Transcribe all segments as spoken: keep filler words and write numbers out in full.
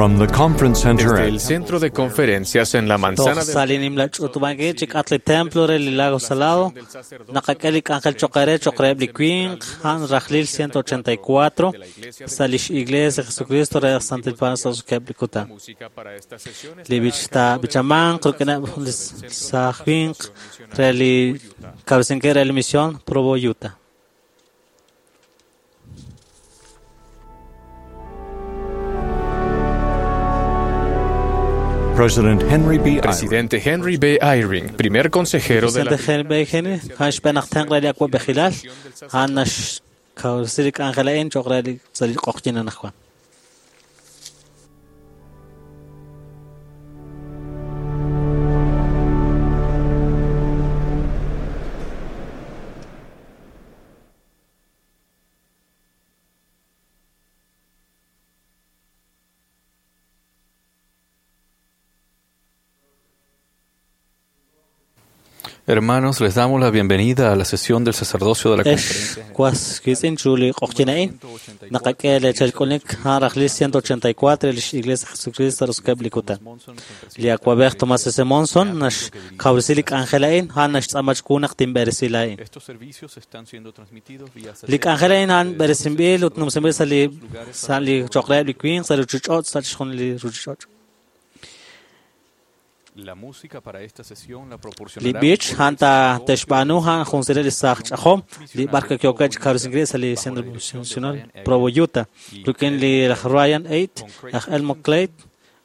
From the conference center Desde at el centro de conferencias en la manzana Toj sa' del li nimla ch'utub'ankil chik'at li templo re li Lago Salado, naqak'e li k'anjel choq' re choq' reheb' li winq, a'an rajlil ciento ochenta y cuatro, sa' lix Iglesia Jesucristo re Santil Paab'anel sa' roso'jikeb' li kutan. música para estas sesiones Li b'ich taab'ichamanq rik'ineb' li saaj winq re li kawresinkil re li misión Provo, Utah. President Henry B. Eyring, Presidente Henry B. Eyring, primer consejero de la Presidente Henry B. Henry, a'an xb'een aj tenq' re li awa'b'ejilal, a'an naxkawresi li k'anjel a'in choq' re li sa' li q'oqyin anaqwan. Hermanos, les damos la bienvenida a la sesión del sacerdocio de la Ex conferencia. was kitz'in chu li q'oqyin a'in, naqak'e lechal k'ulik a'an rajlil ciento ochenta y cuatro lix Iglesia Jesucristo roso'jikeb' li kutan. Li awa'b'ej Thomas S. Monson naxkawresi li k'anjel a'in, a'an naxtz'aama chiwu naq tinb'eresi laa'in. Estos servicios están siendo transmitidos vía Li k'anjel a'in a'an b'eresinb'il ut numsinb'il sa' li sa' li choq' reheb' li winq sa' li ruchich'och' sa' chixjunil li ruchich'och'. La música para esta sesión la Li proporcionará b'ich a'an ta te'xb'aanu a'an jun siret li saaj ch'ajom li b'ar ki'okeb' chi kawresinkil sa' li Centro Misional Provo, Utah, rik'in li laj Ryan Eight, laj Elmo Clay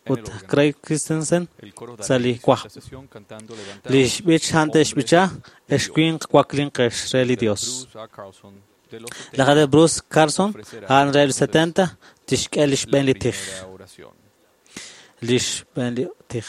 ut Craig Christensen el coro sa' dará li inicio a wajb'. esta sesión cantando Levantaos, Li xb'ich a'an te'xb'icha ex winq waklinqex re li Dios. Bruce A. Carlson de los Laj de Bruce Carlson a'an re li setenta tixk'e li xb'een li la tij. primera oración. Li xb'een li tij.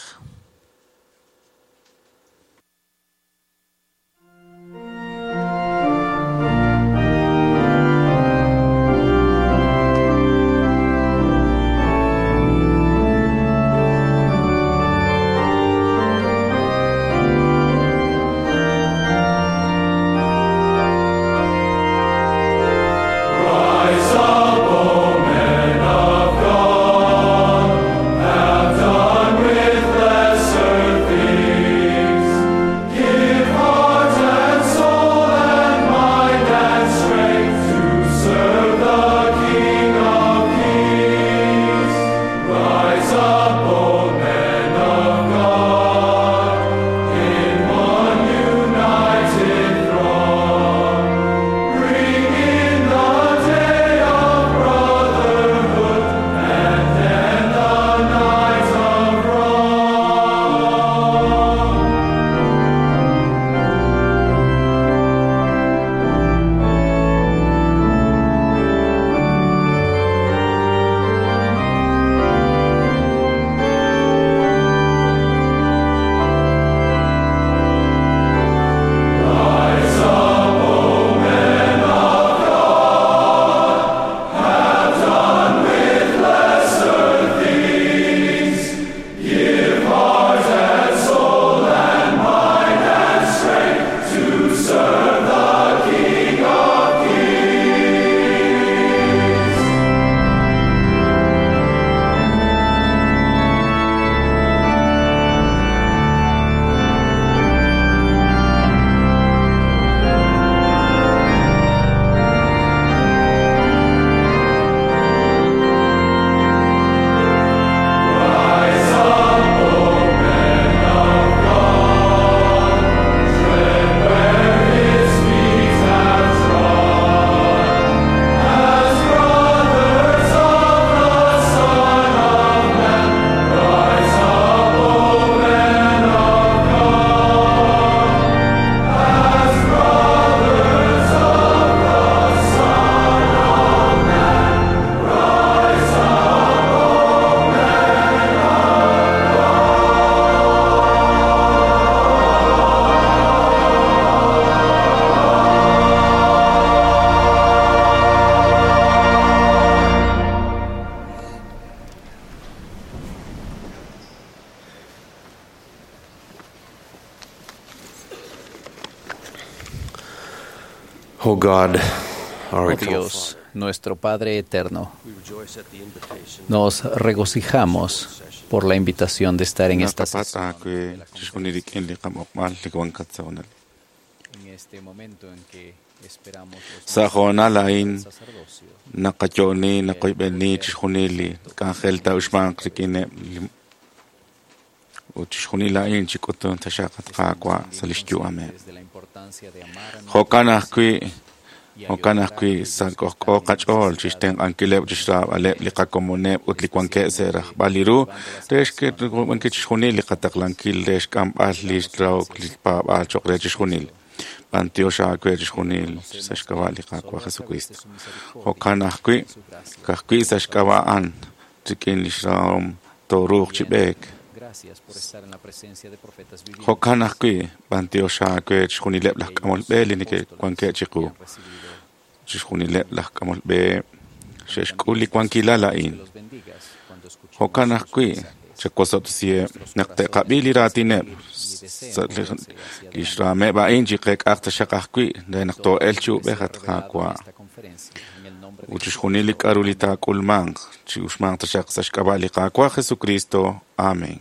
O God, our Oh eternal Dios, nuestro Padre Eterno, nos regocijamos por la invitación de estar en esta Naqapatz' sesión aawe de la chixjunil rik'in li qam'oqb'al li wankat sa' honal. en este momento en que esperamos los Sa' hoonal a'in del sacerdocio. naqayo'ni naqoyb'eni chixjunil li k'anjel ta'uxmanq rik'ineb' li ut chixjunil a'in chik'utun taxaq Qaawa' sa' lix yu'ameb'. Desde la importancia de amar a Jo'kan nuestros ajwi' y jo'kan ayudar a ajwi' aquellos sa' que k'ojk'o están en qach'ool necesidad chixtenq'ankileb' chixraab'aleb' li qakomoneb' ut li wankeb' sa' rajb'al li ru re xk'eeb'ankil chixjunil li qataqlankil re xk'amb'al li rahok li paab'aal cho'q re chixjunil. B'antiox aawe chixjunil sa' xk'ab'a' li Qaawa' Jesucristo. Jo'kan ajwi' ka'ajwi' sa' xk'ab'a' a'an rik'in li xrahom tooruuq chi b'eek. Gracias por estar en la presencia de profetas vivientes. Jo'kan ajwi' b'antiox aawe chixjunileb' laj k'amol b'e li neke'wankeb' chiqu. Que han recibido Chixjunileb' laj k'amol b'e xe'xk'ul li wankilal a'in. que los bendigas cuando escuchemos Jo'kan sus ajwi' mensajes. chawosob'tesiheb' naq te'qab'i li raatineb' sa' li- li xraameb' a'in chiqeek'aq taxaq ajwi' re naq too'elq chi ub'ej at Sea revelado en Qaawa'. esta conferencia, en el nombre de Ut chixjunil li k'aru li taak'ulmanq chi'uxmanq taxaq sa' xk'ab'a' li Qaawa' Jesucristo. Amén.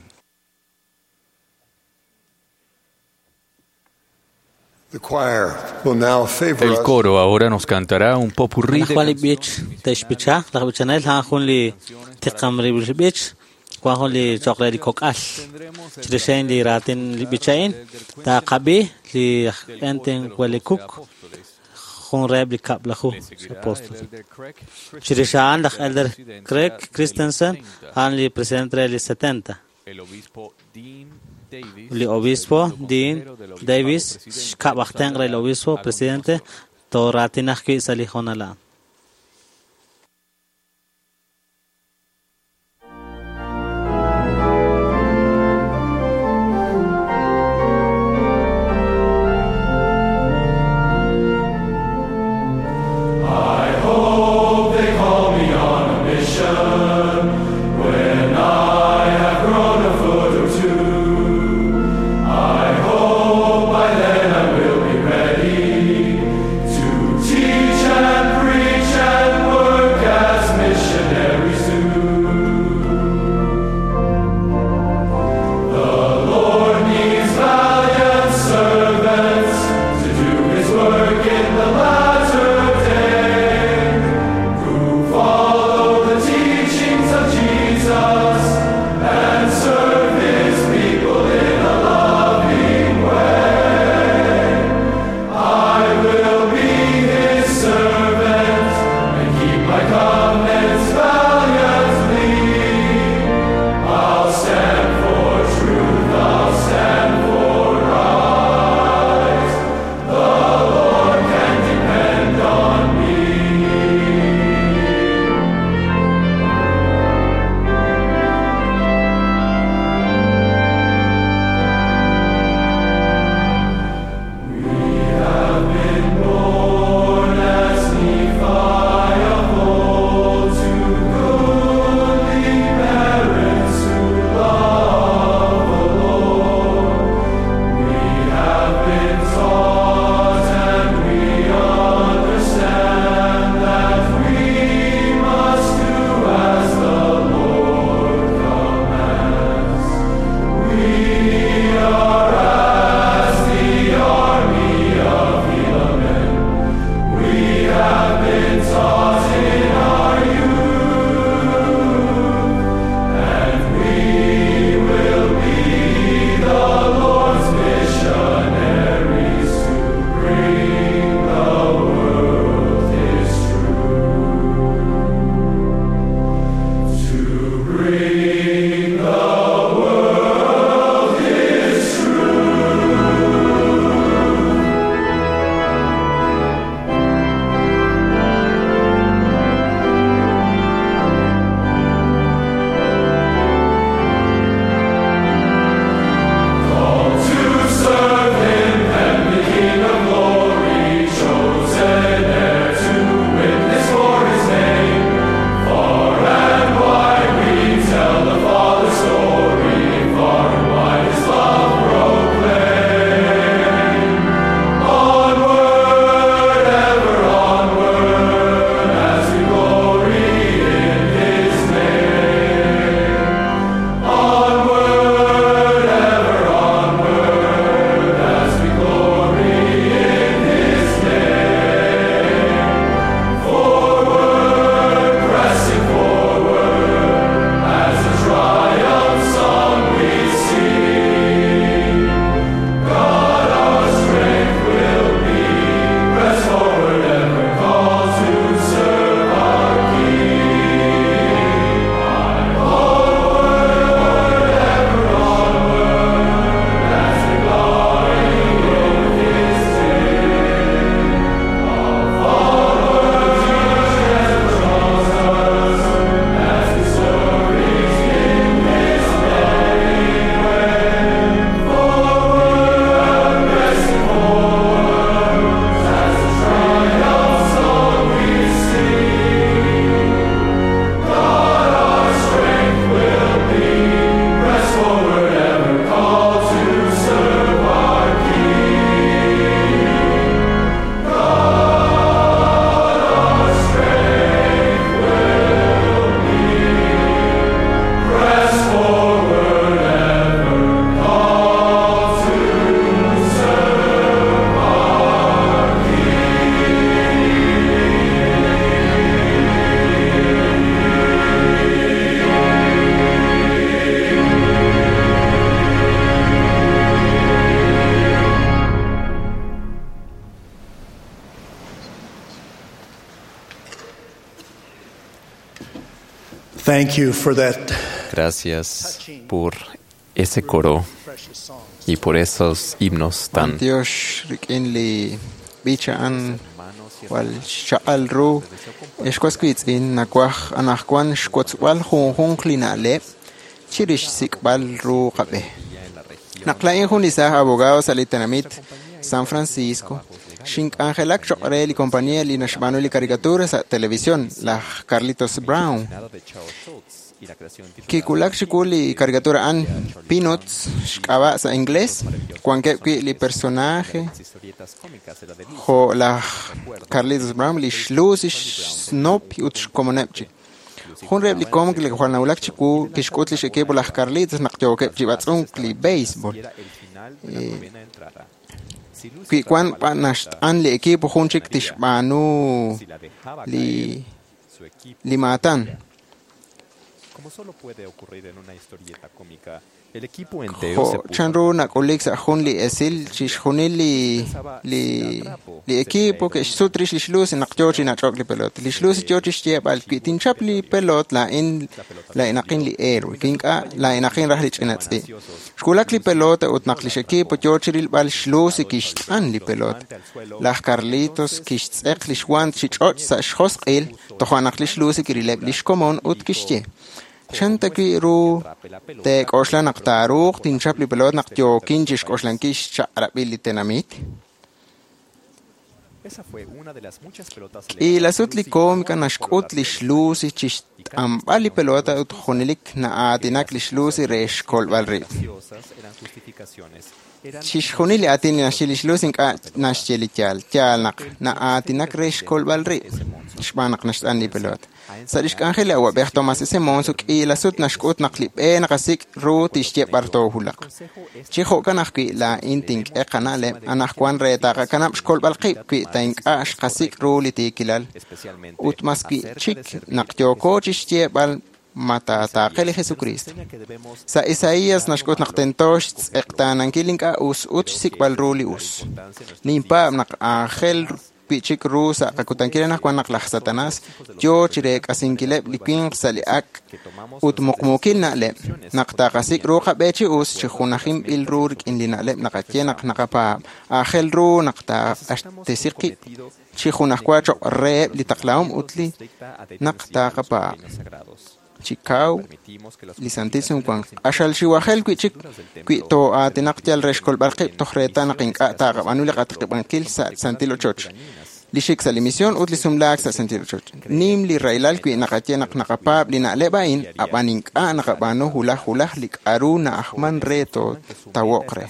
The choir will now favor El us coro ahora nos cantará un popurrí de Anaqwan li b'ich te'xb'icha laj b'ichanel a'an jun li tiqamrib'il b'ich wan jun li cho'q re li kok'al chirix a'in li raatin li b'ich a'in taqab'i li aj Quentin Wellcook jun reheb' li kab'laju apóstol chirix a'an laj Elder Craig Christensen a'an li presidente re li setenta El obispo Dean Davis, li obispo Dean Davis xkab' aj tenq' re li obispo presidente tooraatin ajwi' sa' li hoonal a'an. Teach and preach and work as missionaries do. The Lord needs valiant servants to do His work in the latter day, who follow the teachings of Jesus and serve His people in a loving way. I will be His servant and keep my covenants valiantly. I'll stand for truth, I'll stand for right. The Lord can depend on me. We have been born as Nephi of old to goodly parents who love the Lord. We have been taught and we understand that we must do as the Lord commands. We are as the army of Helaman. We have been taught in our youth, and we will be the Lord's missionaries to bring the world His truth. To bring the world Thank you for that Gracias por ese coro y por esos himnos tan Dios rik'in li b'ich a'an jwal xchaq'al ru ex was wiitz'in nawaj anaqwan xwotzb'al junjunq li na'leb' chirix xsik'b'al ru qab'e. Naq laa'in jun li saaj abogado sa' li tenamit San Francisco, xink'anjelak choq' re li compañía li naxb'aanu li caricatura sa' televisión, laj Carlitos Brown. Kiwulak chiwu li caricatura a'an Peanuts xk'ab'a' sa' inglés, wankeb' wi' li personaje jo' laj Carlitos Brown, li xLucy, xSnoopy ut xkomoneb' chik. Jun reheb' li cómic li jwal nawulak chiwu kixk'ut lix equipo laj Carlitos naq yookeb' chi b'atz'unk li béisbol. Wi wan b'an naxt'an li equipo jun chik tixb'aanu li li maatan. Como solo puede ocurrir en una historieta cómica, el equipo entero se Jo' puso chanru nak'ulik sa' jun li esil chixjunil li li li equipo ke'xsut rix lix Lucy naq yoo chi nach'ok li pelota. Lix Lucy yoo chixyeeb'al wi tinchap li pelot laa'in laa'inaqin li héroe, wi ink'a' laa'inaqin raj li ch'ina tz'i'. Xwulak li pelota ut naq lix equipo yoo chirilb'al xLucy kixt'an li pelota. Laj Carlitos kixtz'eq lix guant chi ch'och' sa' xjosq'il, toja' naq lix Lucy kirileb' lix komon ut kixye: Chan ta wi' ru teek'oxla naq taaruuq tinchap li pelota naq yookin chixk'oxlankil xchaq'rab'il li tenamit? Esa fue una de las muchas pelotas K'iila sut li cómica naxk'ut lix Lucy chixt'anb'al li pelota ut junelik na'aatinak lix Lucy re xkolb'al rib'. graciosas eran justificaciones. Eran Chixjunil li aatin li naxye lix Lucy ink'a' naxye li yaal, yaal naq na'aatinak re xkolb'al rib' xb'aan naq naxt'an li pelota. Sa' lix k'anjel li awab'ej Thomas S. Monson k'iila sut naxk'ut naq li b'e naqasik' ru tixye b'ar toowulaq. Chi jo'kan ajwi' laa'in tink'e qana'leb' anaqwan re taqakanab' xkolb'al qib' wi ta ink'a' xqasik' ru li tiikilal ut mas wi'chik naq yooko chixyeeb'al ma taataaqe li Jesucristo. Sa' Isaías naxk'ut naq tento xtz'eqtaanankil ink'a' us ut xsik'b'al ru li us. Ninpaab' naq aajel wi'chik ru sa' qakutankil anaqwan naq laj Satanás yoo chireek'asinkileb' li winq sa' li ak' ut muqmuukil na'leb' naq taqasik' ru qab'e chi us chi junajinb'il ru rik'in li na'leb' naqaye naq naqapaab'. Aajel ru naq taaq'axtesi qib' chi junajwa choq' reheb' li taqlahom ut li naq taqapaab'. Chi kaw li santil sumwank q'axal xiwajel wi'chik wi too'aatinaq yal re xkolb'al qib' toj reetal naq ink'a' taqab'aanu li qatiqib'ankil sa' santil ochoch, li xik sa' li misión ut li sumlaak sa' santil ochoch. Nim li rahilal wi naqaye naq naqapaab' li na'leb' a'in, ab'an ink'a' naqab'aanu hulaj hulaj li k'a'ru na'ajman re tootawoq re.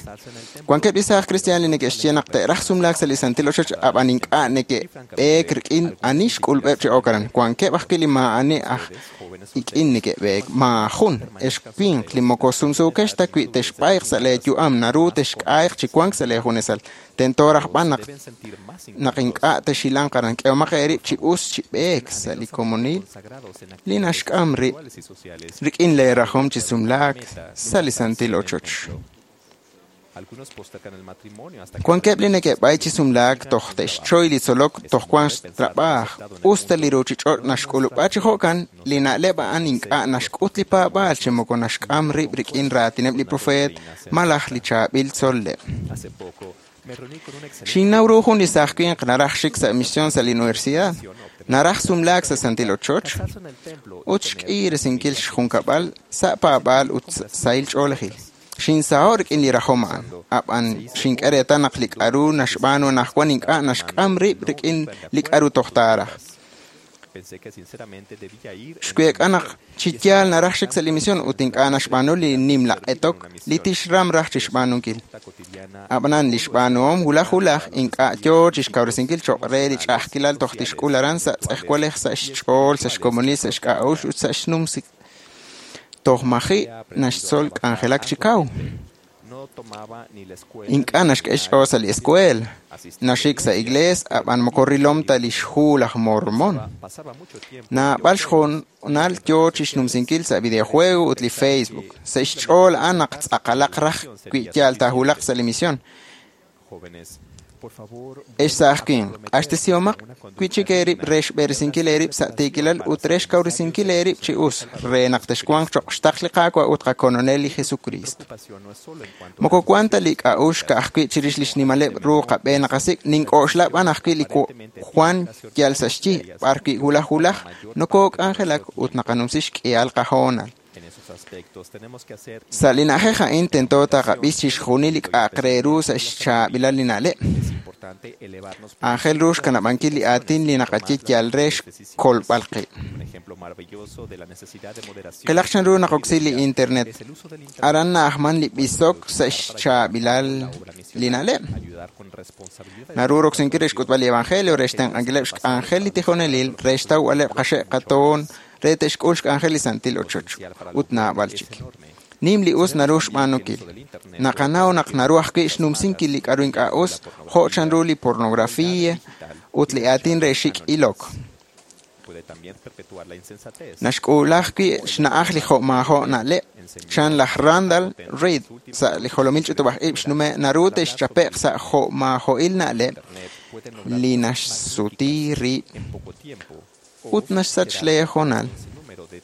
Wankeb' li saaj cristian li neke'xye naq te'raj sumlaak sa' li santil ochoch, ab'an ink'a' neke'b'eek rik'in ani xk'ulb'eb' chi ok aran. Wankeb' ajwi' li maa'ani aj ik'in neke'b'eek, maajun ex winq li moko sumsuukex ta wi texb'ayq sa' lee yu'am naru texk'ayq chi wank sa' lee junesal. Tento raj b'an naq naq ink'a' texilanq aran, k'ehomaq eerib' chi us chi b'eek sa' li komonil li naxk'am rib' rik'in lee rajom chi sumlaak sa' li santil ochoch. Algunos postergan el matrimonio hasta que Wankeb' li neke'b'ay chi sumlaak toj te'xchoy li tzolok toj wank xtrab'aaj. Us ta li ruuchich'och' naxk'ulub'a chi jo'kan, li na'leb' a'an ink'a' naxk'ut li paab'aal chi moko naxk'am rib' rik'in raatineb' li profeet malaj li chaab'il tzol'leb'. hace poco me reuní con un excelente Xinnaw ru jun li saaj winq naraj xik sa' misión sa' li universidad, naraj sumlaak sa' santil ochoch casarse en el templo y ut tener xk'iiresinkil xjunkab'al sa' paab'aal ut sahil ch'oolejil. Xinsaho' rik'in li rajom a'an, ab'an xink'e reetal naq li k'a'ru naxb'aanu anaqwan ink'a' naxk'am rib' rik'in li k'a'ru toj taaraj. Pensé que sinceramente debía ir en Xweek'a naq chi yaal naraj xik sa' li misión ut ink'a' naxb'aanu li nimla q'etok li tixram raj chixb'aanunkil. la cotidiana Ab'anan li xb'aanuhom hulaj hulaj ink'a' yoo chixkawresinkil choq' re li ch'a'ajkilal toj tixk'ul aran sa' tz'ejwalej, sa' xch'ool, sa' xkomonil, sa' xk'a'uxl ut sa' xnumsik. Toj maji' naxtzol k'anjelak chi kaw. no tomaba ni la escuela Ink'a' naxk'e xch'ool sa' li escuela, naxik sa' iglees, ab'an moko rilom ta lix hu laj Mormón. pasaba mucho tiempo Naab'al xhoonal yoo chixnumsinkil sa' videojuego ut li Facebook. Sa' xch'ool a'an naq tz'aqalaq raj wi yaal taahulaq sa' li misión. jóvenes Ex saaj winq, q'axtesihomaq wi'chik eerib' re xb'eresinkil eerib' sa' tiikilal ut re xkawresinkil eerib' chi us re naq texwanq cho'q xtaql li Qaawa' ut qakolonel li Jesukriist. Moko wan ta li k'a'uxl ka'ajwi' chirix li xnimaleb' ru qab'e naqasik', nink'oxla b'an ajwi' li wan yal sa' xyi, b'arwi' wulaj wulaj nokook'anjelak ut naqanumsi xk'ihal qahoonal. Sa' li na'ajej a'in tento taqab'is chixjunil li k'a'aq re ru sa' xchaab'ilal li na'leb'. Aajel ru xkanab'ankil li aatin li naqaye yal re xkolb'al qib'. Qilaq chanru naqoksi li internet. Aran na'ajman li b'isok sa' xchaab'ilal li na'leb'. Naru roksinkil re xk'utb'al li evangelio, re xtenq'ankileb' xk'anjel li tijonelil, re xtawb'aleb' qaxe' qatoon, re te'xk'ul xk'anjel li santil ochoch, ut naab'al chik. Nim li us naru xb'aanunkil. Naqanaw naq naru ajwi' xnumsinkil li k'a'ru ink'a' us, jo' chanru li pornografía ut li aatin re xik' ilok. Naxk'uula ajwi' xna'aj li jo'maajo' na'leb'. Chan laj Randall Reid sa' li jolomil ch'utub'aj-ib' xnume' naru te'xchape'q sa' jo'maajo'il na'leb' li naxsuti rib' ut naxsach lee hoonal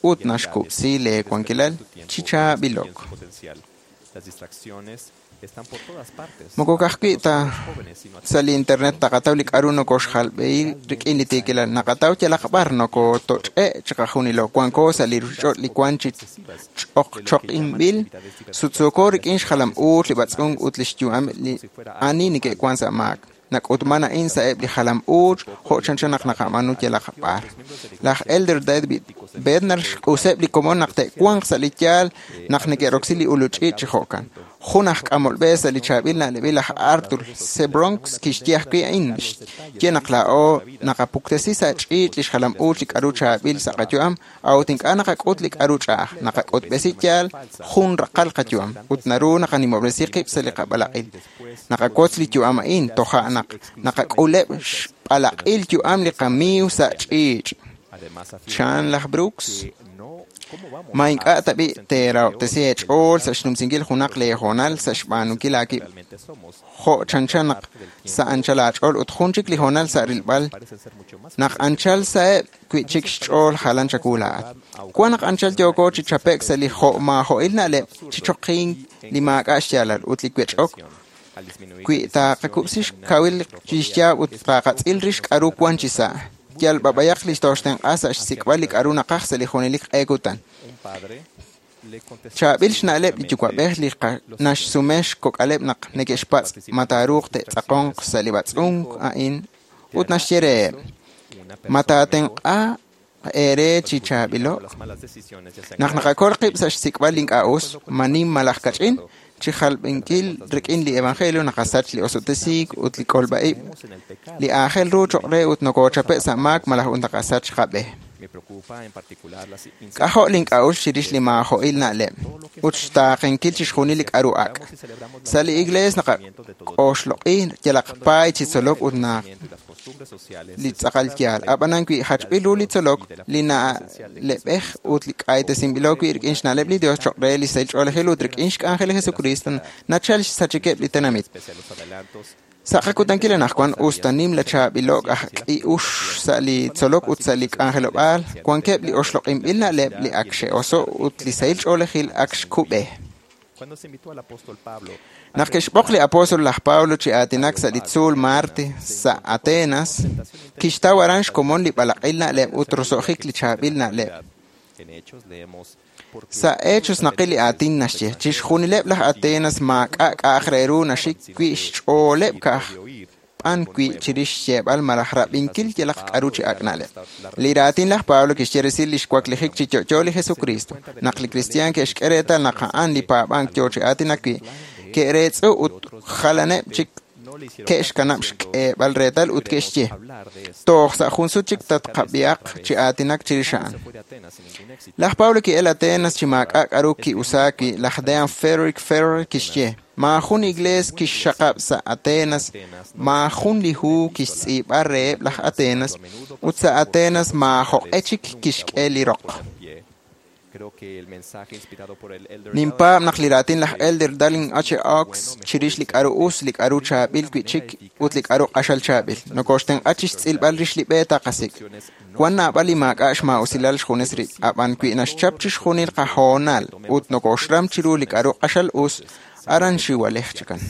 ut naxkub'si lee wankilal chi chaab'ilok. Moko ka'ajwi' ta sa' li internet taqataw li k'a'ru nokoxjalb'ehi rik'in li tiikilal, naqataw yalaq b'ar nokotoch'e' chiqajunilo, wanko sa' li ruchich'och' li wan chi ch'oqch'oqinb'il, sutsuuko rik'in xjalam-uuch li b'atz'unk ut lix yu'am li ani neke'wan sa' maak. Nak'utman a'in sa'eb' li jalam-uuch jo' chanchan naq naqab'aanu yalaq b'ar. Laj Elder David Bednar xq'useb' li komon naq te'wanq sa' li yaal naq neke'roksi li ulul ch'iich' chi jo'kan. Jun aj k'amol b'e sa' li chaab'il na'leb'il laj Arthur C. Bronks kixye ajwi' a'in, xye naq laa'o naqapuktesi sa' ch'iich' li xjalam-uuch li k'a'ru chaab'il sa' qayu'am, a'ut ink'a' naqak'ut li k'a'ru ch'a'aj, naqak'utb'esi yaal jun raqal qayu'am, ut naru naqanimob'resi qib' sa' li qab'alaq'il. Naqawotz li yu'am a'in, toja' naq naqak'uleb' xb'alaq'il yu'am li qamiiw sa' ch'iich'. Chan laj Brooks, ma ink'a' tab'i' teerahob'tesi eech'ool sa' xnumsinkil junaq lee hoonal sa' xb'aanunkil aawib' jo' chanchan naq sa' anchal aach'ool ut jun chik li hoonal sa' rilb'al naq anchal saheb' wi'chik xch'ool jalan chawu laa'at. Wan naq anchal yooko chi chape'k sa' li jo'maajo'il na'leb' chi choqink li maak'a' xyaalal ut li wech'ok wi taqakub'si xkawil li xyaab' ut taqatz'il rix k'a'ru wan chi sa'. Yal b'ab'ayaq li tooxtenq'a sa' xsik'b'al li k'a'ru naqaj sa' li junelik q'e kutan. Chaab'il xna'leb' li yuwa'b'ej li naxsume xkok'aleb' naq neke'xpatz' ma taaruuq te'tz'aqonq sa' li b'atz'unk a'in ut naxye reheb', ma taatenq'a eere chi chaab'ilo'k? Naq naqakol qib' sa' xsik'b'al li ink'a' us, ma nim malaj kach'in, chi jalb'inkil rik'in li evangelio naqasach li osob'tesiik ut li kolb'a-ib' li aajel ru cho'q re ut nokochape' sa' maak malaj ut naqasach qab'e. K'ajo' link'a'uxl chirix li maajo'il na'leb' ut xtaaqenkil chixjunil li k'a'ru ak'. Sa' li iglees naqak'oxloq'i yalaq paay chi tzolok ut naq li tz'aqal yaal. Ab'anan wi jachb'il ru li tzolok, li na'leb'ej ut li k'aytesinb'ilo wi' rik'in xna'leb' li Dios cho'q re li sahil ch'oolejil ut rik'in xk'anjel li Jesucristo nachal xsachikeb' li tenamit. Sa' qakutankil anaqwan us ta nim la chaab'ilo'k aj k'i'ux sa' li tzolok ut sa' li k'anjelob'aal, wankeb' li oxloq'inb'il na'leb' li ak xe'oso' ut li sahil ch'oolejil ak xkub'e. Naq ke'xb'oq li apóstol laj Pablo chi aatinak sa' li tzuul Marte sa' Atenas, kixtaw aran xkomon li b'alaq'il na'leb' ut roso'jik li chaab'il na'leb'. Sa' Hechos naqil li aatin naxye, chixjunileb' laj Atenas maak'a' k'a'aq re ru naxik wi' xch'ooleb' ka'aj b'an wi' chirix xyeeb'al malaj rab'inkil yalaq k'a'ru chi ak' na'leb'. Li raatin laj Pablo kixye resil li xwaklijik chi yo'yo li Jesucristo, naq li kristiaan ke'xk'e reetal naq a'an li paab'ank yoo chi aatinak wi', ke'reetz'u ut jalaneb' chik ke'xkanab' xk'eeb'al reetal ut ke'xye, toj sa' jun sut chik tatqab'ihaq chi aatinak chirix a'an. Laj Pablo ki'el Atenas chi maak'a' k'a'ru ki'usaak wi' laj Dean Frederick Ferrer kixye, maajun iglees kixxaqab' sa' Atenas, maajun li hu kixtz'iib'a reheb' laj Atenas, ut sa' Atenas maajoq'e chik kixk'e li roq. Ninpaab' naq li raatin laj Elder Dallin H. Oaks chirix li k'a'ru us, li k'a'ru chaab'il wi'chik ut li k'a'ru q'axal chaab'il. Nokoxtenq'a chixtz'ilb'al rix li b'e taqasik'. Wan naab'al li maak'a' xmaa'usilal xjunes rib', ab'an wi naxchap chixjunil qahoonal ut nokoxram chiru li k'a'ru q'axal us, aran xiwalej chikan.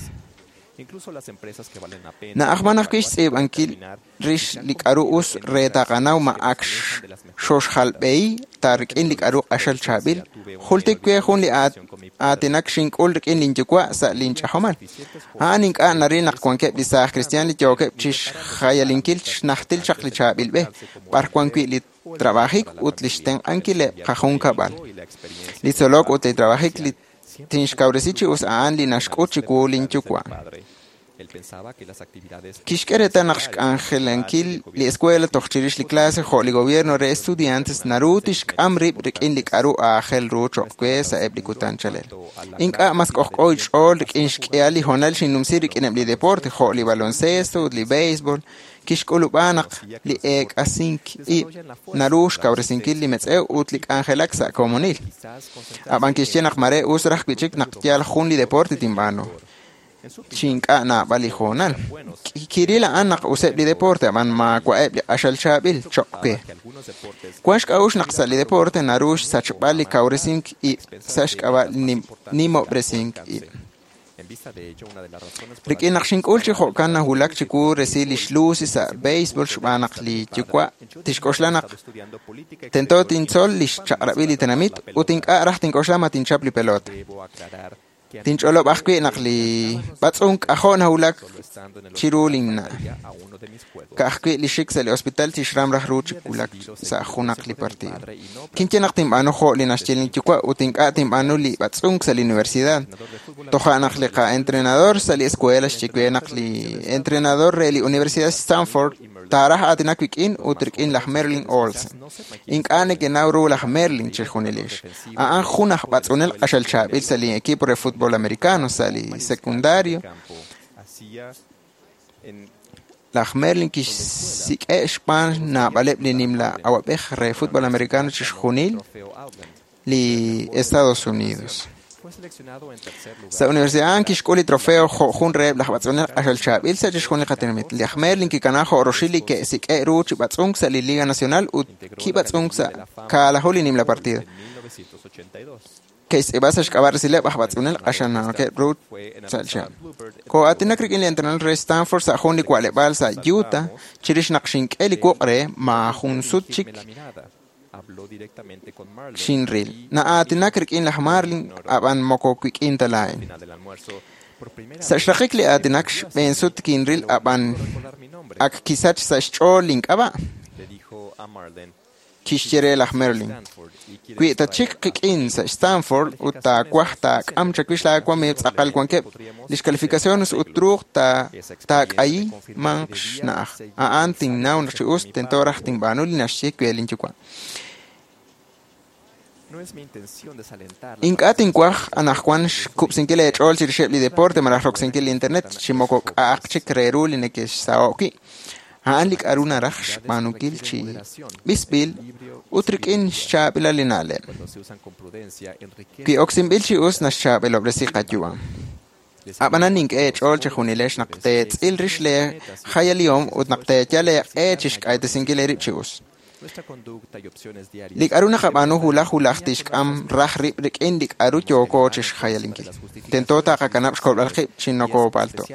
Na'ajman ajwi' xtz'iib'ankil rix li k'a'ru us re taqanaw ma ak xoxjalb'ehi ta rik'in li k'a'ru q'axal chaab'il. Jultik we jun li aatinak xink'ul rik'in linyuwa' sa' linch'ajomal. A'an ink'a' naril naq wankeb' li saaj kristiaan li yookeb' chixjayalinkil xnajtil chaq li chaab'il b'e, b'ar wan wi' li trabajik ut li xtenq'ankileb' qajunkab'al. Li tzolok ut li trabajik li tinxkawresi chi us a'an li naxk'ut chiwu linyuwa'. Kixk'e reetal naq xk'anjelankil li escuela toj chirix li clase jo' li gobierno re estudiantes naru tixk'am rib' rik'in li k'a'ru aajel ru cho'q we sa'eb' li kutan chalel. Ink'a' mas k'ojk'o xch'ool rik'in xk'ihal li hoonal xinnumsi rik'ineb' li deporte jo' li baloncesto ut li béisbol. Kixk'ulub'a naq li eek'asink ib' naru xkawresinkil li metz'ew ut li k'anjelak sa' komonil. Ab'an kixye naq mare us raj wi'chik naq yal jun li deporte tinb'aanu. Chi ink'a' naab'al li hoonal. Kiril a'an naq useb' li deporte, ab'an maawa'eb' li q'axal chaab'il cho'q we. Wan xk'a'uxl naq sa' li deporte naru xsachb'al li kawresink ib' sa' xk'ab'a' nimob'resink ib'. Rik'in naq xink'ul chi jo'kan nawulak chiwu resil lix Lucy sa' béisbol xb'aan naq li yuwa' tixk'oxla naq tento tintzol li xchaq'rab'il li tenamit ut ink'a' raj tink'oxla ma tinchap li pelota. Tinch'olob' ajwi' naq li b'atz'unk k'ajo' nawulak chiru linna'. Ka'ajwi' li xik sa' li hospital tixram raj ru chi wulak sa' junaq li partido. Kinye naq tinb'aanu jo' li naxye linyuwa' ut ink'a' tinb'aanu li b'atz'unk sa' li universidad. Toja' naq li qa'entrenador sa' li escuela xye we naq li entrenador re li Universidad Stanford taaraj aatinak wik'in ut rik'in laj Merlin Olsen. Ink'a' nekenaw ru laj Merlin chixjunilix. A'an jun aj b'atz'unel q'axal chaab'il sa' li equipo re fútbol americano sa' li secundario. Laj Merlin kixsik'e' xb'aan naab'aleb' li nimla awab'ej re fútbol americano chixjunil li Estados Unidos. Sa' universidad a'an kixk'ul li trofeo jo' jun reheb' laj b'atz'unel q'axal chaab'il sa' chixjunil qatenamit. Laj Merlin kikana jo' roxil li ke'sik'e' ru chi b'atz'unk sa' li Liga Nacional ut kib'atz'unk sa' kaalaju li nimla partido. Ke'xtz'iib'a sa' xk'ab'a' resileb' aj b'atz'unel q'axal naanokeb' ru sa' chihab'. Koo'aatinak rik'in li entrenador re Stanford sa' jun li wa'leb'aal sa' Utah chirix naq xink'e li wuq' re maajun sut chik xinril. Na'aatinak rik'in laj Marlin, ab'an moko wik'in ta laa'in. Sa' xraqik li aatinak xb'een sut kinril ab'an ak kisach sa' xch'ool link'ab'a'. Kixye re laj Merlin, wi tatxik qik'in sa' Stanford ut taawaj taak'am chawix laawamiiw tz'aqal wankeb' lix calificaciones ut truuq taak'ayi manq xna'aj. A'an tinnaw naq chi us tento raj tinb'aanu li naxye we linyuwa'. Ink'a' tinwaj anajwan xkub'sinkil eech'ool chirixeb' li deporte malaj roksinkil li internet chi moko k'a'aq chik re ru li neke'xsaho'k wi'. A'an li k'a'ru naraj xb'aanunkil chi b'isb'il ut rik'in xchaab'ilal li na'leb'. Wi oksinb'il chi us naxchaab'ilob'resi qayu'am. Ab'anan nink'e eech'ool chejunilex naq teetz'il rix lee jayalihom ut naq teeyal eeq'e chixk'aytesinkil eerib' chi us. Li k'a'ru naqab'aanu wulaj wulaj tixk'am raj rib' rik'in li k'a'ru yooko chixjayalinkil. Tento taqakanab' xkolb'al qib' chi nokoopalto'.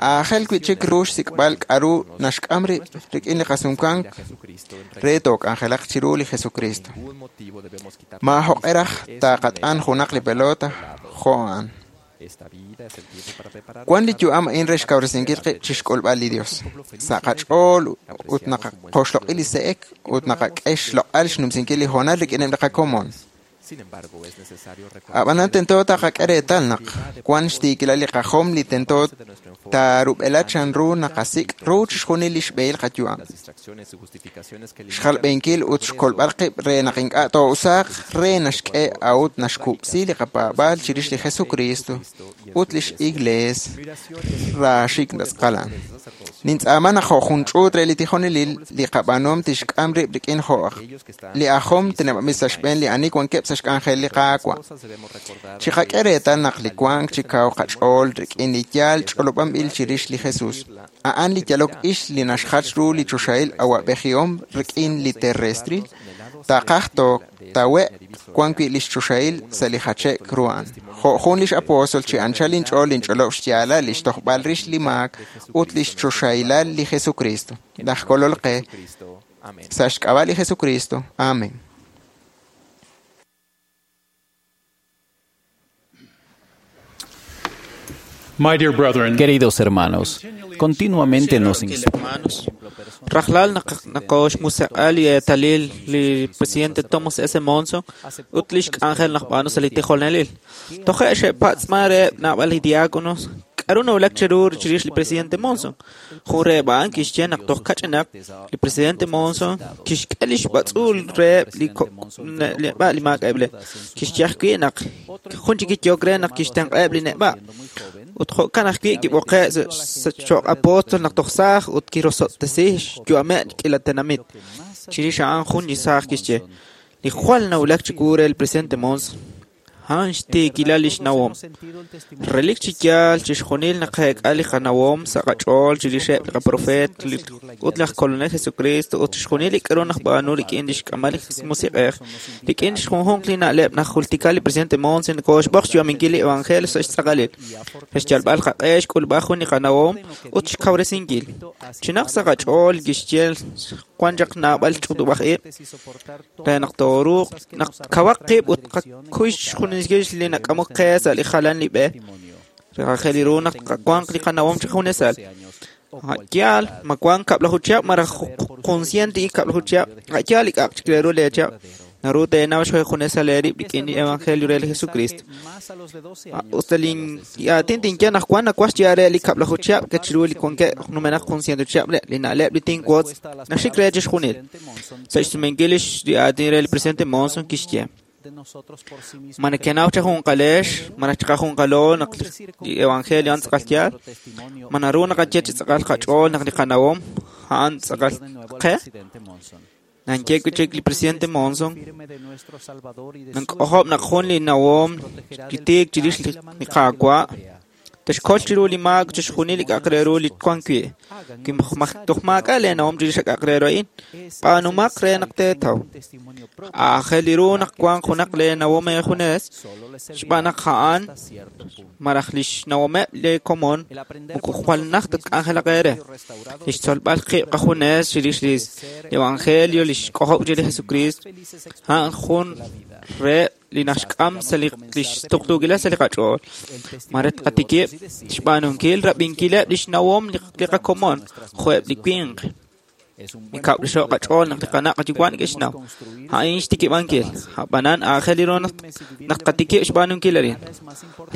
Aajel wi'chik ru xsik'b'al k'a'ru naxk'am rib' rik'in li qasumwank re took'anjelaq chiru li Jesucristo. Maajoq'e raj taqat'an junaq li pelota jo' a'an. Wan li yu'am a'in re xkawresinkil qib' chixk'ulb'al li Dios. Sa' qach'ool ut naqaqoxloq'i li se'ek ut naqak'e xloq'al xnumsinkil li hoonal rik'ineb' li qakomon. Ab'anan tento taqak'e reetal naq wan xtiikilal li qajom li tento taarub'ela chanru naqasik' ru chixjunil li xb'ehil qayu'am. Xjalb'ehinkil ut xkolb'al qib' re naq ink'a' too'usaaq re naxk'e a'ut naxkub'si li qapaab'aal chirix li Jesucristo ut lix Iglees raaxik tz'aqalan. Nintz'aama naq jo' jun ch'uut re li tijonelil li qab'aanuhom tixk'am rib' rik'in jo' li ajom teneb'anb'il sa' xb'een li ani wankeb' sa' xk'anjel li Qaawa'. Chiqak'e reetal naq li wank chi kaw qach'ool rik'in li yaal ch'olob'anb'il chirix li Jesus. A'an li yalok ix li naxjach ru li choxahil awa'b'ejihom rik'in li terrestril. Taqaj tootawe' wan wi' lix choxahil sa' li jache'k ru a'an. Jo' jun lix apóstol chi anchal inch'ool inch'olob' xyaalal lix tojb'al rix li maak ut lix choxahilal li Jesucristo. Laj Kolol qe sa' xk'ab'a' li Jesucristo. Amén. My dear brethren, Queridos hermanos, continuamente nos hermanos, rajlal naqoxmuseq'a li eetalil li presidente Thomas S. Monson ut lix k'anjel naj b'aanu sa' li tijonelil. Toje' xe'patz'man reheb' naab'al li diáconos k'aru nawulak cheru chirix li presidente Monson. Jun reheb' a'an kixye naq toj kach'inaq li presidente Monson kixk'e lix b'atz'uul reheb' li neb'a' li maak'a'eb' le. Kixye ajwi' naq jun chik kiyook re naq kixtenq'aheb' li neb'a'. Ut jo'kan ajwi' kib'oqe' sa' cho'q apóstol naq toj saaj ut kirosob'tesi xyu'ameb' k'iila tenamit. Chirix a'an jun li saaj kixye li jwal nawulak chiwu re li presidente Monson a'an xtiikilal lix nawom. Relik chi yaal chixjunil naqeek'a li qanawom sa' qach'ool chirixeb' li qaprofeet ut laj Kolonel Jesucristo ut chixjunil li k'aru naqb'aanu rik'in lix k'amal li Musiq'ej. Rik'in junjunq li na'leb' najultika li presidente Monson kooxb'oq xyu'aminkil li evangelio sa' xtz'aqalil. Re xyalb'al qaq'e xk'ulb'al jun li qanawom ut xkawresinkil. Chinaq sa' qach'ool kixye wan chaq naab'al ch'utub'aj ib' re naq tooruuq naq kawaq qib' ut qakuy xjunil li nak'amok qe sa' li jalan li b'e. Rajel ru naq wanq li qanawom chi junesal. Yaal, ma wank kab'laju chihab' malaj consciente i kab'laju chihab', yaal li k'a'aq chik re ru leechihab'. Naru teenaw xjunesal eerib' rik'in li evangelio re li Jesucristo. Usta lin aatin tinye naq wan nawaj xyeeb'al re li kab'laju chihab' ke chiru li wankeb' numenaq jun ciento chihab' le li na'leb' li tinwotz naxik re chixjunil. Sa' xsumenkil li aatin re li presidente Monson kixye ma nekenaw chajunqalex malaj chiqajunqalo naq li evangelio a'an tz'aqal yaal, ma naru naqaye chi tz'aqal qach'ool naq li qanawom a'an tz'aqal qe. Nanye wi' chik li presidente Monson nank'ojob' naq jun li nawom li tiik chirix li Qaawa' texkol chiru li maak chixjunil li k'a'aq re ru li wan wi'. Toj maak'a' leenawom chirix k'a'aq re ru a'in, b'aanumaq re naq teetaw. Aajel ru naq wanq junaq leenawom eejunes xb'aan naq a'an malaj lix nawomeb' lee komon moko jwal najt tk'anjelaq eere. Lix tzolb'al qib' qajunes chirix li evangelio li xk'ojob' chirix li Jesucristo a'an jun reheb' li naxk'am sa' li xtuqtuukilal sa' li qach'ool. Mare tqatikib' xb'aanunkil rab'inkileb' lix nawom li qakomon jo'eb' li winq. Mikab'lixo' qach'ool naq li qana' qayuwa' neke'xnaw. A'in xtikib'ankil. Ab'anan aajel ru naq tqatikib' xb'aanunkil arin.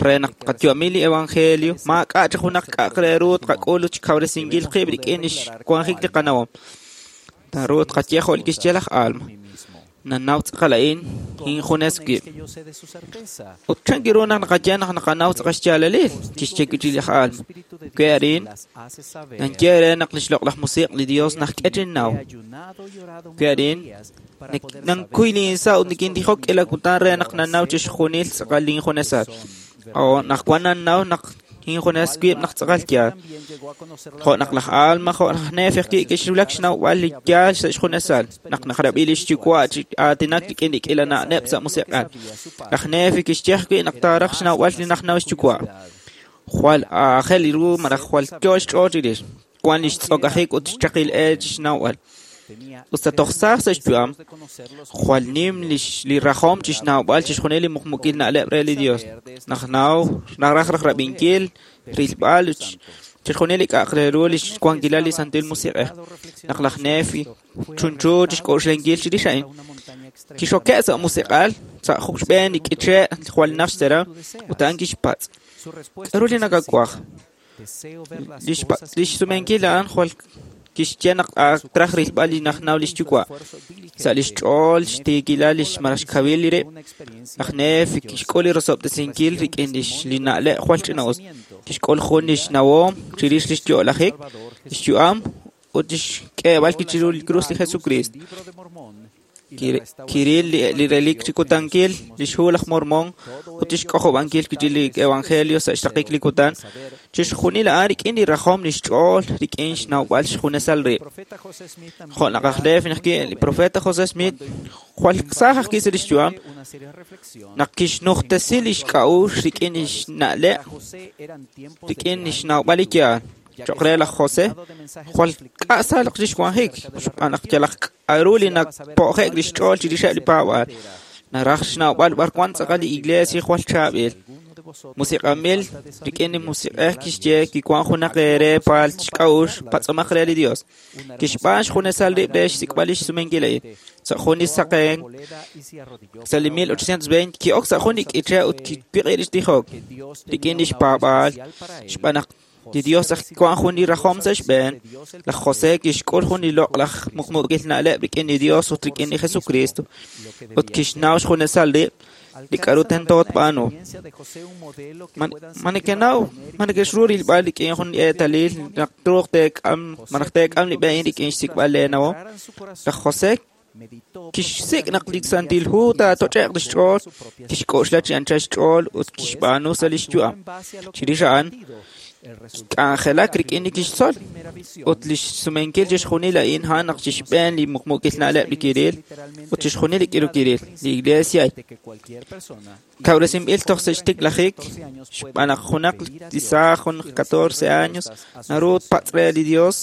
Re naq tqayu'ami li evangelio maak'a' chi junaq k'a'aq re ru tqak'ul ut xkawresinkil qib' rik'in lix wanjik li qanawom. Naru tqaye jo' li kixye laj Alma. Nanaw tz'aqal a'in injunes wib'. Ut chan kiru naq naqaye naq naqanaw tz'aqal xyaalalil, kixye wi' chik laj Alma. Wi arin, nanye re naq lix loq'laj musiq' li Dios najk'e chinnaw. Wi arin, nankuy linsa' ut nikintijok k'iila kutan re naq nanaw chixjunil tz'aqal linjunesal. O naq wan nanaw naq injunes wib' naq tz'aqal yaal. Jo' naq laj Alma jo' laj Nefi ajwi' kixwulak xnawb'al li yaal sa' xjunesal naq naqrab'i lix yuwa' chi aatinak rik'in li k'iila na'leb' sa' musiq'al. Laj Nefi kixye ajwi' naq taaraj xnawb'al li najnaw xyuwa'. Jwal aajel ru malaj jwal yoo xch'ool chirix. Wan lix tz'okajik ut xchaqil e chi xnawb'al. Usta toj saaj sa' xyu'am, jwal nim li rajom chi xnawb'al chixjunil li muqmukil na'leb' re li Dios. Naq naw naraj raj rab'inkil, rilb'al chixjunil li k'a'aq re ru lix wankilal li Santil Musiq'ej. Naq laj Nefi chunchu chixk'oxlankil chirix a'in, kixoke' sa' musiq'al sa' xb'een li k'iche' jwal naj xteram ut a'an kixpatz'. K'aru li nakawaj? Lix sumenkil a'an jwal Kixye naq traj rilb'al li najnaw lix yuwa'. Sa' lix ch'ool xtiikilal lix malaj xkawil li rib', laj Nefi kixk'ul li rosob'tesinkil rik'in lix li na'leb' jwal ch'ina'us. Kixk'ul jun lix nawom chirix lix yo'lajik, lix yu'am ut lix k'eeb'al chiru li krus li Jesucristo. Kiril li relik chi kutankil lix hu laj Mormon ut lix k'ojob'ankil li evangelio sa' xraqik li kutan. Chixjunil a'an rik'in li rajom lix ch'ool rik'in xnawb'al xjunesal rib'. Jo' naq aj Nefi naq li profeta José Smith jwal saaj ajwi' sa' lix yu'am naq kixnujtesi lix k'a'uxl rik'in lix na'leb' rik'in lix nawb'al li yaal. Cho'q re laj José jwal k'a'sal lix wanjik xb'aan naq yalaq k'a'ru li napo'je'k lix ch'ool chirixeb' li paab'aal. Naraj xnawb'al b'ar wan tz'aqal li iglesia jwal chaab'il. Musiq'anb'il rik'in li musiq'ej kixye kiwan junaq eere paal xk'a'uxl patz'omaq re li Dios. Kixb'aan xjunesal rib' re xsik'b'al lix sumenkil a'in. Sa' jun li saqen sa' li mil ochocientos veinte ki'ok sa' jun li k'iche' ut kiwiq'i lix tijok rik'in lix paab'aal xb'aan naq li Dios aj wan jun li rajom sa' xb'een. Laj José kixk'ul jun li loq'laj muqmuqil na'leb' rik'in li Dios ut rik'in li Jesucristo ut kixnaw xjunesal rib' li k'a'ru tento tb'aanu. Ma nekenaw ma nekexru rilb'al rik'in jun li eetalil naq truuq teek'am malaj teek'am li b'e a'in rik'in xsik'b'al leenawom. Laj José kixsik' naq li Santil Hu taatoch'e'q lix ch'ool, kixk'oxla chi anchal xch'ool ut kixb'aanu sa' lix yu'am. Chirix a'an k'anjelak rik'in li kixtzol ut lix sumenkil chixjunil a'in a'an naq chixb'een li muqmuqil na'leb' li kiril ut chixjunil li k'iru kiril. Li iglesia kawresinb'il toj sa' xtiklajik xb'aan naq junaq li saaj jun catorce años naru tpatz' re li Dios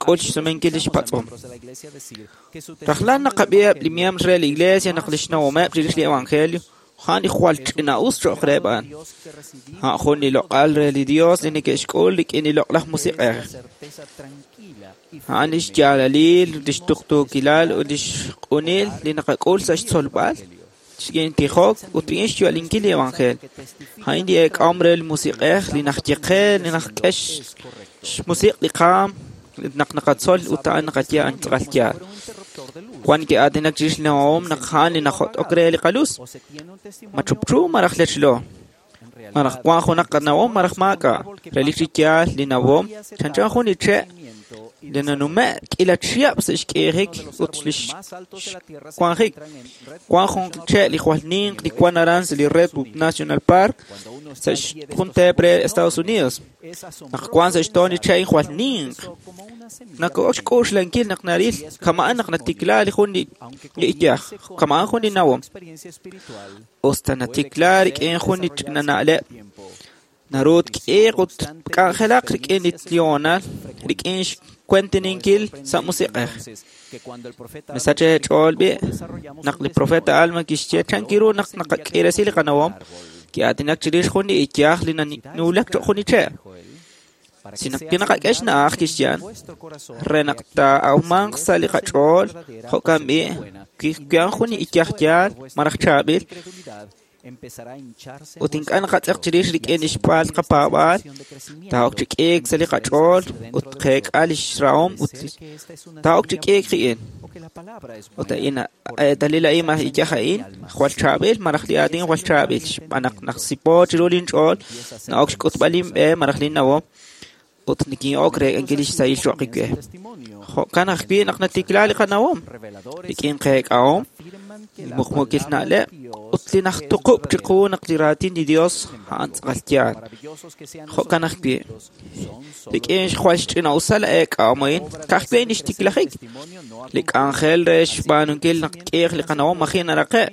k'ul xsumenkil lix patz'om. Rajlal naqab'iheb' li miembros re li iglesia naq lix nawomeb' chirix li evangelio a'an li jwal ch'ina'us cho'q reheb' a'an. A'an jun li loq'al re li Dios li neke'xk'ul rik'in li loq'laj musiq'ej. A'an lix yaalalil, lix tuqtuukilal ut lix q'unil li naqak'ul sa' xtzolb'al, rik'in tijok ut rik'in xyu'alinkil li evangelio. A'in li eek'ahom re li musiq'ej li najye qe, li najk'e xmusiq' li qaam naq naqatzol ut a'an naqaye a'an tz'aqal yaal. Wan ke'aatinak chirix li nawom naq a'an li najot'ok re li qalus. Machupchu malaj lechlo. Malaj wan junaq qanawom malaj maak'a'. Relik chi yaal li nawom chanchan jun li che' li nanume' k'ila chihab' sa' xk'iijik ut lix wanjik. Wan jun che' li jwal ninq li wan aran sa' li Redwood National Park sa' jun teep re Estados Unidos. Naq wan sa' xtoon li che' jwal ninq. Nako'ok xk'uxlankil naq naril kama'an naq natikla li jun li iyaj, kama'an jun li nawom. Usta natikla rik'in jun li ch'ina na'leb'. Naru tk'iiq ut k'anjelaq rik'in li tlional, rik'in xkuentininkil sa' musiq'ej. Misach eech'ool b'i' naq li profeta Alma kixye chankiru naq naqak'iresi li qanawom, ki'aatinak chirix jun li iyaj li nanuulak cho'q jun li che'. Si naq kinaqak'e xna'aj kixye re naq taa'awmanq sa' li qach'ool jo'kan b'i' kiwan jun li iyaj yaal malaj chaab'il ut ink'a' naqatz'eq chirix rik'in lix paal qapaab'aal taa'ok chi k'iik sa' li qach'ool ut qeek'a lix rahom ut taa'ok chi k'iik qi'in. Ut a'in eetalil a'in malaj iyaj a'in jwal chaab'il malaj li aatin jwal chaab'il xb'aan naq naqsipo chiru linch'ool na'ok xk'utb'al linb'e malaj linnawom ut nikin'ok reek'ankil lix sahil cho'q we. Jo'kan ajwi' naq natikla li qanawom rik'in qeek'ahom, li muqmuqil na'leb' ut li najtuqub' chiqu naq li raatin li Dios a'an tz'aqal yaal. Jo'kan ajwi' rik'in jwal xch'ina'usal eek'ahom a'in ka'ajwi' a'in xtiklajik. Li k'anjel re xb'aanunkil naq k'iiq li qanawom maji' naraqe'.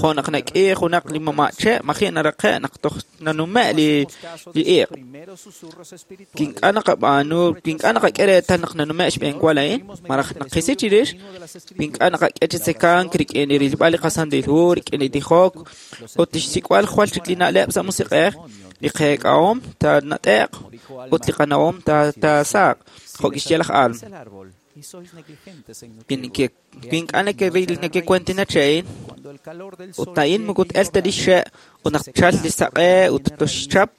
Jo' naq nak'iiq junaq li mama' che' maji' naraqe' naq toj nanume' li li iq'. Kink'a' naqab'aanu, kink'a' naqak'e reetal naq nanume' xb'eenwa a'in, malaj naqisi chirix, kink'a' naqak'e chi tzekank rik'in li rilb'al li qasantil hu, rik'in li tijok ut lix sik'b'al jwal chik li na'leb' sa' musiq'ej, li qeek'ahom taanat'e'q ut li qanawom taasaaq, jo' kixye laj Alma. Kink'a' nekeril nekekuentina che'in ut a'in moko t-el ta lix xe' ut naq tchal li saq'e ut toxchap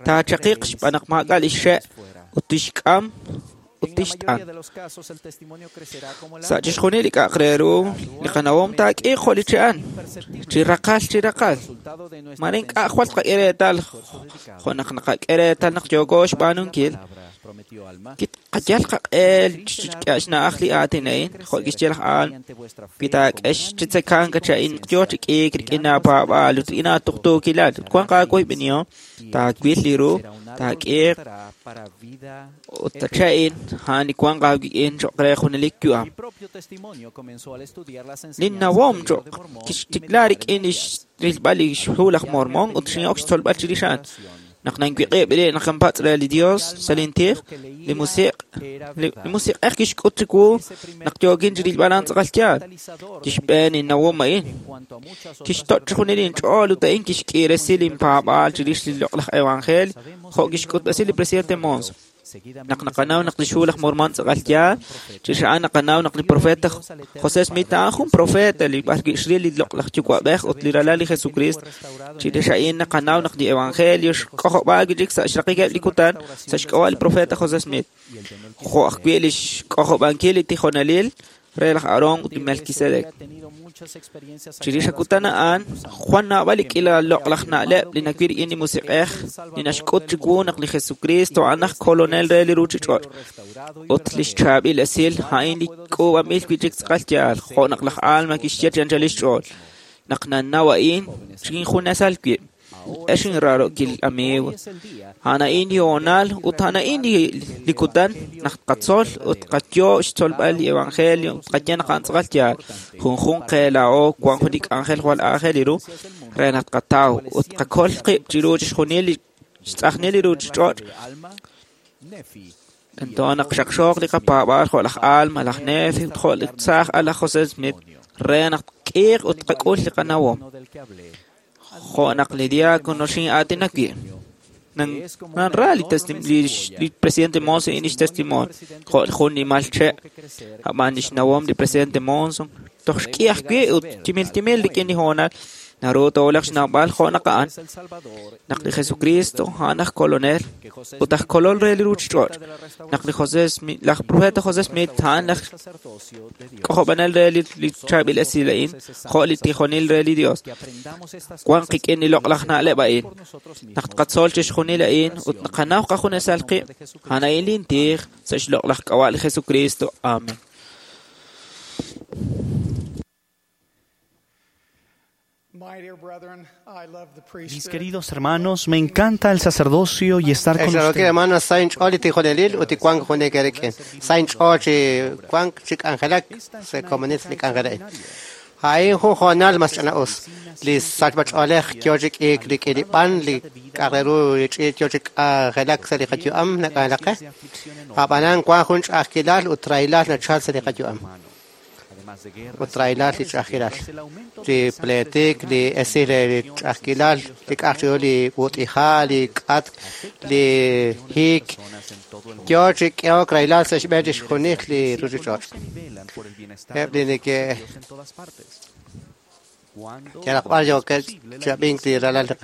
taachaqiq xb'aan naq maak'a' lix xe' ut tixk'am ut tixt'an. Sa' chixjunil li k'a'aq re ru, li qanawom taak'iiq jo' li che'an, chi raqal chi raqal. Mare ink'a' jwal tqak'e reetal jo' naq naqak'e reetal naq yooko xb'aanunkil. Qayal qaq'e xna'aj li aatin a'in, jo' kixye laj Alma, wi taak'e chi tzekank cha'in yoo chi k'iik rik'in aapaab'aal ut rik'in aatuqtuukilal ut wanq aawoyb'enihom, taawil li ru, taak'iiq ut cha'in a'an li wanq aawik'in cho'q re junelik yu'am. Linnawom cho'q kixtikla rik'in rilb'al li xhu laj Mormón ut xin'ok xtzolb'al chirix a'an. Naq nanwiq'ib' ri' naq inpatz' re li Dios sa' lintij, li musiq' li musiq'ej kixk'ut chiwu naq yookin chi rilb'al a'an tz'aqal yaal. Kixb'een innawom a'in, kixtoch' chixjunil inch'ool ut a'in kixk'iiresi linpaab'aal chirix li loq'laj evangelio jo' kixk'utb'esi li presidente Monson. Naq naqanaw naq li xhu laj Mormón tz'aqal yaal, chirix a'an naqanaw naq li profeta José Smith a'an jun profeta li b'ar wi' xril li loq'laj yuwa'b'ej ut li ralal li Jesucristo. Chirix a'in naqanaw naq li evangelio xk'ojob'aak wi' chik sa' xraqikeb' li kutan sa' xk'ab'a' li profeta José Smith, jo' ajwi' li xk'ojob'ankil li tijonelil re laj Aarón ut li Melquisedec. Chirix akutan a'an, Juan naab'al li k'ila loq'laj na'leb' li nawil rik'in li musiq'ej li naxk'ut chiwu naq li Jesucristo a'an aj kolonel re li ruuchich'och' ut li xchaab'il esil a'in li k'uub'anb'il wi' chik tz'aqal yaal, jo' naq laj Alma kixye chi anchal xch'ool. Naq nannaw a'in, xinjunesal wib'. Ex inraarokil amigo, a'an a'in li hoonal ut a'an a'in li kutan naq tqatzol ut tqayo' xtzolb'al li evangelio ut tqaye naq a'an tz'aqal yaal. Junjunq qe laa'o wank jun li k'anjel jwal aajel ru re naq tqataw ut tqakol qib' chiru chixjunil li xtz'ajnil li ruuchich'och'. Tento naq xaqxooq li qapaab'aal jo' laj Alma, laj Nefi ut jo' li tzaaj al laj José Smith re naq tk'iiq ut tqak'ul li qanawom. Jo' naq li diácono xin'aatinak wi'. Nanra li li presidente Monson in xtestimonio jo' jun nimal che' ab'an li xnawom li presidente Monson toj xk'i ajwi' ut timil timil rik'in li hoonal naru toolaq xnawb'al jo' naq a'an naq li Jesucristo a'an aj kolonel ut aj kolol re li ruuchich'och' naq li José Smith laj profeta José Smith a'an laj k'ojob'anel re li chaab'il esil a'in jo' li tijonil re li Dios. Wank qik'in li loq'laj na'leb' a'in naq tqatzol chixjunil a'in ut naqanaw qajunesal qib' a'an a'in lintij sa' xloq'laj k'ab'a' li Jesucristo. Amén. Mis queridos hermanos, me encanta el sacerdocio y estar con Ex ustedes. hermanos, sain ch'ool li tijonelil ut li wank junek erik'in. Sain ch'ool chi wank chi k'anjelak sa' komunil li k'anjel a'in. A'in jun hoonal mas ch'ana'us. Li sachb'ach'oolej yoo chi k'iik rik'in li b'an, li k'a'aq re ru li ch'iich yoo chi k'anjelak sa' li qayu'am nak'anjelak qe. Ab'anan wank jun ch'a'ajkilal ut rahilal nachal sa' li qayu'am. Ut rahilal li ch'a'ajkilal. Li pletik, li esil li ch'a'ajkilal, li k'a'aq chiru li b'ut'iha', li k'atk, li hiik. Yoo chi k'ehok rahilal sa' xb'een chixjunil li ruuchich'och'. Eb' li neke' yalaq b'ar yookeb' chab'ink li ralal li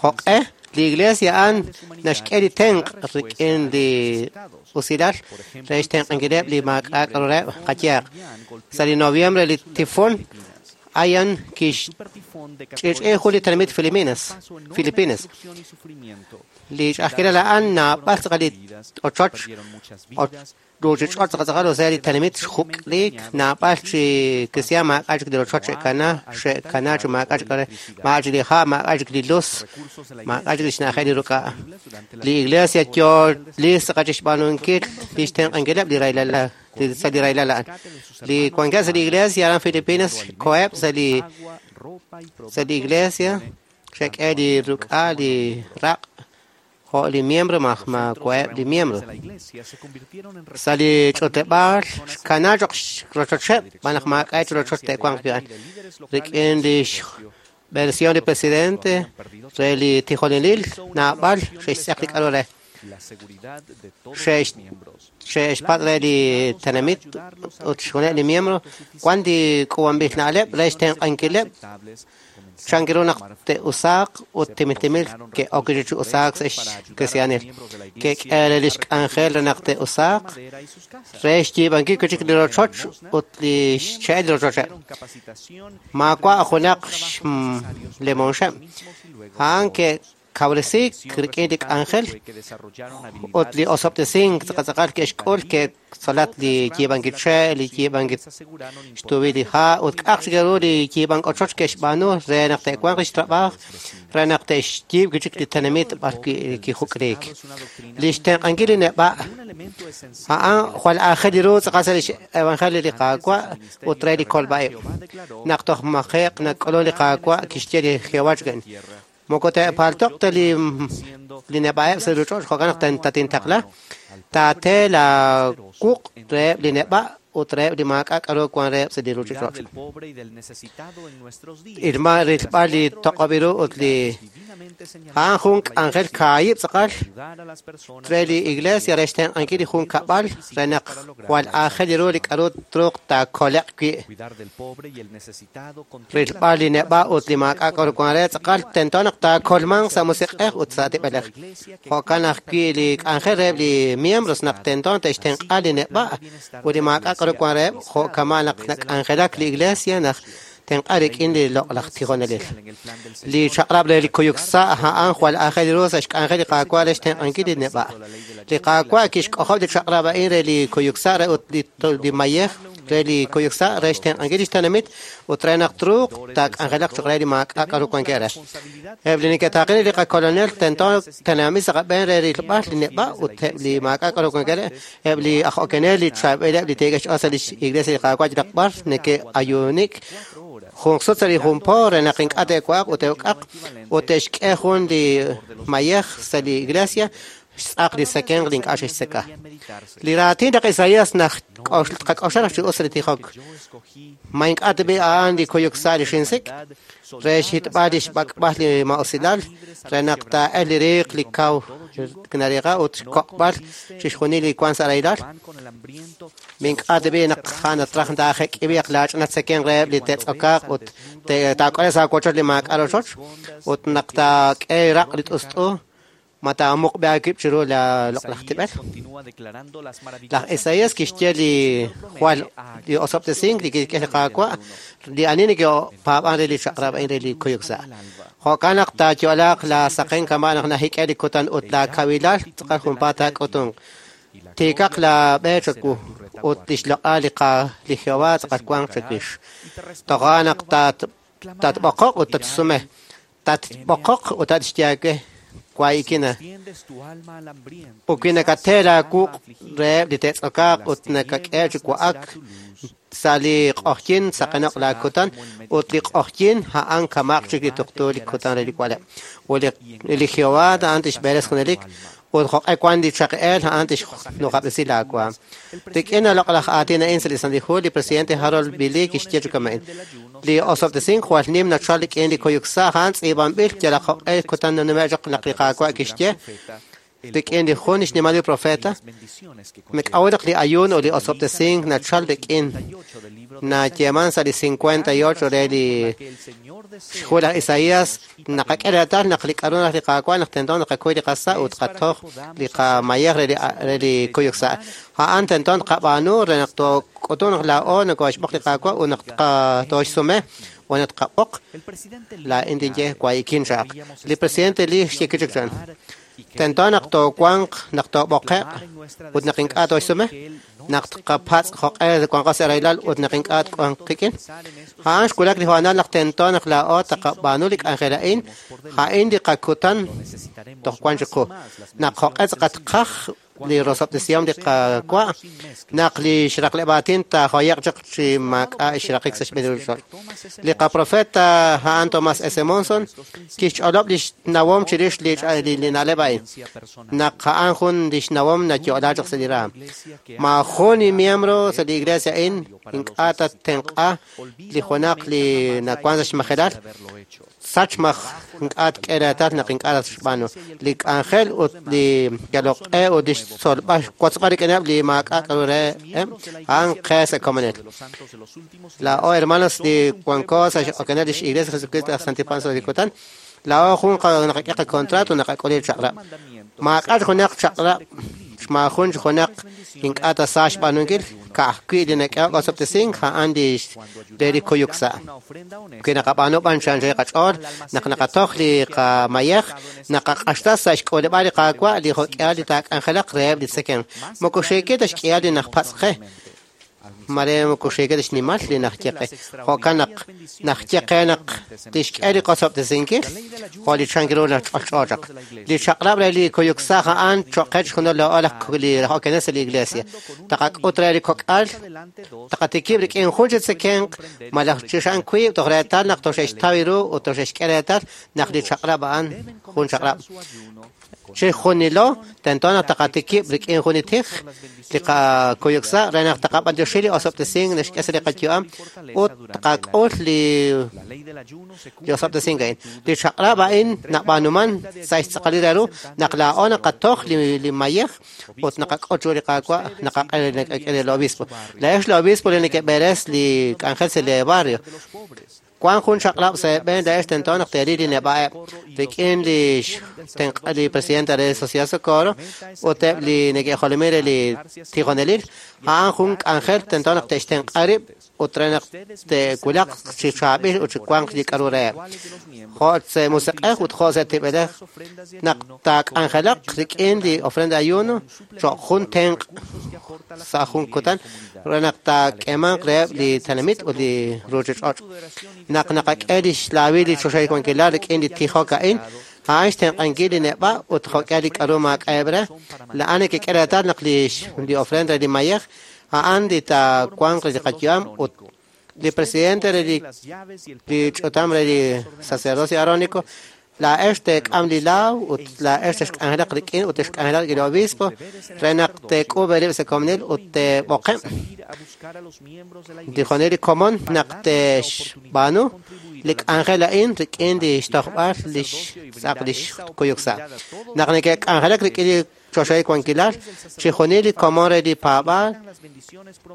joq'e li iglesia a'an naxk'e li tenq' rik'in li usilal re xtenq'ankileb' li maak'a' k'a'ru qayehaq. Sa' li noviembre li tifón Haiyan kixch'ich'i jun li tenamit Filipinas. Filipinas. Li ch'a'ajkilal a'an naab'al tz'aqal li ochoch ruuchich'och' tz'aqal tz'aqal osea li tenamit xjuk'liik naab'al chi cristian maak'a' chik li rochoch xe'kana xe'kana chi maak'a' chik maak'a' chik li ha' maak'a' chik li luz maak'a' chik li xna'ajel li ruk'a'. Li iglesia yoo li tz'aqal chixb'aanunkil li xtenq'ankileb' li rahilal sa' li rahilal a'an. Li wankeb' sa' li iglesia aran Filipinas koheb' sa' li sa' li iglesia xe'k'e li ruk'a' li raq' jo' li miembro maj ma koheb' li miembro. Sa' li ch'utleb'aal xkana choq rochocheb' b'an naq maak'a' chi rochoch te'wanq wi' a'an. Rik'in li xversión li presidente re li tijonelil naab'al xe'xtz'eq li k'a'ru re. Xe'xpatz' re li tenamit ut xjuneb' li miembro wan li k'uub'anb'il na'leb' re xtenq'ankileb' chan ru naq te'usaaq ut timil ke'ok chi usaak sa' xkristiaanil. Ke'k'e re lix k'anjel re naq te'usaaq re xyiib'ankil wi' chik li rochoch ut li xche'el li rochocheb'. Maawa' junaq xlemonxeb'. A'an ke'kawresiik rik'in li k'anjel ut li osob'tesink tz'aqal ke'xk'ul ke'tzolat li yiib'ankil che', li yiib'ankil xtubi li ha' ut k'a'aq chik ru li yiib'ank ochoch ke'xb'aanu re naq te'wanq lix trab'aaj re naq te'xyiib' wi' chik li tenamit b'ar wi' kijuk'riik. Li xtenq'ankil li neb'a' a'an jwal aajel ru tz'aqal sa' lix evangelio li Qaawa' ut re li kolb'a'ib'. Naq toj maje'q nak'ulun li Qaawa' kixye li Jehová chik'in. Moko te'paltoq ta li li neb'a'eb' sa' ruuch'och' jo'kan naq tatintaqla taate la wuq' reheb' li neb'a' ut reheb' li maak'a' k'aru wan reheb' sa' li ruuchich'och'. Ilma rilb'al li toq'ob'il ru ut li a'an jun k'anjel kaahib' tz'aqal re li iglesia re xtenq'ankil li jun kab'al re naq jwal aajel ru li k'aru truuq taakole'q wi'. Rilb'al li neb'a' ut li maak'a' k'aru wan re tz'aqal tento naq taakolmanq sa' musiq'ej ut sa' tib'elej. Jo'kan ajwi' li k'anjel reheb' li miembros naq tento te'xtenq'a li neb'a' ut li maak'a' k'aru wan reheb' jo'kama' naq nak'anjelak li iglesia naq tenq'a rik'in li loq'laj tijonelil. Li chaq'rab' re li kuyuk sa' a'an jwal aajel ru sa' xk'anjel li Qaawa' re xtenq'ankil li neb'a'. Li Qaawa' kixk'ojob' li chaq'rab' a'in re li kuyuk sa' re ut li mayej re li kuyuk sa' re xtenq'ankil lix tenamit ut re naq truuq taak'anjelaq choq' re li maak'a' k'aru wankeb' re. Eb' li neke'taaqen li qakolonel tento tenamit sa' qab'een re rilb'al li neb'a' ut eb' li maak'a' k'aru wankeb' re, eb' li aj okenel li chaab'ileb' li teek'e xch'ool sa' lix iglesia li Qaawa' yalaq b'ar neke'ayuunik jun sut sa' li jun po re naq ink'a' te'wa'aq ut te'uk'aq ut te'xk'e jun li mayej sa' li iglesia xtz'aq li sekenq li ink'a' xe'xtzeka. Li raatin laj Isaías naq qak'oxla naq chi us li tijok. Ma ink'a' tib'i a'an li kuyuk sa' li xinsik' re xhitb'al li xb'ak'b'al li ma'usilal re naq taa'el li riiq li kaw nariiqa ut xkoq'b'al chixjunil li wan sa' rahilal. Mink'a' tib'i naq a'an atraj taajek'ib'iq laach'inat sekenq reheb' li te'tz'okaaq ut taak'ole sa' wochoch li maak'a' rochoch ut naq taak'e raq' li t'ust'u ma taamuqb'e aawib' chiru la loq'laj tib'el. Laj Isaías kixye li jwal li osob'tesink li kixk'e li Qaawa' li ani neke'paab'an re li chaq'rab' a'in re li kuyuk sa'. Jo'kan naq taayo'laaq la saqen kama' naq najik'e li kutan ut la kawilal tz'aqal junpaat taak'utunq. Tiikaq la b'e chawu ut lix loq'al li qa li Jehová tz'aqal wanq chawix. Toja' naq tatb'oqoq ut tatsume. Tatb'oqoq ut tatxyaake. Waikina. Uki nakatee laakuq' reheb' li te'tz'okaaq ut nakak'e chi wa'ak sa' li q'oqyin saqenoq laakutan ut li q'oqyin a'an kamaq chik li tuqtu li kutan re li wa'leb'. Ut li Jehová a'an tixb'eres junelik ut jo'q'e wan li chaq'eel a'an tixnuqab'resi laawaam. Rik'in loq'laj aatin a'in sa' li Santil Hu, li presidente Harold B. Lee kixye chi kama'in. Li osob'tesink jwal nim nachal rik'in li kuyuk sa' a'an tz'iib'anb'il yalaq jo'q'e kutan nanume' chaq naq li Qaawa' kixye rik'in li jun xnimal li profeta mik'awil naq li ayuun ut li osob'tesink nachal rik'in nayeeman sa' li cincuenta y ocho re li xhu laj Isaías naqak'e reetal naq li k'aru naq li Qaawa' naq tento naqakuy li qasa' ut qatoj li qamayej re li kuyuk sa'. A'an tento naqab'aanu re naq took'utun naq laa'o nokoxb'oq li Qaawa' ut naq tooxsume ut naq tqab'oq laa'in tinye wayikin chaq. Li presidente Lee xye kichik chan. Tento naq toowanq naq toob'oqe'q ut naq ink'a' tooxsume naq tqapatz' jo'q'e wanqo sa' rahilal ut naq ink'a' twanq qik'in. A'an xwulak li hoonal naq tento naq laa'o taqab'aanu li k'anjel a'in, a'in li qakutan toj wan chiqu. Naq jo'q'e tz'aqal tqaj li rosob'tesihom li Qaawa' naq li xraqleb' aatin taajoye'q chaq chi maak'a' xraqik sa' xb'een li ruuchich'och'. Li qaprofeta a'an Thomas S. Monson kixch'olob' lix nawom chirix li li na'leb' a'in. Naq a'an jun lix nawom nayo'la chaq sa' li raam. Maajun li miembro sa' li iglesia a'in ink'a' tatenq'a li junaq li nawan sa' xmajelal. Sach maj ink'a' tk'e reetal naq ink'a' xb'aanu. Li k'anjel ut li yaloq'e ut li xtzolb'al xwotzb'al rik'ineb' li maak'a' k'aru reheb' a'an qe sa' komonil. Laa'o hermanos li wanko sa' x'okenel lix Iglesia Jesucristo aj Santil Paab'anel sa' li kutan, laa'o jun naqak'e qakontrato naqak'ul li chaq'rab'. Maak'a' junaq chaq'rab' maajun junaq ink'a' ta sa xb'aanunkil ka'ajwi' li nak'ehok osob'tesink a'an li re li kuyuk sa'. Wi naqab'aanu b'an chi qach'ool naq naqatoj li qamayej naqaq'axtas sa' xk'uleb'aal li Qaawa' li jo'k'ihal li taak'anjelaq reheb' li tzekemq. Moko xiikil ta xk'ihal li najpatz' qe mare moko xiikil ta xnimal li najye qe. Jo'kan naq najye qe naq tixk'e li qosob'tesinkil jo' li chank ru ch'olch'o chaq. Li chaq'rab' re li kuyuk sa' a'an cho'q qe chixjunil laa'o li okenel sa' li iglesia. Taqak'ut re li kok'al taqatikib' rik'in jun chi tzekemq malaj chixan wiib' toj reetal naq toxe'xtaw ru ut toxe'xk'e reetal naq li chaq'rab' a'an jun chaq'rab'. Chixjunilo tento naq taqatikib' rik'in jun li tij li qakuyuk sa' re naq taqab'antioxi li osob'tesink naxk'e sa' li qayu'am ut taqak'ul li li osob'tesink a'in. Li chaq'rab' a'in nab'aanuman sa' xtz'aqalil re ru naq laa'o naqatoj li li mayej ut naqak'ut ru li Qaawa' naqak'e li obispo. Laa'ex li obispo li neke'b'eres li k'anjel sa' li barrio. Wan jun chaq'rab' sa' eeb'en laa'ex tento naq teeril li neb'a'eb' rik'in li xtenq' li presidente re Sociedad Socorro ut eb' li neke'jolomin re li tijonelil a'an jun k'anjel tento naq te'xtenq'a rib' ut re naq te'wulaq chi chaab'il ut chi wanq li k'aru reheb'. Jo' sa' musiq'ej ut jo' sa' tib'elej naq taak'anjelaq rik'in li ofrenda ayuno cho'q jun tenq' sa' jun kutan re naq taak'emanq reheb' li tenamit ut li ruuchich'och'. Naq naqak'e li xlaawil li choxahil wankilal rik'in li tijok a'in, a'an xtenq'ankil li neb'a' ut jo'k'ihal li k'aru maak'a'eb' re. La'an nekek'e reetal naq li li ofrenda li mayej a'an li taawanq li qayu'am ut li presidente re li li ch'utam re li sacerdocio arónico laa'ex teek'am li laaw ut laa'ex texk'anjelaq rik'in ut texk'anjelaq rik'in li obispo re naq teek'uub' eerib' sa' komonil ut teeb'oqeb' tijonel li komon naq te'xb'aanu li k'anjel a'in rik'in li xtojb'al li xtz'aq li xkuyuk sa'. Naq neke'k'anjelak rik'in li choxahil wankilal chixjunil li komon re li paab'aal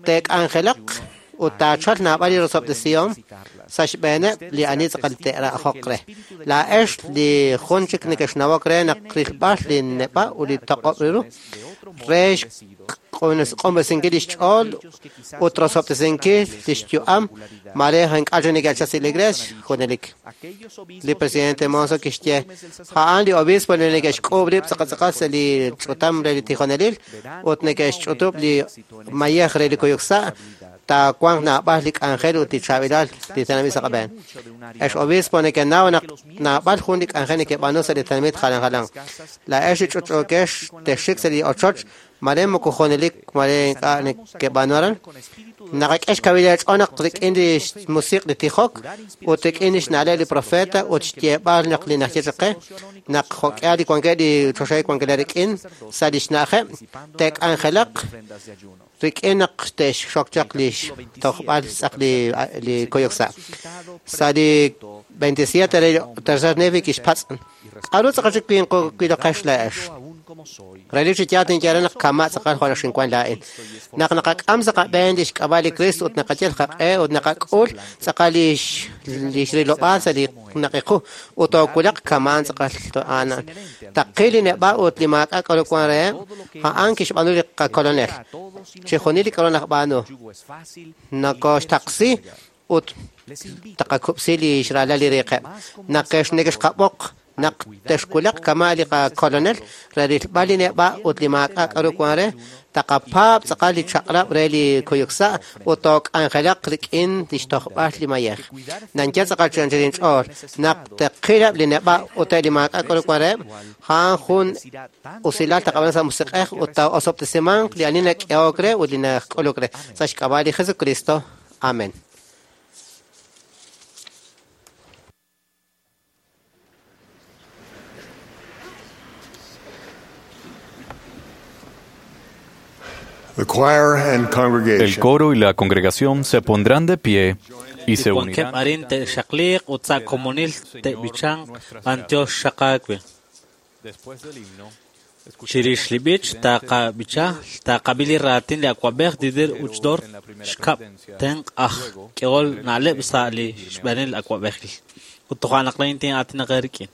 teek'anjelaq ut taachalq naab'al li rosob'tesihom sa' xb'eeneb' li ani tz'aqal te'ra'joq re. Laa'ex li jun chik neke'xnawok re naq rilb'al li neb'a' ut li toq'ob' ru re xq'unb'esinkil li xch'ool ut rosob'tesinkil li xyu'am mare ink'a' chik neke'chal sa' li iglesia junelik. Li presidente Monson kixye a'an li obispo li neke'xk'uub' rib' tz'aqal tz'aqal sa' li ch'utam re li tijonelil ut neke'xch'utub' li mayej re li kuyuk sa' taawanq naab'al li k'anjel ut li chaab'ilal li tenamit sa' qab'een. Ex obispo neke'naw naq naab'al jun li k'anjel neke'b'aanu sa' li tenamit jalan jalan. Laa'ex li ch'utch'uukex texxik sa' li ochoch mare moko junelik mare ink'a' neke'b'aanu aran. Naqak'e xkawil eech'ool naq rik'in li xmusiq' li tijok ut rik'in li xna'leb' li profeta ut xyeeb'al naq li naxye chaq qe naq jo'k'ihal li wankeb' li choxahil wankilal rik'in sa' li xna'ajeb' te'k'anjelaq rik'in naq te'xxok chaq li xtojb'al tz'aq li li kuyuk sa'. Sa' li veintisiete re tercer Nefi kixpatz' k'aru tz'aqal chik winqowiloqex laa'ex. Relik chi yaal tinye re naq kama' tz'aqal jo' xinwan laa'in. Naq naqak'am sa' qab'een li xk'ab'a' li Cristo ut naqayal qaq'e ut naqak'ul tz'aqal li li xrilob'aal sa' li naqiqu ut toowulaq kama'an tz'aqal a'an. Taqil li neb'a' ut li maak'a' k'aru wan reheb' a'an kixb'aanu li qakolonel. Chixjunil li k'aru naqb'aanu nakoxtaqsi ut taqakub'si li xraalal li riiqeb'. Naq neke'xqab'oq naq texwulaq kama' li qakolonel re rilb'al li neb'a' ut li maak'a' k'aru wan re taqapaab' tz'aqal li chaq'rab' re li kuyuk sa' ut took'anjelaq rik'in li xtojb'al li mayej. Nanye tz'aqal chi anchal inch'ool naq teqileb' li neb'a' ut eb' li maak'a' k'aru wan reheb' a'an jun usilal taqab'an sa' musiq'ej ut taa'osob'tesimanq li ani nak'ehok re ut li nak'uluk re sa' xk'ab'a' li Jesucristo. Amén. The choir and El congregation coro y la congregación se pondrán de pie Y se Wankeb' unirán arin te'xaqliiq ut sa' komonil te'b'ichanq b'antiox xaqaawe. Chirix li b'ich taqab'icha taqab'i li raatin li awa'b'ej Dieter Uchtdorf xkab' tenq' aj k'ehol na'leb' sa' li xb'eenil awa'b'ejil. Ut toja' naq laa'in tin'aatinaq eerik'in.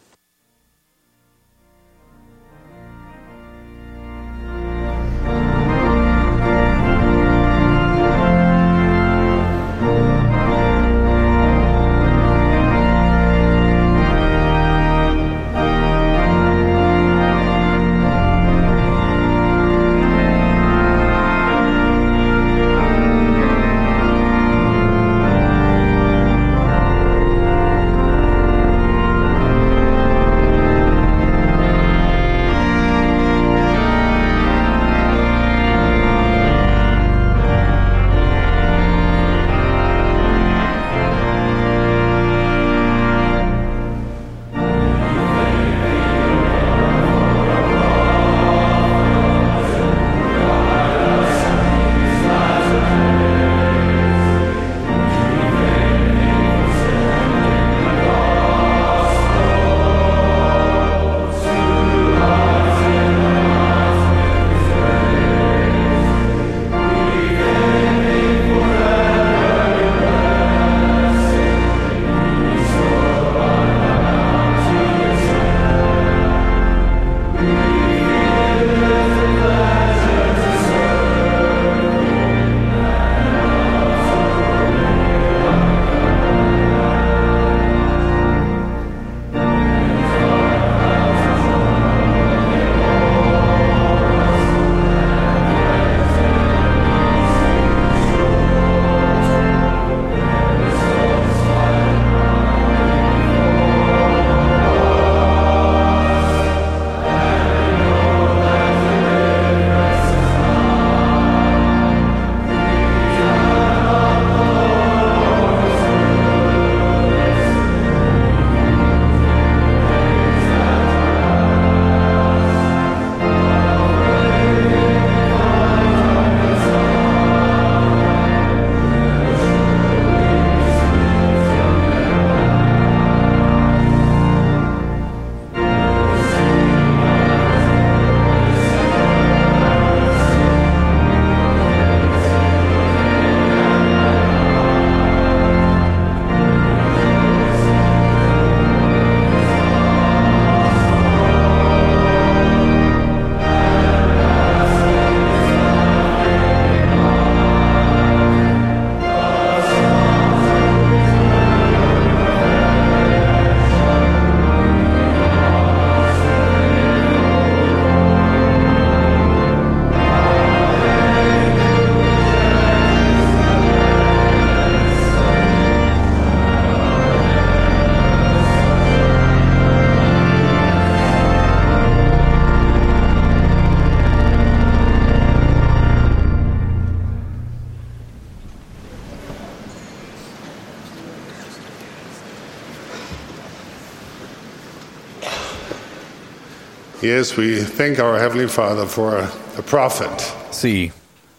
Yes, we thank our Heavenly Father for a prophet. Sí,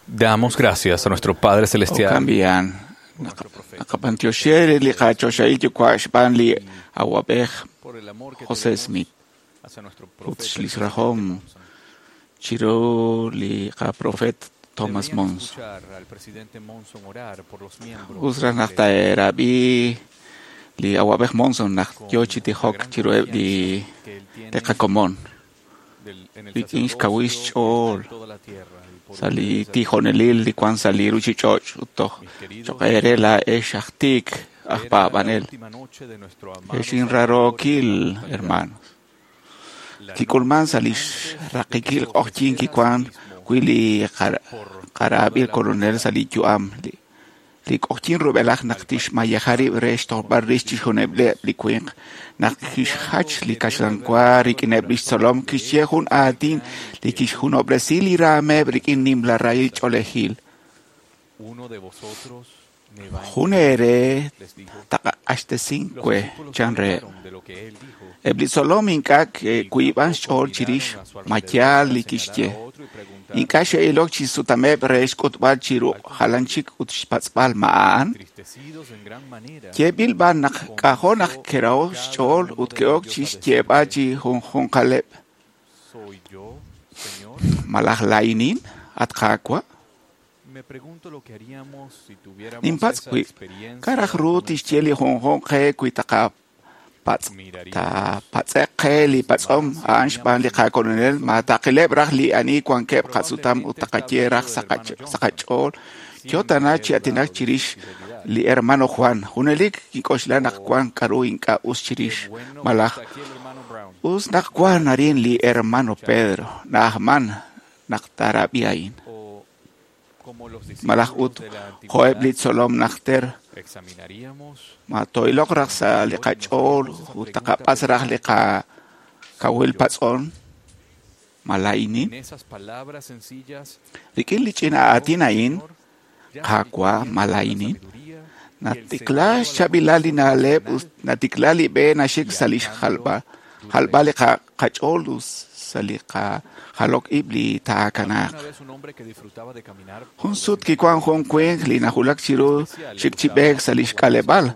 damos gracias a nuestro Padre Celestial. Cambian. Naqapantioxer li qachoxahil yuwa' xb'aan li awab'ej José Smith. Ut xlisrahom chiru li qaprofet Thomas Monson. Us raj naq taerab'i li awab'ej Monson naq yo chi tijok chiruheb' li li qakomon. Rik'in xkawil xch'ool sa' li tijonelil li wan sa' li ruchich'och' ut toj choq' eere laa'ex aj tiik aj paab'anel. Ex inrarookil hermanos. Kik'ulman sa' li xraqikil q'oqyink kiwan wi' li qaraab'il kolonel sa' li yu'am li li q'oqyink rub'elaj naq tixmayeja rib' re xtojb'al rix chixjunileb' li winq naq kixjach li kaxlanwa rik'ineb' lix tzolom kixye jun aatin li kixjunob'resi li raameb' rik'in nimla rahil ch'oolejil. Jun eere taq'axtesink we chan reheb'. Eb' li tzolom ink'a' ke'wiib'an xch'ool chirix ma yaal li kixye. Ink'a' xe'ilok chi sutameb' re xk'utb'al chiru jalan chik ut xpatz'b'al ma a'an. Yeeb'il b'an naq k'ajo' naq ke'raho' xch'ool ut ke'ok chi xyeeb'al chi junjunqaleb'. Malaj laa'inin, at Qaawa'? Ninpatz' wib', k'a' raj ru tixye li junjunq qe wi taqapatz'e'q qe li patz'om a'an xb'aan li qakolonel ma taqileb' raj li ani wankeb' qasutam ut taqaye raj sa' qach'ool yo tana chi aatinak chirix li hermano Juan. Junelik kink'oxla naq wan k'a'ru ink'a' us chirix malaj us naq wan arin li hermano Pedro na'ajman naq taarab'i a'in. Malaj ut jo'eb' li tzolom najter ma to'iloq raj sa' li qach'ool ut taqapatz' raj li qakawil patz'on ma laa'inin. Rik'in li ch'ina aatin a'in, Qaawa' ma laa'inin, natikla xchaab'ilal li na'leb' ut natikla li b'e naxik sa' li xjalb'al jalb'al li qach'ool ut sa' li qajalok ib' li taakanaaq. Jun sut kiwan jun winq li najulak chiru xik chi b'eek sa' li xk'aleb'aal.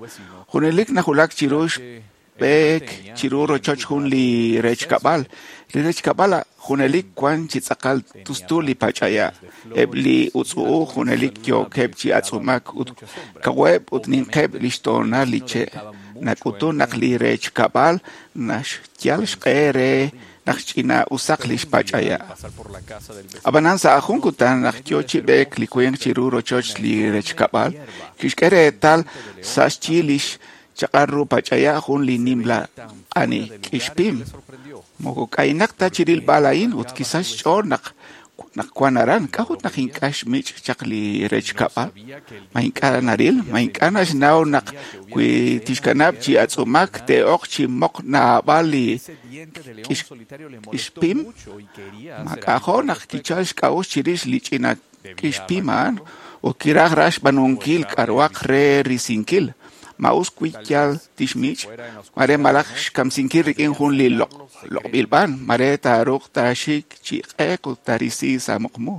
Junelik najulak chiru xb'eek chiru rochoch jun li rechkab'al. Li rechkab'al junelik wan chi tz'aqal tustu li pach'aya'. Eb' li utz'u'uj junelik yookeb' chi atz'umak ut kaweb' ut ninqeb' li xtoonal li che'. Nak'utun naq li rechkab'al naxyal xq'e re naq ch'ina'usaq li xpach'aya'. Ab'anan sa' jun kutan naq yo chi b'eek li winq chiru rochoch li rechkab'al, kixk'e reetal sa' xyi li xchaq'al ru pach'aya' jun li nimla q'ani k'ixpim. Moko k'aynaq ta chi rilb'al a'in ut kisach xch'ool naq naq wan aran. K'a'ut naq ink'a' xmich' chaq li rechkab'al? Ma ink'a' naril, ma ink'a' naxnaw naq wi tixkanab' chi atz'umak te'oq chi moq naab'al li k'ixpim. Ma k'ajo' naq kichal xk'a'uxl chirix li ch'ina k'ixpim a'an ut kiraj raj xb'aanunkil k'a'ruhaq re risinkil. Ma us wi yal tixmich', mare malaj xkamsinkil rik'in jun li loq'b'il b'an, mare taaruuq taaxik chi q'eq ut taarisi sa' muqmu.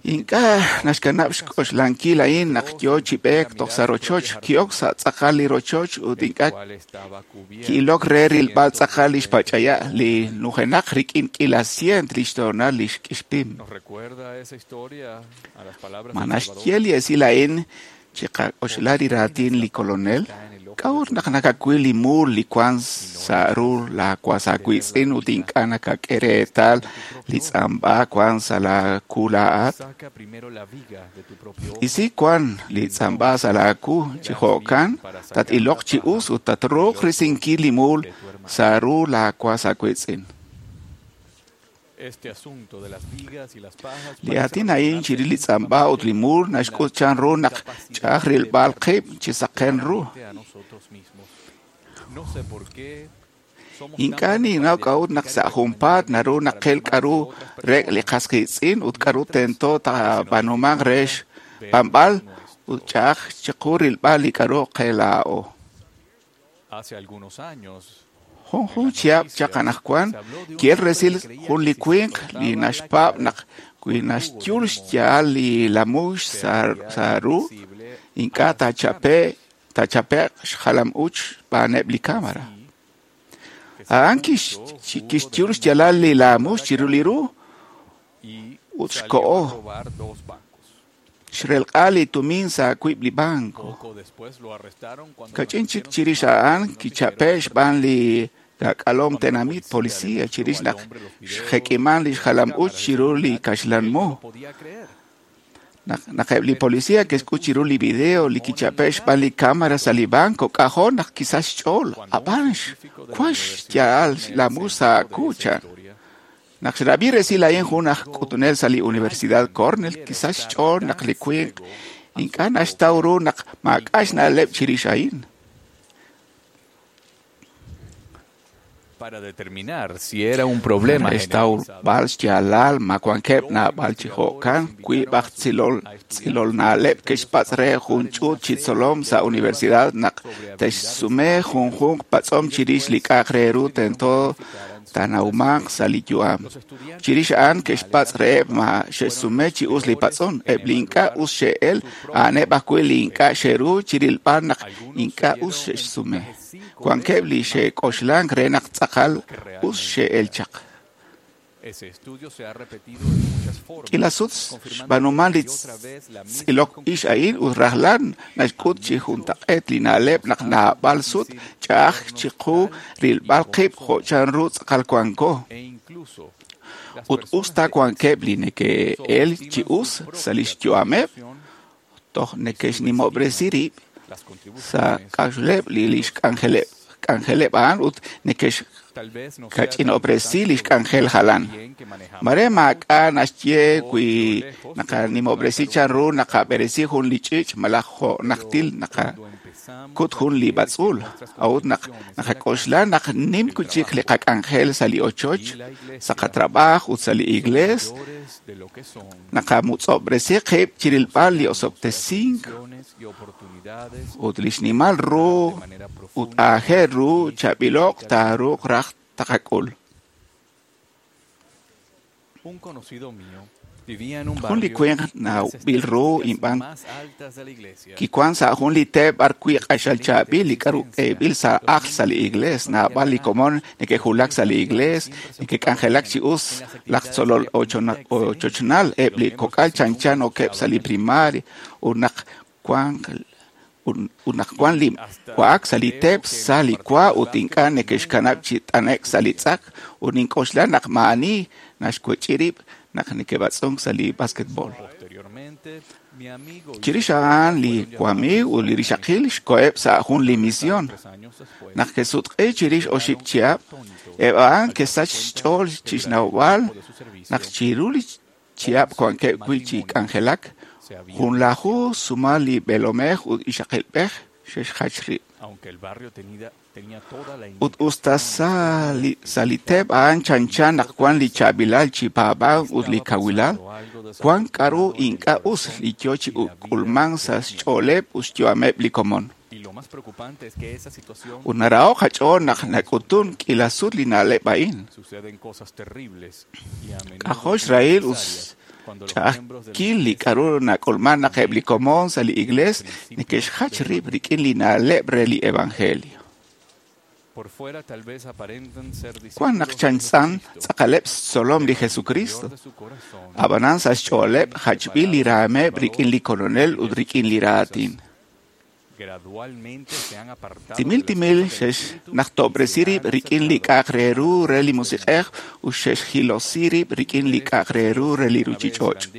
Ink'a' naxkanab' xk'oxlankil a'in naq yo chi b'eek toj sa' rochoch, ki'ok sa' tz'aqal li rochoch ut ink'a' ki'ilok re rilb'al tz'aqal li xpach'aya' li nujenaq rik'in k'iila sient li xtoonal li xk'ixpim. Ma naxye li esil a'in chiqak'oxla li raatin li kolonel? K'a'ut naq nakawil li muul li wan sa' ru laawas aawiitz'in ut ink'a' nakak'e reetal li tz'amb'a wan sa' laaku laa'at? Isi wan li tz'amb'a sa' laaku chi jo'kan tat-iloq chi us ut tatruuq risinkil li muul sa' ru laawas aawiitz'in. Li aatin a'in chirix li tz'amb'a ut li muul naxk'ut chan ru naq ch'a'aj rilb'al qib' chi saqen ru. Ink'a' ninnaw k'a'ut naq sa' junpaat naru naqil k'a'ru rek' li qas qiitz'in ut k'a'ru tento taab'aanumanq re xb'anb'al ut ch'a'aj chiqu rilb'al li k'a'ru qe laa'o. Jun jun chihab' chaq anaqwan ki'el resil jun li winq li naxpaab' naq wi naxyul xya'al li lamux sa' ru, ink'a' taachape'q xjalam-uuch xb'aaneb' li cámara. A'an kixyul xya'al li lamux chiru li ru ut xko'o. Xrelq'a li tumin sa' wiib' li banco. Kach'in chik chirix a'an kichape' xb'aan li k'alom tenamit policía chirix naq xjek'iman li xjalam-uuch chiru li kaxlan mu. Naq eb' li policía ke'xk'ut chiru li video li kichape' xb'aan li cámara sa' li banco, k'ajo' naq kisach xch'ool. Ab'an wan xya'al lamu sa' ku chan. Naq xrab'i resil a'in jun aj k'utunel sa' li Universidad Cornell, kisach xch'ool naq li winq ink'a' naxtaw ru naq maak'a' xna'leb' chirix a'in. Para determinar si era un problema Xtawb'al xyaalal ma wankeb' naab'al chi jo'kan wiib' aj tz'ilol tz'ilolna'leb' ke'xpatz' re jun ch'uut chi tzolom sa' universidad naq te'xsume junjunq patz'om chirix li k'a'aq re ru tento taanawmanq sa' li yu'am. Chirix a'an ke'xpatz' reheb' ma xe'xsume chi us li patz'om. Eb' li ink'a' us xe'el, a'aneb' ajwi' li ink'a' xe'ru chirilb'al naq ink'a' us xe'xsume. Wankeb' li xe'k'oxlank re naq tz'aqal us xe'el chaq. K'ila sut xb'aanuman li tz'ilok ix a'in ut rajlal naxk'ut chi juntaq'eet li na'leb' naq naab'al sut ch'a'aj chiqu rilb'al qib' jo' chanru tz'aqal wanko. Ut us ta wankeb' li neke'el chi us sa' lix yu'ameb', toj neke'xnimob'resi rib' sa' k'a'uxleb' li lix k'anjeleb' k'anjeleb' a'an ut neke'xkach'inob'resi lix k'anjel jalan. Mare maak'a' naxye wi naqanimob'resi chanru naqab'eresi jun li ch'iich' malaj jo' najtil naqakut jun li b'atz'uul. A'ut naq naqak'oxla naq nim wi'chik li qak'anjel sa' li ochoch, sa' qatrab'aaj ut sa' li iglees, naqamutz'ob'resi qib' chirilb'al li osob'tesink ut li xnimal ru ut aajel ru chaab'ilo'q taaruuq raj taqak'ul. Jun li winq nawb'il ru inb'an kiwan sa' jun li teep b'arwi' q'axal chaab'il li k'aru k'eeb'il sa' ajl sa' li iglees. Naab'al li komon neke'julak sa' li iglees, neke'k'anjelak chi us laj tzolol ochochnal, eb' li kok'al chanchan okeb' sa' li primaria ut naq wank ut naq wan li wa'ak sa' li teep sa' li wa ut ink'a' neke'xkanab' chi t'ane'k sa' li tz'ak ut nink'oxla naq maa'ani naxwech'i rib' naq neke'b'atz'unk sa' li basketbol. Chirix a'an li wamiiw ut li rixaqil xkoheb' sa' jun li misión. Naq ke'sutq'i chirix oxib' chihab', eb' a'an ke'sach xch'ool chixnawb'al naq chiru li chihab' wankeb' wi' chi k'anjelak, junlaju sumal li b'eelomej ut ixaqilb'ej xe'xjach rib'. Ut us ta sa' li teep a'an chanchan naq wan li chaab'ilal chi paab'ank ut li kawilal, wan k'aru ink'a' us li yoo chi k'ulmank sa' xch'ooleb' ut xyu'ameb' li komon. Ut naraho' qach'ool naq nak'utun k'ila sut li na'leb' a'in. K'ajo' xrahil ut ch'a'ajkil li k'aru nak'ulman naq eb' li komon sa' li iglees neke'xjach rib' rik'in li na'leb' re li evangelio. Wan naq chanchan tz'aqaleb' xtzolom li Jesucristo, ab'anan sa' xch'ooleb' jachb'il li raameb' rik'in li Kolonel ut rik'in li raatin. Timil timil xe'xnajtob'resi rib' rik'in li k'a'aq re ru re li musiq'ej ut xe'xjilosi rib' rik'in li k'a'aq re ru re li ruchich'och'.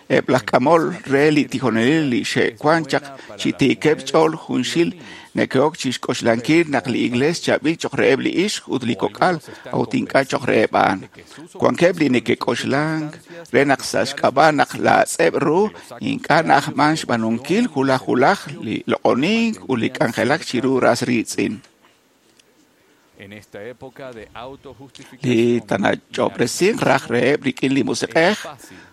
Eb' laj k'amol re li tijonelil li xe'wan chaq chi tiikeb' xch'ool junxil neke'ok chi xk'oxlankil naq li iglees chaab'il cho'q reheb' li ixq ut li kok'al, a'ut ink'a' cho'q reheb' a'an. Wankeb' li neke'k'oxlank re naq sa' xk'ab'a' naq laatz'eb' ru ink'a' na'ajman xb'aanunkil wulaj wulaj li loq'onink ut li k'anjelak chiru ras riitz'in. Li tanach'ob'resinq raj reheb' rik'in li musiq'ej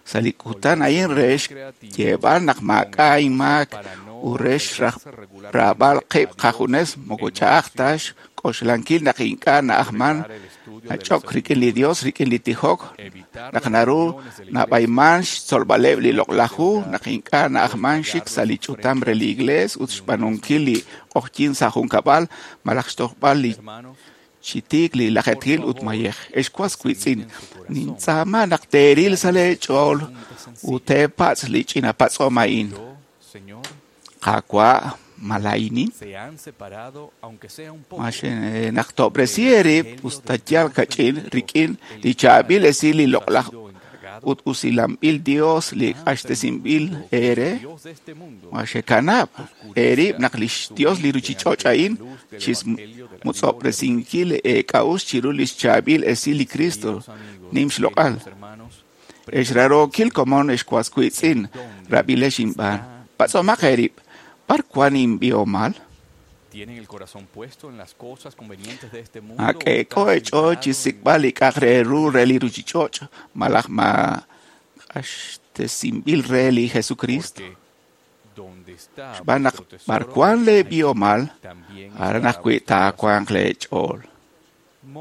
sa' li kutan a'in re xyeeb'al naq maak'a' inmaak ut re xraab'al qib' qajunes moko ch'a'aj ta xk'oxlankil naq ink'a' na'ajman nach'ok rik'in li Dios rik'in li tijok, naq naru nab'ayman xtzolb'aleb' li loq'laj hu, naq ink'a' na'ajman xik sa' li ch'utam re li iglees ut xb'aanunkil li q'ojyin sa' junkab'al malaj xtojb'al li chi tiik li lajetil ut mayej. Ex was wiitz'in, nintz'aama naq teeril sa' leech'ool ut teepatz' li ch'ina patz'om a'in. Qaawa' ma laa'inin? Ma xenaqtob'resi eerib' us ta yal kach'in rik'in li chaab'il esil li loq'laj ut usilanb'il Dios li q'axtesinb'il eere? Ma xekanab' eerib' naq lix Dios li ruchich'och' a'in chixmutz'ob'resinkil eek'a'uxl chiru lix chaab'il esil li Cristo nim xloq'al. Ex rarookil komon ex was wiitz'in, rab'ilex inb'aan. Patz'omaq eerib', b'ar wan inb'ihomal? Ak'eek'o eech'ool chi xsik'b'al li k'a'aq re ru re li ruchich'och' malaj ma q'axtesinb'il re li Jesucristo. Xb'aan naq b'ar wan leeb'ihomal, aran ajwi' taawanq leech'ool. Ma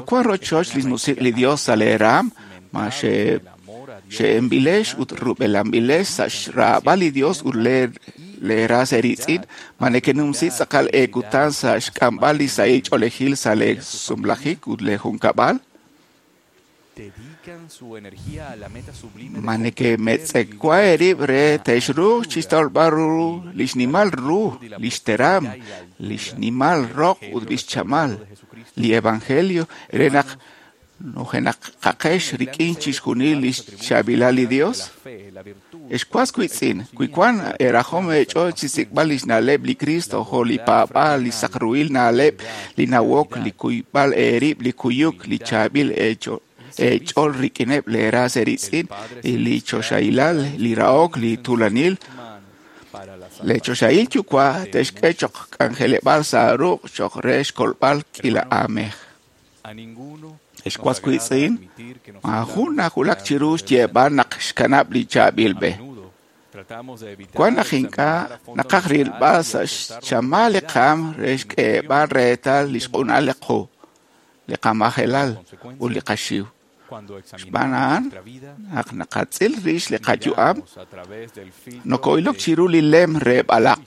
wan rochoch lix musiq' li Dios sa' lee raam, ma xe xe'enb'ilex ut rub'elanb'ilex sa' xraab'al li Dios ut lee ras eeriitz'in, ma nekenumsi tz'aqal eekutan sa' xk'amb'al li sahil ch'oolejil sa' lee sumlajik ut lee junkab'al? Ma nekemetz'ewa eerib' re te'xruuq chixtawb'al ru lix nimal ru, lix teram, lix nimal roq ut lix chamal, li evangelio re naq nujenaqaqex rik'in chixjunil lix chaab'ilal li Dios? Ex was wiitz'in, wi wan eerajom eech'ool chixsik'b'al lix na'leb' li Cristo jo' li paab'aal, li saqruhil na'leb', li nawok, li kuyb'al eerib', li kuyuk, li chaab'il eech'ool rik'ineb' lee ras eeriitz'in, li choxahilal, li rahok, li tuulanil, le choxahil yuwa' te'xk'e choq' k'anjeleb'aal sa' ruq' choq' re xkolb'al k'iila aamej. Ex was wiitz'in, maajun najulak chiru xyeeb'al naq xkanab' li chaab'il b'e. Wan naq ink'a' naqaj rilb'al sa' xchamal li qaam re xk'eeb'al reetal li xq'unal li qu, li qamajelal ut li qaxiw. Xb'aan a'an, naq naqatz'il rix li qayu'am, noko'ilok chiru li lem re b'alaq,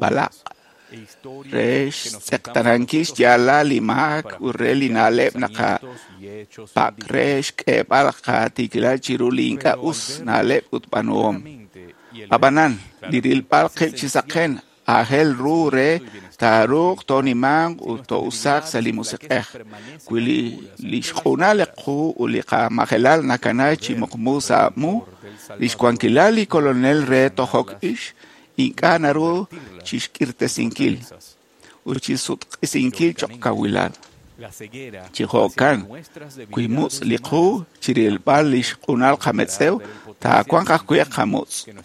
b'alaq, re xtz'eqtanankil xyaalal li maak ut re li na'leb' naqapak' re xk'eeb'al qatiikilal chiru li ink'a' us na'leb' ut b'aanuhom. Ab'anan, li rilb'al qib' chi saqen aajel ru re taaruuq toonimanq ut to'usaaq sa' li musiq'ej. Wi li xq'unal li qu ut li qamajelal nakana chi muqmu sa' mu, lix wankilal li Kolonel re tojok ix ink'a' naru chixk'irtesinkil ut chisutq'isinkil choq' kawilal. Chi jo'kan, wi mutz' li qu chirilb'al lix q'unal qametz'ew, taawanq ajwi'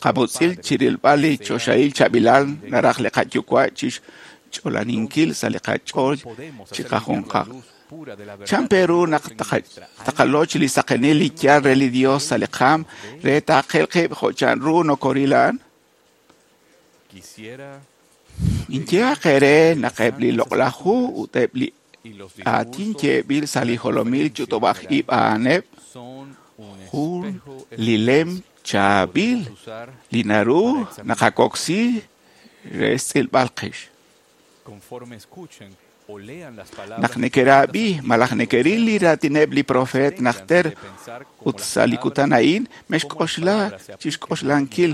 qamutz'il chirilb'al li choxahil chaab'ilal naraj li qayuwa' chixch'olaninkil sa' li qach'ool chiqajunqal. Chan pe ru naq taqaloch li saqenil li yaal re li Dios sa' li qaam re taaqel qib' jo' chanru nokoril a'an? Inyehaq eere naq eb' li loq'laj hu ut eb' li aatin yeeb'il sa' li jolomil ch'utub'aj ib' a'aneb' jun li lem chaab'il li naru naqakoksi re xtz'ilb'al qix. Naq nekerab'i malaj nekeril li raatineb' li profeet najter ut sa' li kutan a'in, mexk'oxla chixk'oxlankil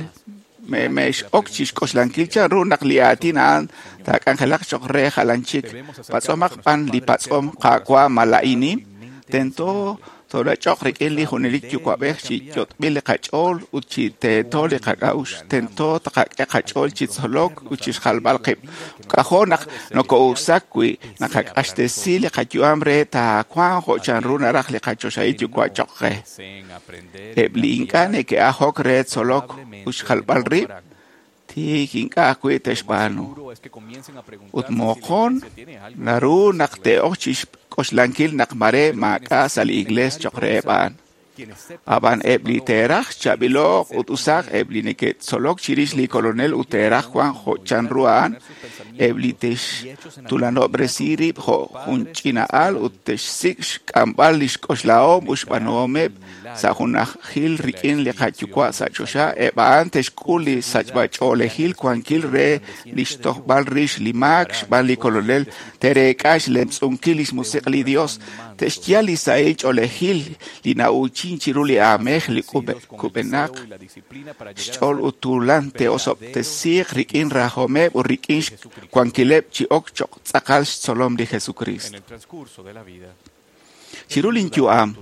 mex'ok chixk'oxlankil chanru naq li aatin a'an taak'anjelaq choq' re jalan chik. Patz'omaq b'an li patz'om Qaawa' ma laa'inin, tento toolach'oq rik'in li junelik yuwa'b'ej chi yot'b'il li qach'ool ut chi teeto li qak'a'uxl. Tento taqak'e qach'ool chi tzolok ut chixjalb'al qib'. K'ajo' naq noko'usak wi naqaq'axtesi li qayu'am re taawanq jo' chanru naraj li qachoxahil yuwa' choq' qe. Eb' li ink'a' neke'ajok re tzolok ut xjalb'al rib', tiik ink'a' ajwi' te'xb'aanu. Ut moqon naru naq te'ok chixk'oxlankil naq mare maak'a' sa' li iglees choq' reheb' a'an. Ab'an eb' li teeraj chaab'ilo'q ut usaq, eb' li neke'tzolok chirix li Kolonel ut teeraj wank jo' chanru a'an, eb' li te'xtulanob'resi rib' jo' jun ch'ina'al ut te'xsik' xk'amb'al lix k'oxlahom ut xb'aanuhomeb' sa' junajil rik'in li qayuwa' sa' choxa, eb' a'an te'xk'ul li sachb'ach'oolejil wankil re lix tojb'al rix li maak xb'aan li Kolonel, te'reek'a xlemtz'unkil lix musiq' li Dios, te'xyal li sahil ch'oolejil li na'uuchin chiru li aamej li kub'enaq xch'ool ut tuulan te'osob'tesiiq rik'in rajomeb' ut rik'in xwankileb' chi ok choq' tz'aqal xtzolom li Jesucristo. Chiru lin yu'am,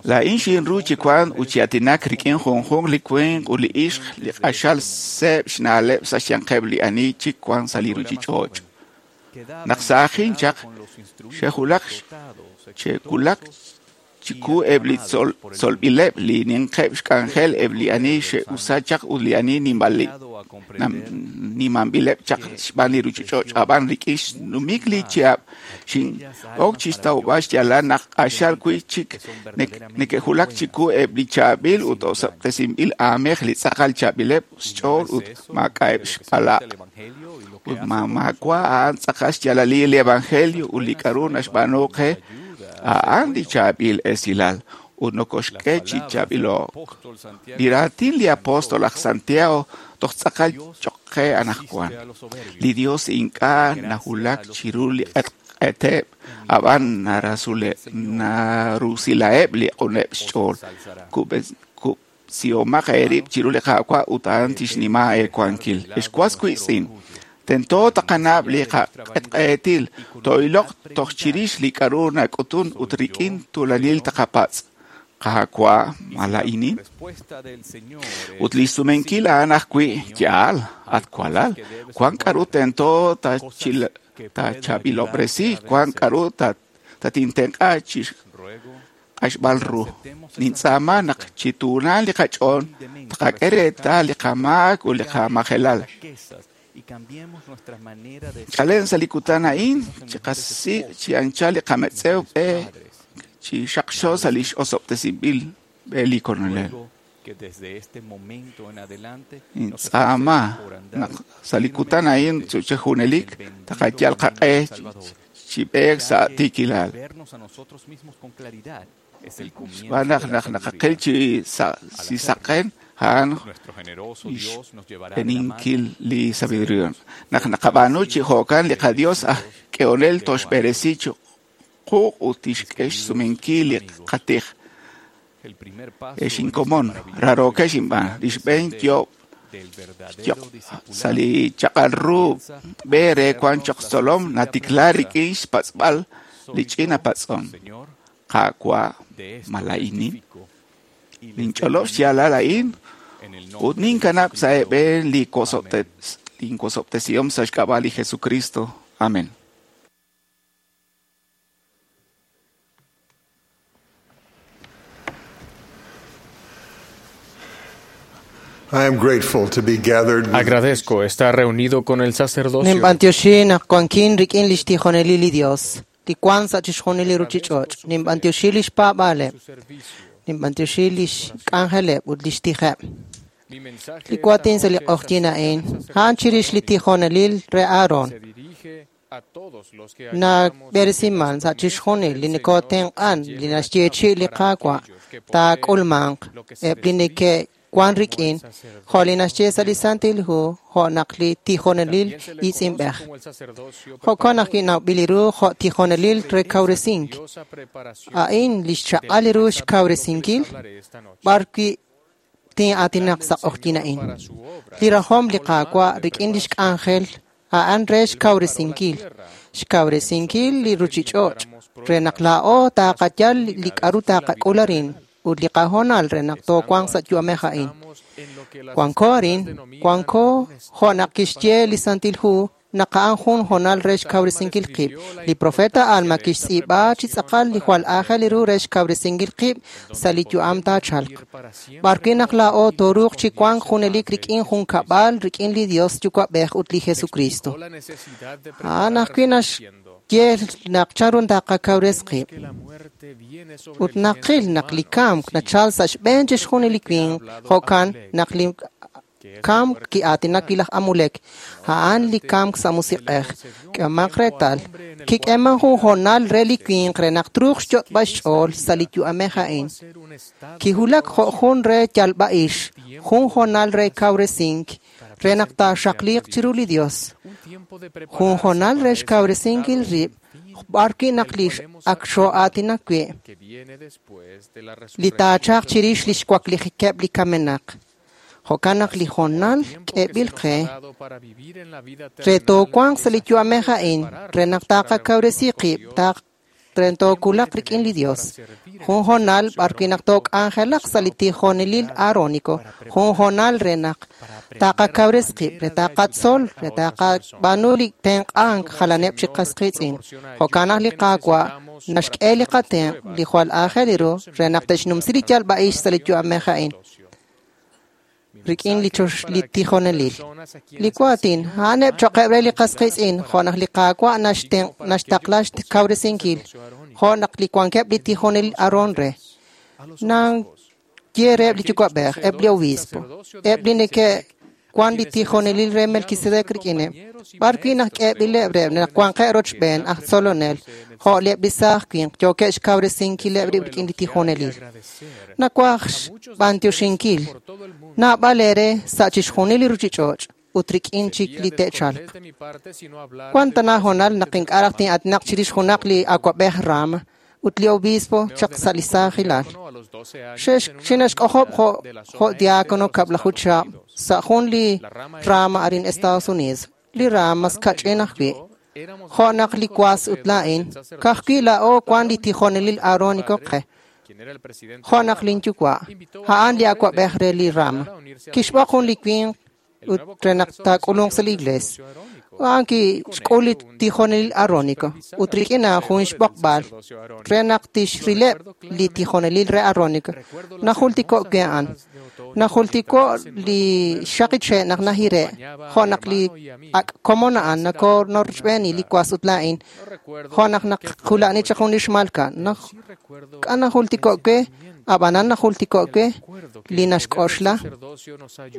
laa'in xinru chi wank ut chi aatinak rik'in junjunq li winq ut li ixq li q'axal seeb' xna'leb' sa' xyanqeb' li ani chik wank sa' li ruchich'och'. Naq saajin chaq, xe'wulak xe'wulak chiku eb' li tzolb'ileb' li ninqeb' xk'anjel eb' li ani xe'usa chaq ut li ani nimanb'ileb' chaq xb'aan li ruchich'och' ab'an rik'in xnumik li chihab' xin'ok chixtawb'al xyaalal naq q'axal wi' chik neke'wulak chiku eb' li chaab'il ut osob'tesinb'il aamej li tz'aqal chaab'ileb' xch'ool ut maak'a'eb' xb'alaq' ut maawa' a'an tz'aqal xyaalalil li evangelio ut li k'a'ru naxb'aanu qe a'an li chaab'il esilal ut nokoxk'e chi chaab'ilo'k. Li raatin li apóstol aj Santiago toj tz'aqal choq' qe anaqwan. Li Dios ink'a' nawulak chiru li q'etq'eteb', ab'an narusilaheb' li q'uneb' xch'ool. Kub'sihomaq eerib' chiru li Qaawa' ut a'an tixnima eewankil. Ex was wiitz'in, tento taqanab' li qaq'etq'etil, to'iloq toj chirix li k'a'ru nak'utun ut rik'in tuulanil taqapatz'. Qaawa' ma laa'inin? Ut li sumenkil a'an ajwi' yaal, at walal, wan k'a'ru tento taachaab'ilob'resi, wan k'a'ru tatintenq'a chi q'axb'al ru. Nintz'aama naq chi tuulan li qach'ool taqak'e reetal li qamaak ut li qamajelal. Chalen sa' li kutan a'in, chiqasik' chi anchal li qametz'ew b'e chi xaqxo sa' lix osob'tesinb'il b'e li Kolonel. Nintz'aama naq sa' li kutan a'in chi junelik taqayal qaq'e chi b'eek sa' tiikilal. Xb'aan naq naq naqaqil chi saqen a'an xb'eeninkil li sabiduría. Naq naqab'aanu chi jo'kan li qaDios aj k'ehonel toxb'eresi chi quuq ut tixk'e xsumenkil li qatij. Ex inkomon, rarookex inb'aan, li xb'een yo'b sa' li chaq'al ru b'e re wank choq' tzolom natikla rik'in xpatz'b'al li ch'ina patz'om. Qaawa' ma laa'inin? Ninch'olob' xyaalal a'in ut ninkanab' sa' eeb'en li wosob'tesihom sa' xk'ab'a' li Jesucristo. Amén. I am grateful to be gathered with Agradezco estar reunido con el sacerdocio. Ninb'antioxi naq wankin rik'in lix tijonelil li Dios, li wan sa' chixjunil li ruchich'och'. Ninb'antioxi lix paab'aaleb', ninb'antioxi lix k'anjeleb' ut lix tijeb'. Li waatin sa' li q'ojyin a'in, a'an chirix li tijonelil re Aaron. Nab'eresiman sa' chixjunil li nikotenq'an li naxyeechi' li Qaawa' taak'ulmanq eb' li neke' wan rik'in jo' li naxye sa' li Santil Hu jo' naq li tijonelil itz'inb'ej. Jo'kan ajwi' nawb'il ru jo' tijonelil re kawresink. A'in li xchaq'al ru xkawresinkil b'ar wi' tin'aatinaq sa' q'ojyin a'in. Li rajom li Qaawa' rik'in lix k'anjel a'an re xkawresinkil, xkawresinkil li ruchich'och' re naq laa'o taqayal li k'a'ru taqak'ul arin ut li qahoonal re naq toowanq sa' yu'amej a'in. Wanko arin, wanko jo' naq kixye li Santil Hu naq a'an jun hoonal re xkawresinkil qib'. Li profeta Alma kixtz'iib'a chi tz'aqal li jwal aajel ru re xkawresinkil qib' sa' li yu'am taachalq. B'ar wi' naq laa'o tooruuq chi wank junelik rik'in jun kab'al rik'in li Dios Yuwa'b'ej ut li Jesucristo. A'an ajwi' naxye naq chanru taqakawres qib'. Ut naqil naq li kamk nachal sa' xb'een chixjunil li winq, jo'kan naq li kamk ki'aatinak wi' laj Amulek, a'an li kamk sa' musiq'ej. K'ehomaq reetal, kik'eeman jun hoonal re li winq re naq truuq xyot'b'al xch'ool sa' li yu'amej a'in. Kiwulak jo' jun re yalb'a'ix, jun hoonal re kawresink, re naq taaxaqliiq chiru li Dios. Jun hoonal re xkawresinkil rib', b'ar wi' naq li ak xoo'aatinak wi', li taachaq chirix lix waklijikeb' li kamenaq. Jo'kan naq li hoonal k'eeb'il qe re toowanq sa' li yu'amej a'in, re naq taqakawresi qib', re tookulaq rik'in li Dios. Jun hoonal b'ar wi' naq took'anjelaq sa' li tijonelil aarónico, jun hoonal re naq taqakawres qib', re taqatzol, re taqab'aanu li tenq'ank jalaneb' chi qas qiitz'in. Jo'kan naq li Qaawa' Naxk'e li qatenq' li jwal aajel ru re naq te'xnumsi li yalb'a'ix sa' li yu'amej a'in rik'in li chox li tijonelil. Li waatin a'aneb' choqeb' re li qas qiitz'in jo' naq li Qaawa' naxtenq' naxtaqla xkawresinkil jo' naq li wankeb' li tijonelil Aarón re. Nanye reheb' li yuwa'b'ej, eb' li obispo, eb' li neke'wan li tijonelil re Melquisedec rik'ineb', b'ar wi' naq k'eeb'ileb' reheb' naq wanqeb' rochb'een aj tzolonel jo' eb' li saaj winq yookeb' xkawresinkileb' rib' rik'in li tijonelil. Nawaj xb'antioxinkil naab'al eere sa' chixjunil li ruchich'och' ut rik'in chik li te'chalq. Wan tana honal naq ink'a' raj tin'aatinaq chirix junaq li awa'b'ej Rama ut li obispo chaq sa' li saajilal. Xinaxk'ojob' jo' jo' diácono kab'laju chihab' sa' jun li rama arin Estados Unidos. Li rama kach'in ajwi'. Jo' naq li was ut laa'in, ka'ajwi' laa'o wan li tijonelil Aarónico qe. Jo' naq linyuwa', a'an li awa'b'ej re li rama. Kixb'oq jun li winq ut re naq taak'ulunq sa' li iglesia. A'an kixk'ul li tijonelil Aarónico ut rik'in a'an jun xb'oqb'al re naq tixrileb' li tijonelil re Aarónico. Najultiko' we a'an. Najultiko' li xaqiche' naq najire' jo' naq li ak' komon a'an nakonorchb'eeni li was ut laa'in jo' naq naqula'ni chaq jun li xmalka. K'a najultiko' we ab'anan najultiko' we li naxk'oxla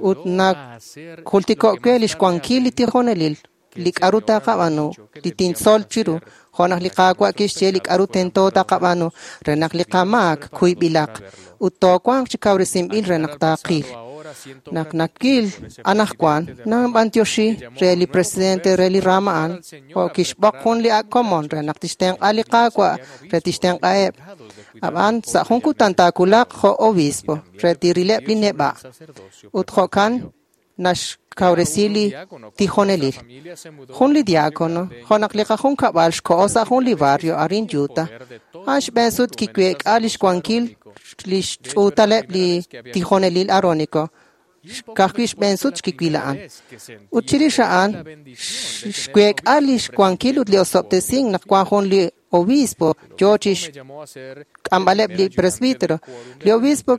ut najultiko' we li xwankil li tijonelil li k'aru taqab'aanu li tintzol chiru jo' naq li Qaawa' kixye li k'aru tento taqab'aanu re naq li qamaak kuyb'ilaq ut toowanq chi kawresinb'il re naq taaqil. Naq nakil anajwan nanb'antioxi re li presidente re li rama a'an jo' kixb'oq jun li ak' komon re naq tixtenq'a li Qaawa' re tixtenq'aheb'. Ab'an sa' jun kutan taawulaq jo' obispo re tirileb' li neb'a' ut jo'kan naxkawresi li tijonelil. Jun li diácono, jo' naq li qajunkab'al xko'o sa' jun li barrio arin Utah, a'an xb'een sut kiweek'a li xwankil li xch'uutaleb' li tijonelil Aarónico. Ka'ajwi' xb'een sut xkiwil a'an. Ut chirix a'an xweek'a li xwankil ut li osob'tesink naq wan jun li obispo yoo chi xk'amb'aleb' li presbítero. Li obispo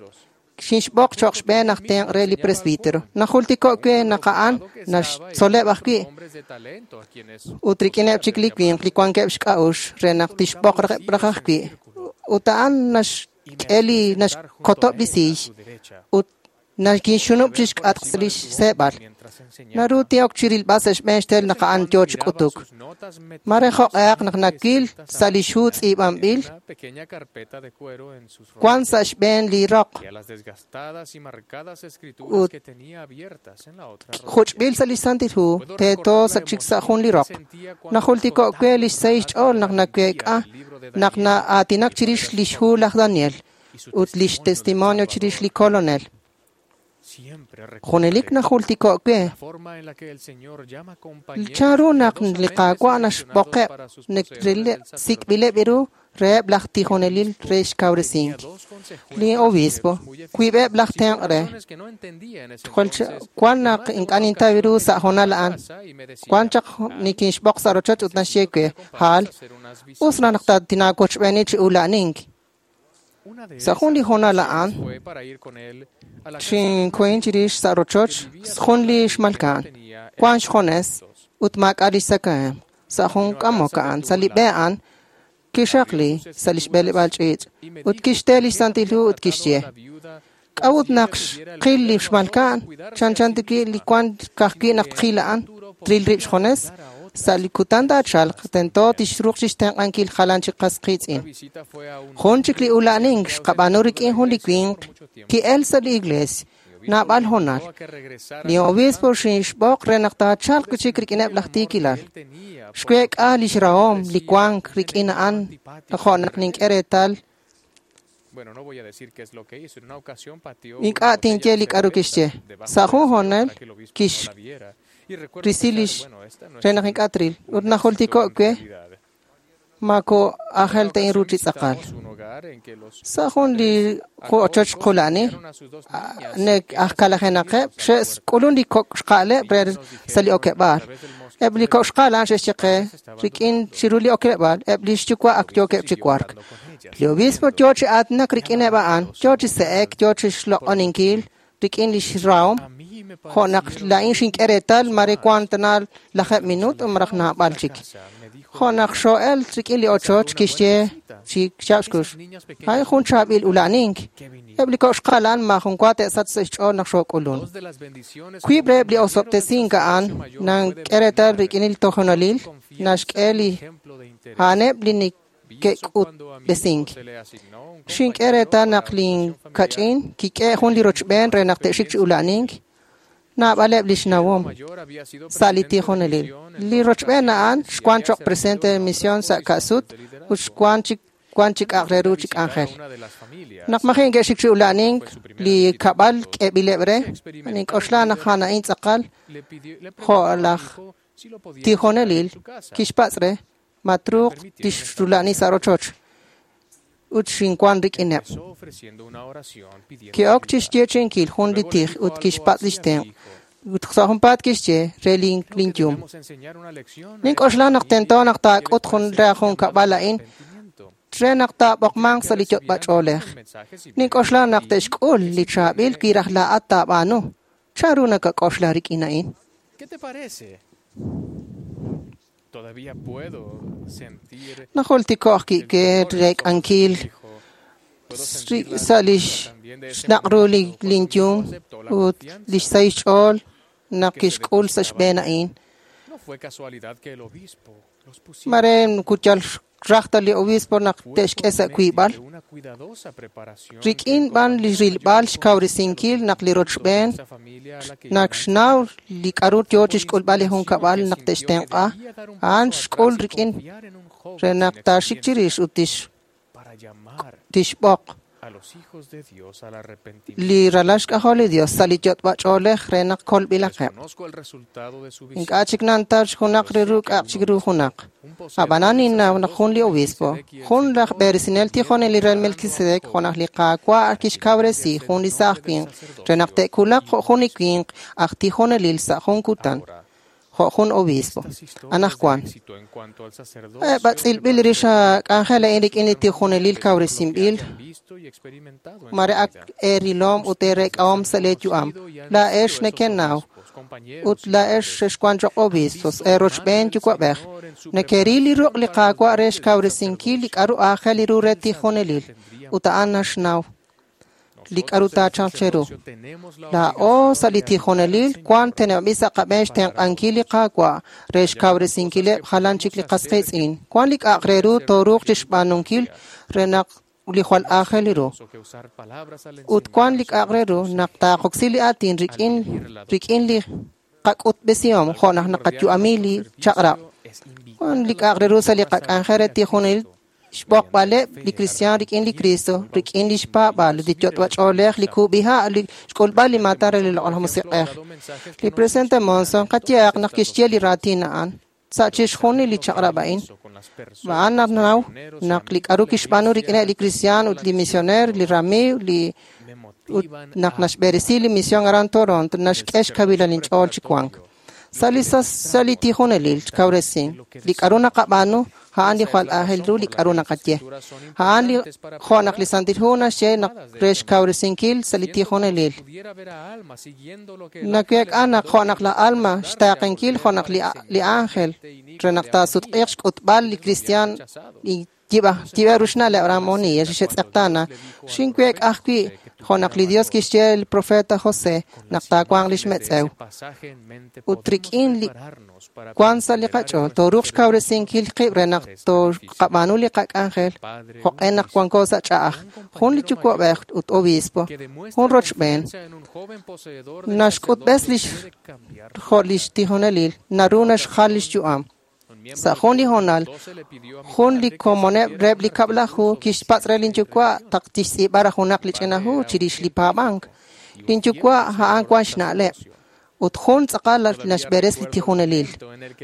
xinxb'oq choq xb'een aj tenq' re li presbítero. Najultiko' we naq a'an naxtzoleb' ajwi' ut rik'ineb' chik li winq li wankeb' xk'a'uxl re naq tixb'oq raj ajwi'. Ut a'an naxk'e li naxkotob' li siiy ut nakinxunub' chi xk'atq li xseeb'al. Naru tin'ok chirilb'al sa' xb'een xtel naq a'an yoo chi k'utuk. Mare jo'q'ehaq naq nakil sa' li xhu tz'iib'anb'il wan sa' xb'een li roq ut juch'b'il sa' li Santil Hu teeto sa' chik sa' jun li roq. Najultiko' we li xsahil xch'ool naq naweek'a naq na'aatinak chirix li xhu laj Daniel ut li xtestimonio chirix li Kolonel. Junelik najultiko' we chanru naq li Qaawa' naxb'oqeb' sik'b'ileb' ru reheb' laj tijonelil re xkawresink. Li obispo, wiib'eb' laj tenq' re. Wan naq ink'a' nintaw ru sa' honal a'an. Wan chaq nikinxb'oq sa' rochoch ut naxye we, Hal, us naq tinaawochb'eeni chi ula'nink. Sa' jun li honal a'an, xinkuhin chirix sa' rochoch jun li xmalka'an. Wan xjones ut maak'a' li xtzakahemq. Sa' jun k'amok a'an, sa' li b'e a'an, kixaqli sa' li xb'eleb'aal ch'iich' ut kixte li Santil Hu ut kixye, k'a'ut naq xqil li xmalka'an, chanchan tiki li wan ka'ajwi' naq tqil a'an, tril rib' xjones, sa' li kutan taachalq tento tixruuq chixtenq'ankil jalan chi qas qiitz'in. Jun chik li ula'nink xqab'aanu rik'in jun li winq ki'el sa' li iglesia naab'al honal. Li obispo xinxb'oq re naq taachalq chik rik'ineb' laj tiikilal. Xweek'a li xrahom li wank rik'in a'an jo' naq nink'e reetal ink'a' tinye li k'aru kixye. Sa' jun honal kix risi li re naq ink'a' tril ut najultiko' we mako aajel ta inru chi tz'aqal. Sa' jun li ochoch qula'ni nek aj kalajenaqeb' xe'k'ulun li kok' xqa'leb' re sa' li okeb'aal. Eb' li kok' xqa'al a'an xe'xye qe rik'in chiru li okeb'aal, eb' li xyuwa' ak yookeb' chi wark. Li obispo yoo chi aatinak rik'ineb' a'an, yoo chi se'ek, yoo chi xloq'oninkil rik'in lix rahom, jo' naq laa'in xink'e reetal mare wan tana lajeeb' minuut malaj naab'al chik. Jo' naq xoo'el rik'in li ochoch kixye chi xyaab' xkux, a'in jun chaab'il ula'anink. Eb' li kok' xqa'al a'an maajun wa te'sachq sa' xch'ool naq xook'ulun. Wiib' reheb' li osob'tesink a'an nank'e reetal rik'in li tojonalil naxk'e li a'aneb' li neke'k'utb'esink. Xink'e reetal naq lin kach'in kik'e jun li rochb'een re naq te'xik chi ula'anink. Naab'aleb' lix nawom sa' li tijonelil. Li rochb'een a'an xwan choq' presidente de misión sa' ka'sut ut xwan chi wan chi k'a'aq re ru chi k'anjel. Naq maji' neke'xik chi ula'anink li kab'al k'eeb'ileb' re, nink'oxla naq a'an a'in tz'aqal jo' laj tijonelil kixpatz' re ma truuq tixrula'ani sa' rochoch ut xinwan rik'ineb'. Ki'ok chixyeechi'inkil jun li tij ut kixpatz' lix tenq' ut sa' junpaat kixye re lin linyum. Nink'oxla naq tento naq taak'ut jun re jun kab'al a'in re naq taab'oqmanq sa' li yot'b'ach'oolej. Nink'oxla naq te'xk'ul li chaab'il wi raj laa'at taab'aanu. Chanru nakak'oxla rik'in a'in? Najultiko'k ki'ke reek'ankil sa' lix xnaq' ru li linyum ut lix sahil xch'ool naq kixk'ul sa' xb'een a'in. Mare kuyal raj ta li obispo naq te'xk'e sa' wiib'al. Rik'in b'an li rilb'al xkawresinkil naq li rochb'een naq xnaw li k'a'ru yoo chixk'ulb'al li junkab'al naq te'xtenq'a, a'an xk'ul rik'in re naq taaxik chirix ut tix tixb'oq li ralal xk'ajol li Dios sa' li yot'b'ach'oolej re naq kolb'ilaqeb'. Ink'a' chik nantaw junaq re ru k'a'aq chik ru junaq. Ab'anan ninnaw naq jun li obispo, jun laj b'eresinel tijonelil re Melquisedec, jo' naq li Qaawa' kixkawresi jun li saaj winq re naq te'kulaq jo' jun li winq aj tijonelil sa' jun kutan, jo' jun obispo. Anajwan, eb' tz'ilb'il rix k'anjel a'in rik'in li tijonelil kawresinb'il, mare ak eerilom ut eerek'ahom sa' lee yu'am. Laa'ex nekenaw ut laa'ex xexwan choq' obispos, eerochb'een yuwa'b'ej. Nekeril li ruq' li Qaawa' re xkawresinkil li k'a'ru aajel ru re tijonelil, ut a'an naxnaw li k'a'ru taachalq cheru. Laa'o sa' li tijonelil wan teneb'anb'il sa' qab'een xtenq'ankil li Qaawa' re xkawresinkileb' jalan chik li qas qiitz'in. Wan li k'a'aq re ru tooruuq chixb'aanunkil re naq li jwal aajel ru. Ut wan li k'a'aq re ru naq taaqoksi li aatin rik'in rik'in li qak'utb'esihom jo' naq naqayu'ami li chaq'rab'. Wan li k'a'aq re ru sa' li qak'anjel re tijonelil xb'oqb'aleb' li kristiaan rik'in li Cristo, rik'in li xpaab'aal, li yot'b'ach'oolej, li kub'iha', li xk'ulb'al li maatan re li Loq'laj Musiq'ej. Li presidente Monson qayehaq naq kixye li raatin a'an sa' chixjunil li chaq'rab' a'in. A'an nanaw naq li k'a'ru kixb'aanu rik'ineb' li kristiaan ut li misioneer, li ramiiw, li ut naq naxb'eresi li mision aran Toronto, naxk'e xkawilal inch'ool chi wank. Sa' li sa' li tijonelil xkawresin, li k'a'ru naqab'aanu a'an li jwal aajel ru li k'a'ru naqaye. A'an li jo' naq li Santil Hu naxye naq re xkawresinkil sa' li tijonelil. Naweek'a naq jo' naq la alma xtaaqenkil jo' naq li li ángel re naq taasutq'iiq xk'utb'al li kristiaan li yib'a yib'a ru xna'leb' Ramonía xe'tz'eqtaana. Xinweek'a ajwi' jo' naq li Dios kixye el profeta José naq taawanq lix metz'ew. Ut rik'in li wan sa' li qach'ool tooruuq xkawresinkil qib' re naq tooqab'aanu li qak'anjel jo'q'e naq wanko sa' ch'a'aj. Jun li yuwa'b'ej ut obispo, jun rochb'een, naxk'utb'es lix jo' lix tijonelil, naru naxjal lix yu'am. Sa' jun li hoonal, jun li komoneb' reheb' li kab'laju kixpatz' re linyuwa' taq tixtz'iib'a raj junaq li ch'ina hu chirix li paab'ank. Linyuwa' a'an wan xna'leb' ut jun tz'aqal naxb'eres li tijonelil.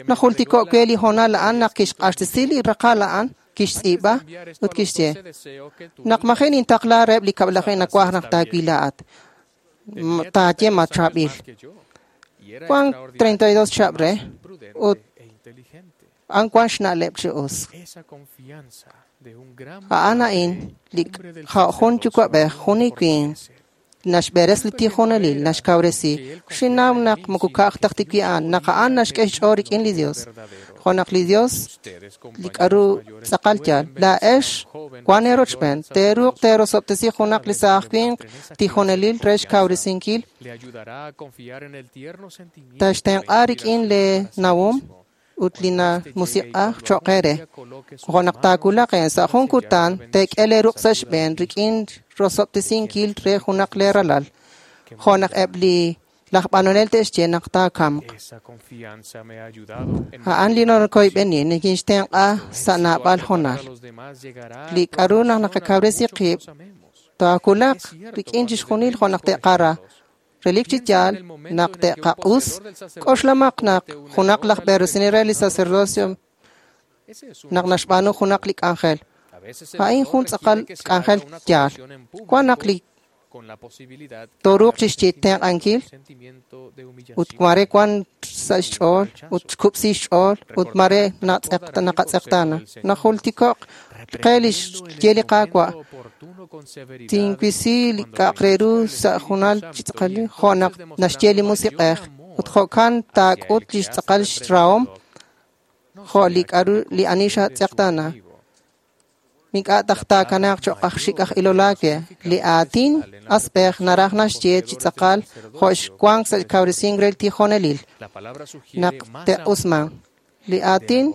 Najultiko' we li hoonal a'an naq kixq'axtesi li raqal a'an, kixtz'iib'a ut kixye naq maji' nintaqla reheb' li kab'laju nawaj naq taawil laa'at. Taaye ma chaab'il. Wan treinta y dos chihab' re. Ut a'an wan xna'leb' chi us. A'an a'in li jun yuwa'b'ej, jun li winq naxb'eres li tijonelil, naxkawresi. Xinnaw naq moko ka'aj taj ti a'an, naq a'an naxk'e xch'ool rik'in li Dios. Jo' naq li Dios li k'aru tz'aqal yaal. Laa'ex wan eerochb'een, teeruuq teerosob'tesi junaq li saaj winq tijonelil re xkawresinkil. Taxtenq'a rik'in lee nawom ut li namusiq'aj cho'q eere. Jo' naq taawulaq een sa' jun kutan teek'e lee ruq' sa' xb'een rik'in rosob'tesinkil re junaq lee ralal. Jo' naq eb' li laj b'anonel te'xye naq taakamq. A'an li nakoyb'eni nikinxtenq'a sa' naab'al honal. Li k'aru naq naqakawresi qib' taawulaq rik'in chixjunil jo' naq te'qara. Relik chi yaal naq te'qaq'us, k'oxlamaq naq junaq laj b'eresinel re li sacerdocio naq naxb'aanu junaq li k'anjel. A'in jun tz'aqal k'anjel yaal. Wan naq li tooruuq chixtenq'ankil ut mare wan sa' xch'ool ut xkub'si xch'ool ut mare naqatz'eqtaana. Najultiko'q qe li xye li Qaawa'. Tinwisi li k'a'aq re ru sa' junal chi tz'aqal jo' naq naxye li Musiq'ej ut jo'kan taak'ut li xtz'aqal xrahom jo' li k'aru li ani xatz'eqtaana. Ink'a' taj taakanaaq cho'q aj xik' aj ilol aawe. Li aatin asb'ej naraj naxye chi tz'aqal jo' xwank sa' kawresink re li tijonelil. Naq te'usman, li aatin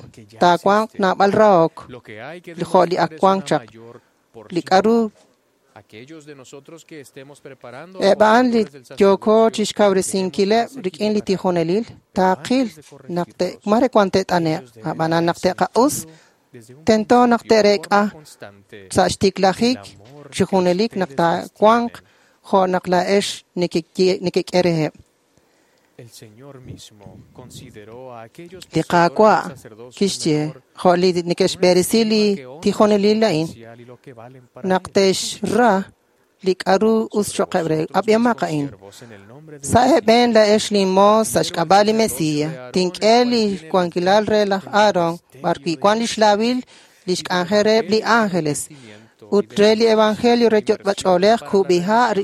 taawanq naab'al rahok jo' li ak wank chaq. Li k'aru eb' a'an li yooko chixkawresinkileb' rik'in li tijonelil taaqil naq mare wan te't'ane'q, ab'anan naq te'qaq'us tento naq te'reek'a sa' xtiklajik chi junelik naq taawanq jo' naq laa'ex nekek'e reheb'. Li Qaawa' kixye jo' li neke'xb'eresi li tijonelil a'in naq te'xra li k'aru us cho'qeb' re. Ab'ihomaq a'in. Sa' eeb'een laa'ex linmoos sa' xk'ab'a' li Mesías, tink'e li wankilal re laj Aarón b'arwi' wan li xlaawil li xk'anjel reheb' li ángeles ut re li evangelio re yot'b'ach'oolej kub'iha'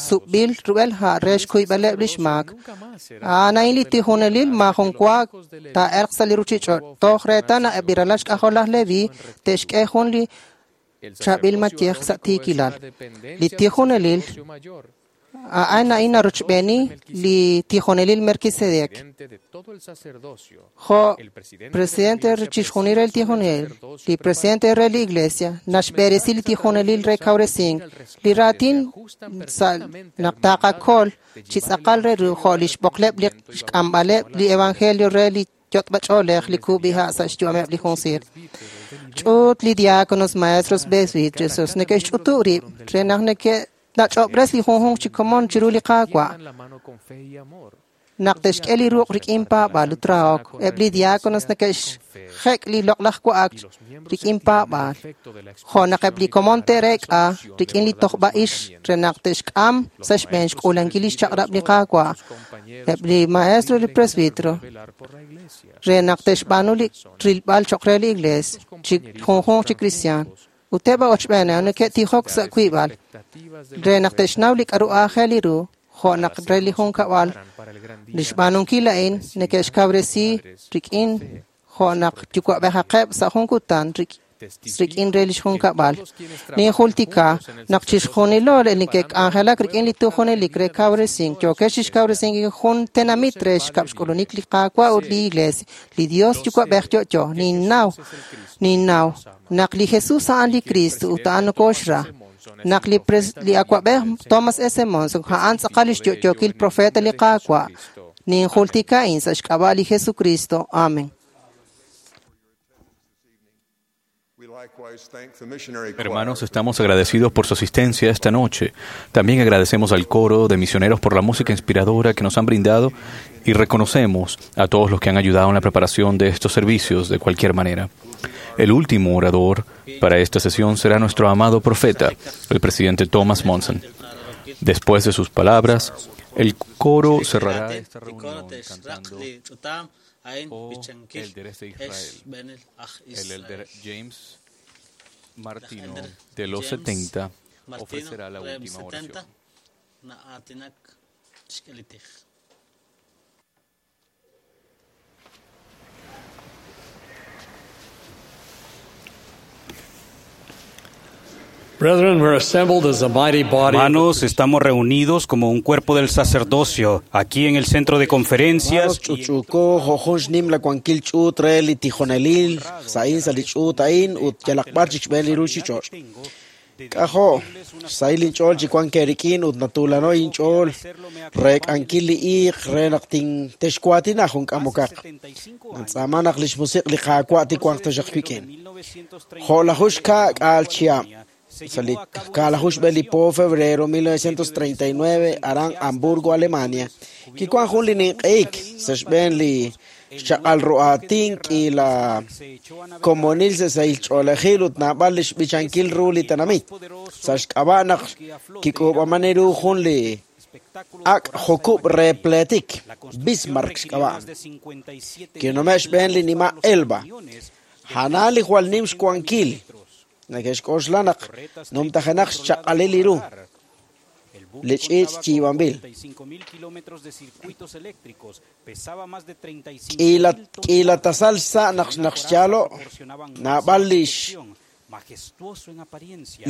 sub'b'il rub'el ha' re xkuyb'aleb' li xmaak. A'an a'in li tijonelil maajun wa taa'elq sa' li ruuchich'och' toj reetal naq eb' li ralal xk'ajol laj Leví te'xk'e jun li chaab'il mayej sa' tiikilal. Li tijonelil a'an a'in narochb'eeni li tijonelil Melquisedec. Jo' presidente chixjunil re li tijonelil, li presidente re li iglesia naxb'eresi li tijonelil re kawresink. Li raatin sa' naq taaqakol chi tz'aqal re ru jo' li xb'oqleb' li xk'amb'aleb' li evangelio re li yot'b'ach'oolej li kub'iha' sa' xyu'ameb' li junsiir. Ch'uut li diáconos, maestros, presbíteros neke'xch'utu' rib' re naq neke'nach'ob'res li junjunq chi komon chiru li Qaawa'. Naq te'xk'e li ruq' rik'in paab'aal ut rahok, eb' li diáconos neke'xjek' li loq'laj wa'ak rik'in paab'aal. Jo' naq eb' li komon te'reek'a rik'in li tojb'a'ix re naq te'xk'am sa' xb'een xk'uulankil li xchaq'rab' li Qaawa'. Eb' li maestro li presbítero re naq te'xb'aanu li rilb'al cho'q re li iglees chi junjunq chi kristiaan. Ut eb' ochb'een neke'tijok sa' wiib'al re naq te'xnaw li k'aru aajel li ru jo' naq re li junkab'al li xb'aanunkil a'in neke'xkawresi rik'in jo' naq yuwa'b'ejaqeb' sa' jun kutan rik'in re li xjunkab'al. Ninjultika naq chixjunilo li neke'k'anjelak rik'in li tijonelik re kawresink yookex chixkawresinkil jun tenamit re xkab'xk'ulunik li Qaawa' ut li iglees, li Dios yuwa'b'ej yo'yo. Ninnaw, ninnaw naq li Jesús a'an li Cristo ut a'an nokoxra. Naq li li awa'b'ej Thomas S. Monson a'an tz'aqal li xyo'yookil profeta li Qaawa'. Ninjultika a'in sa' xk'ab'a' li Jesucristo. Amén. Hermanos, estamos agradecidos por su asistencia esta noche. También agradecemos al coro de misioneros por la música inspiradora que nos han brindado y reconocemos a todos los que han ayudado en la preparación de estos servicios de cualquier manera. El último orador para esta sesión será nuestro amado profeta, el presidente Thomas Monson. Después de sus palabras, el coro cerrará esta reunión cantando. a'in o b'ichankil élderes de ex Israel. xb'eenil aj El Israel. elder James Martino Elder de los James setenta Martino ofrecerá la reheb última setenta oración. na'aatinak xk'e li tij. Brethren, we're assembled as a mighty body. Hermanos, estamos reunidos como un cuerpo del sacerdocio aquí en el centro de conferencias. Ch'uch'uko jojun xnim la kuankil ch'uut re li tijonelil sa'in sa' li ch'uut a'in ut yalaq b'ar chik xb'een li ruchich'och'. K'ajo' xsahil inch'ool chi wank eerik'in ut natulano inch'ool re k'ankil li iiq re naq tintexwaatina jun k'amokaq. Nantz'aama naq li xmusiq' li Qaawa' tiwanq taxaq wik'in. Jo' laju xka' k'aal chihab'. Sa' li kaalaju xb'een li po febrero mil novecientos treinta y nueve aran Hamburgo, Alemania, kiwan jun li ninq'eik sa' xb'een li xchaq'al ru'aatin k'iila komonil sa' sahil ch'oolejil ut naab'al li xb'ichankil ru li tenamit. Sa' xk'ab'a' naq kik'uub'aman ru jun li ak' jukub' re pleetik, Bismarck xk'ab'a'. Kinume' xb'een li nima' Elba. Jana li jwal nim xwankil. Neke'xk'oxla naq numtajenaq xchaq'alil li ru. Li ch'iich' yiib'anb'il. K'iila k'iila tasal xsa' naq naq xyaalo' naab'al lix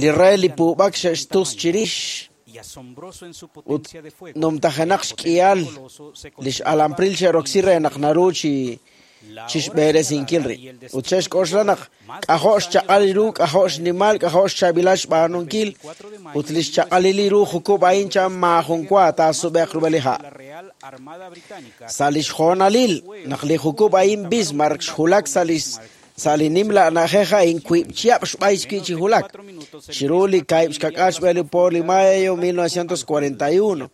li re li puub'ak xe'xtus chirix ut numtajenaq xk'ihal lix alampril xe'roksi re naq naru chi chixb'eresinkil rib'. Ut xe'xk'oxla naq k'ajo' xchaq'al ru, k'ajo' xnimal, k'ajo' xchaab'ilal xb'aanunkil ut li xchaq'alil ru jukub' a'in chan maajun wa taasub'e'q rub'el li ha'. Sa' li xjoonalil naq li jukub' a'in Bismarck xjulak sa' li sa' li nimla na'ajej a'in wiib' chihab' xb'ay xwi' chi julak. Chiru li kaahib' xka'k'aal xb'een li po li mayo mil novecientos cuarenta y uno.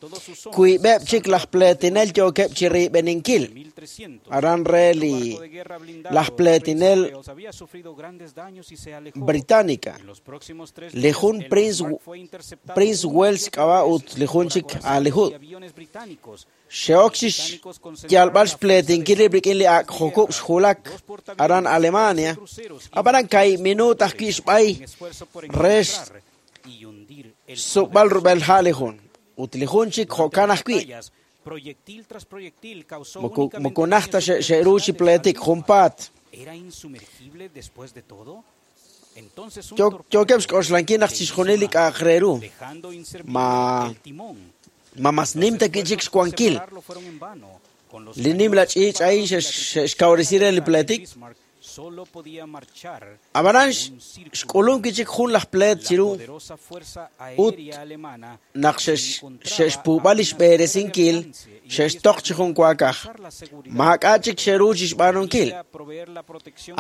Wiib'eb' chik laj pleetinel yookeb' chi riib'eninkil. Aran re li laj pleetinel británica. Li jun Prince Prince Wales xk'ab'a' ut li jun chik Alihud. Xe'ok chi xyalb'al xpleetinkil rib' rik'in li ak' jukub' xjulak aran Alemania. Ab'anan kaahib' minuut ajwi' xb'ay re xsub'al rub'el ha' li jun. Ut li jun chik jo'kan ajwi'. Moko moko naj ta xe'ru chi pleetik junpaat. Yookeb' xk'oxlankil naq chixjunil li k'a'aq re ru. Ma ma mas nim ta wi' chik xwankil. Li nimla ch'iich' a'in xe'xkawresi re li pleetik. Ab'anan xk'ulum wi' chik jun laj pleet chiru ut naq xe'xpuub'a li xb'eresinkil xe'xtoq chi jun waakaj. Maak'a' chik xe'ru chi xb'aanunkil.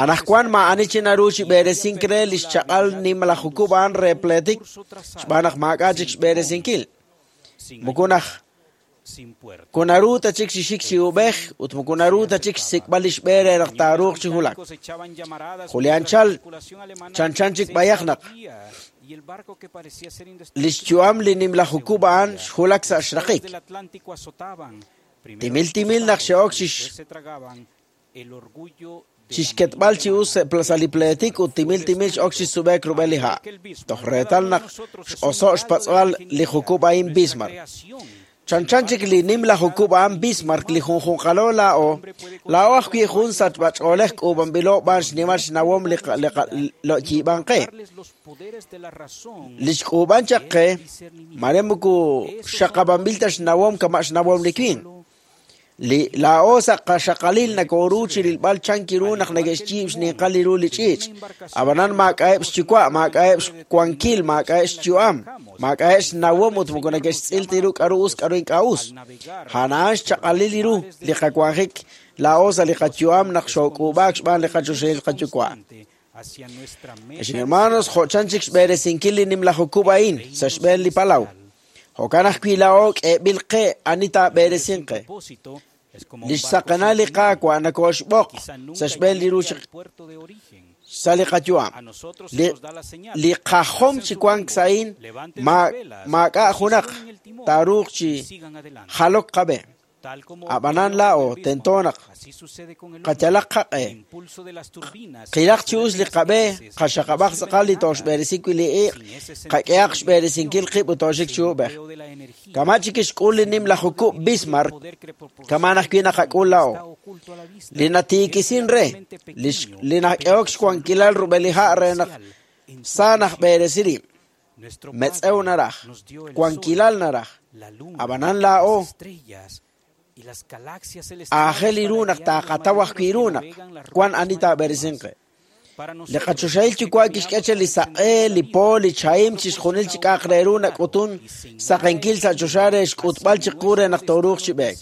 Anaqwan maa'ani chi naru chi b'eresink re li xchaq'al nimla jukub' a'an re pleetik xb'aan naq maak'a' chik xb'eresinkil. Moko naj kunaru ta chik xixik chi ub'ej ut moko naru ta chik xsik'b'al li xb'e re naq taaruuq chi julak. Julián Chal chanchan chik b'ayaq naq li xyu'am li nimla jukub' a'an xjulak sa' xraqik. Timil timil naq xe'ok chi xketb'al chi us sa' li pleetik ut timil timil x'ok chi sub'e'k rub'el li ha'. Toj reetal naq x'oso' xpatz'b'al li jukub' a'in Bismarck. Chanchan chik li nimla jukub' a'an Bismarck li junjunqalo laa'o, laa'o ajwi' jun sachb'ach'oolej k'uub'anb'ilo b'aan xnimal xnawom li lo'yiib'an qe. Li xk'uub'an chaq qe, mare moko xaqab'anb'il ta xnawom kama' xnawom li winq. Li laa'o sa' qaxaqalil nakoru chi rilb'al chanki ru naq neke'xyiib' xninqal li ru li ch'iich'. Ab'anan maak'a'eb' xyuwa', maak'a'eb' xwankil, maak'a'eb' xyu'am, maak'a'eb' xnawom ut moko neke'xtz'il ta ru k'a'ru us k'a'ru ink'a' us. Ja'ana'an xchaq'alil li ru li qawanjik laa'o sa' li qayu'am naq xook'uub'aak xb'aan li qachoxahil qayuwa'. Ex hermanos, jo'chan chik xb'eresinkil li nimla jukub' a'in sa' xb'een li palaw. Jo'kan ajwi' laa'o k'eeb'il qe ani taab'eresinq qe. Li xsaqenal li Qaawa' nakooxb'oq sa' xb'een li ru sa' li qayu'am. Li li qajom chi wank sa'in maak'a' junaq taaruuq chi jalok qab'e. Ab'anan laa'o tento naq qayalaq qaq'e qilaq chi us li qab'e qaxaqab'aq tz'aqal li tooxb'eresi wi' li iq' qak'ehaq xb'eresinkil qib' ut tooxik chi ub'ej. Kama' chik kixk'ul li nimla jukub' Bismarck, kama' ajwi' naqak'ul laa'o. Li natiikisin re, li nak'ehok xwankilal rub'el li ha' re naq sa najb'eresi rib'. Metz'ew naraj, wankilal naraj. Ab'anan laa'o aajel ru naq taaqataw ajwi' ru naq wan ani taab'eresinq qe. Li qachoxahil yuwa' kixk'e che li saq'e, li po, li chahim, chixjunil chi k'a'aq re ru nak'utun saqenkil sa' choxa re xk'utb'al chiqu re naq tooruuq chi b'eek.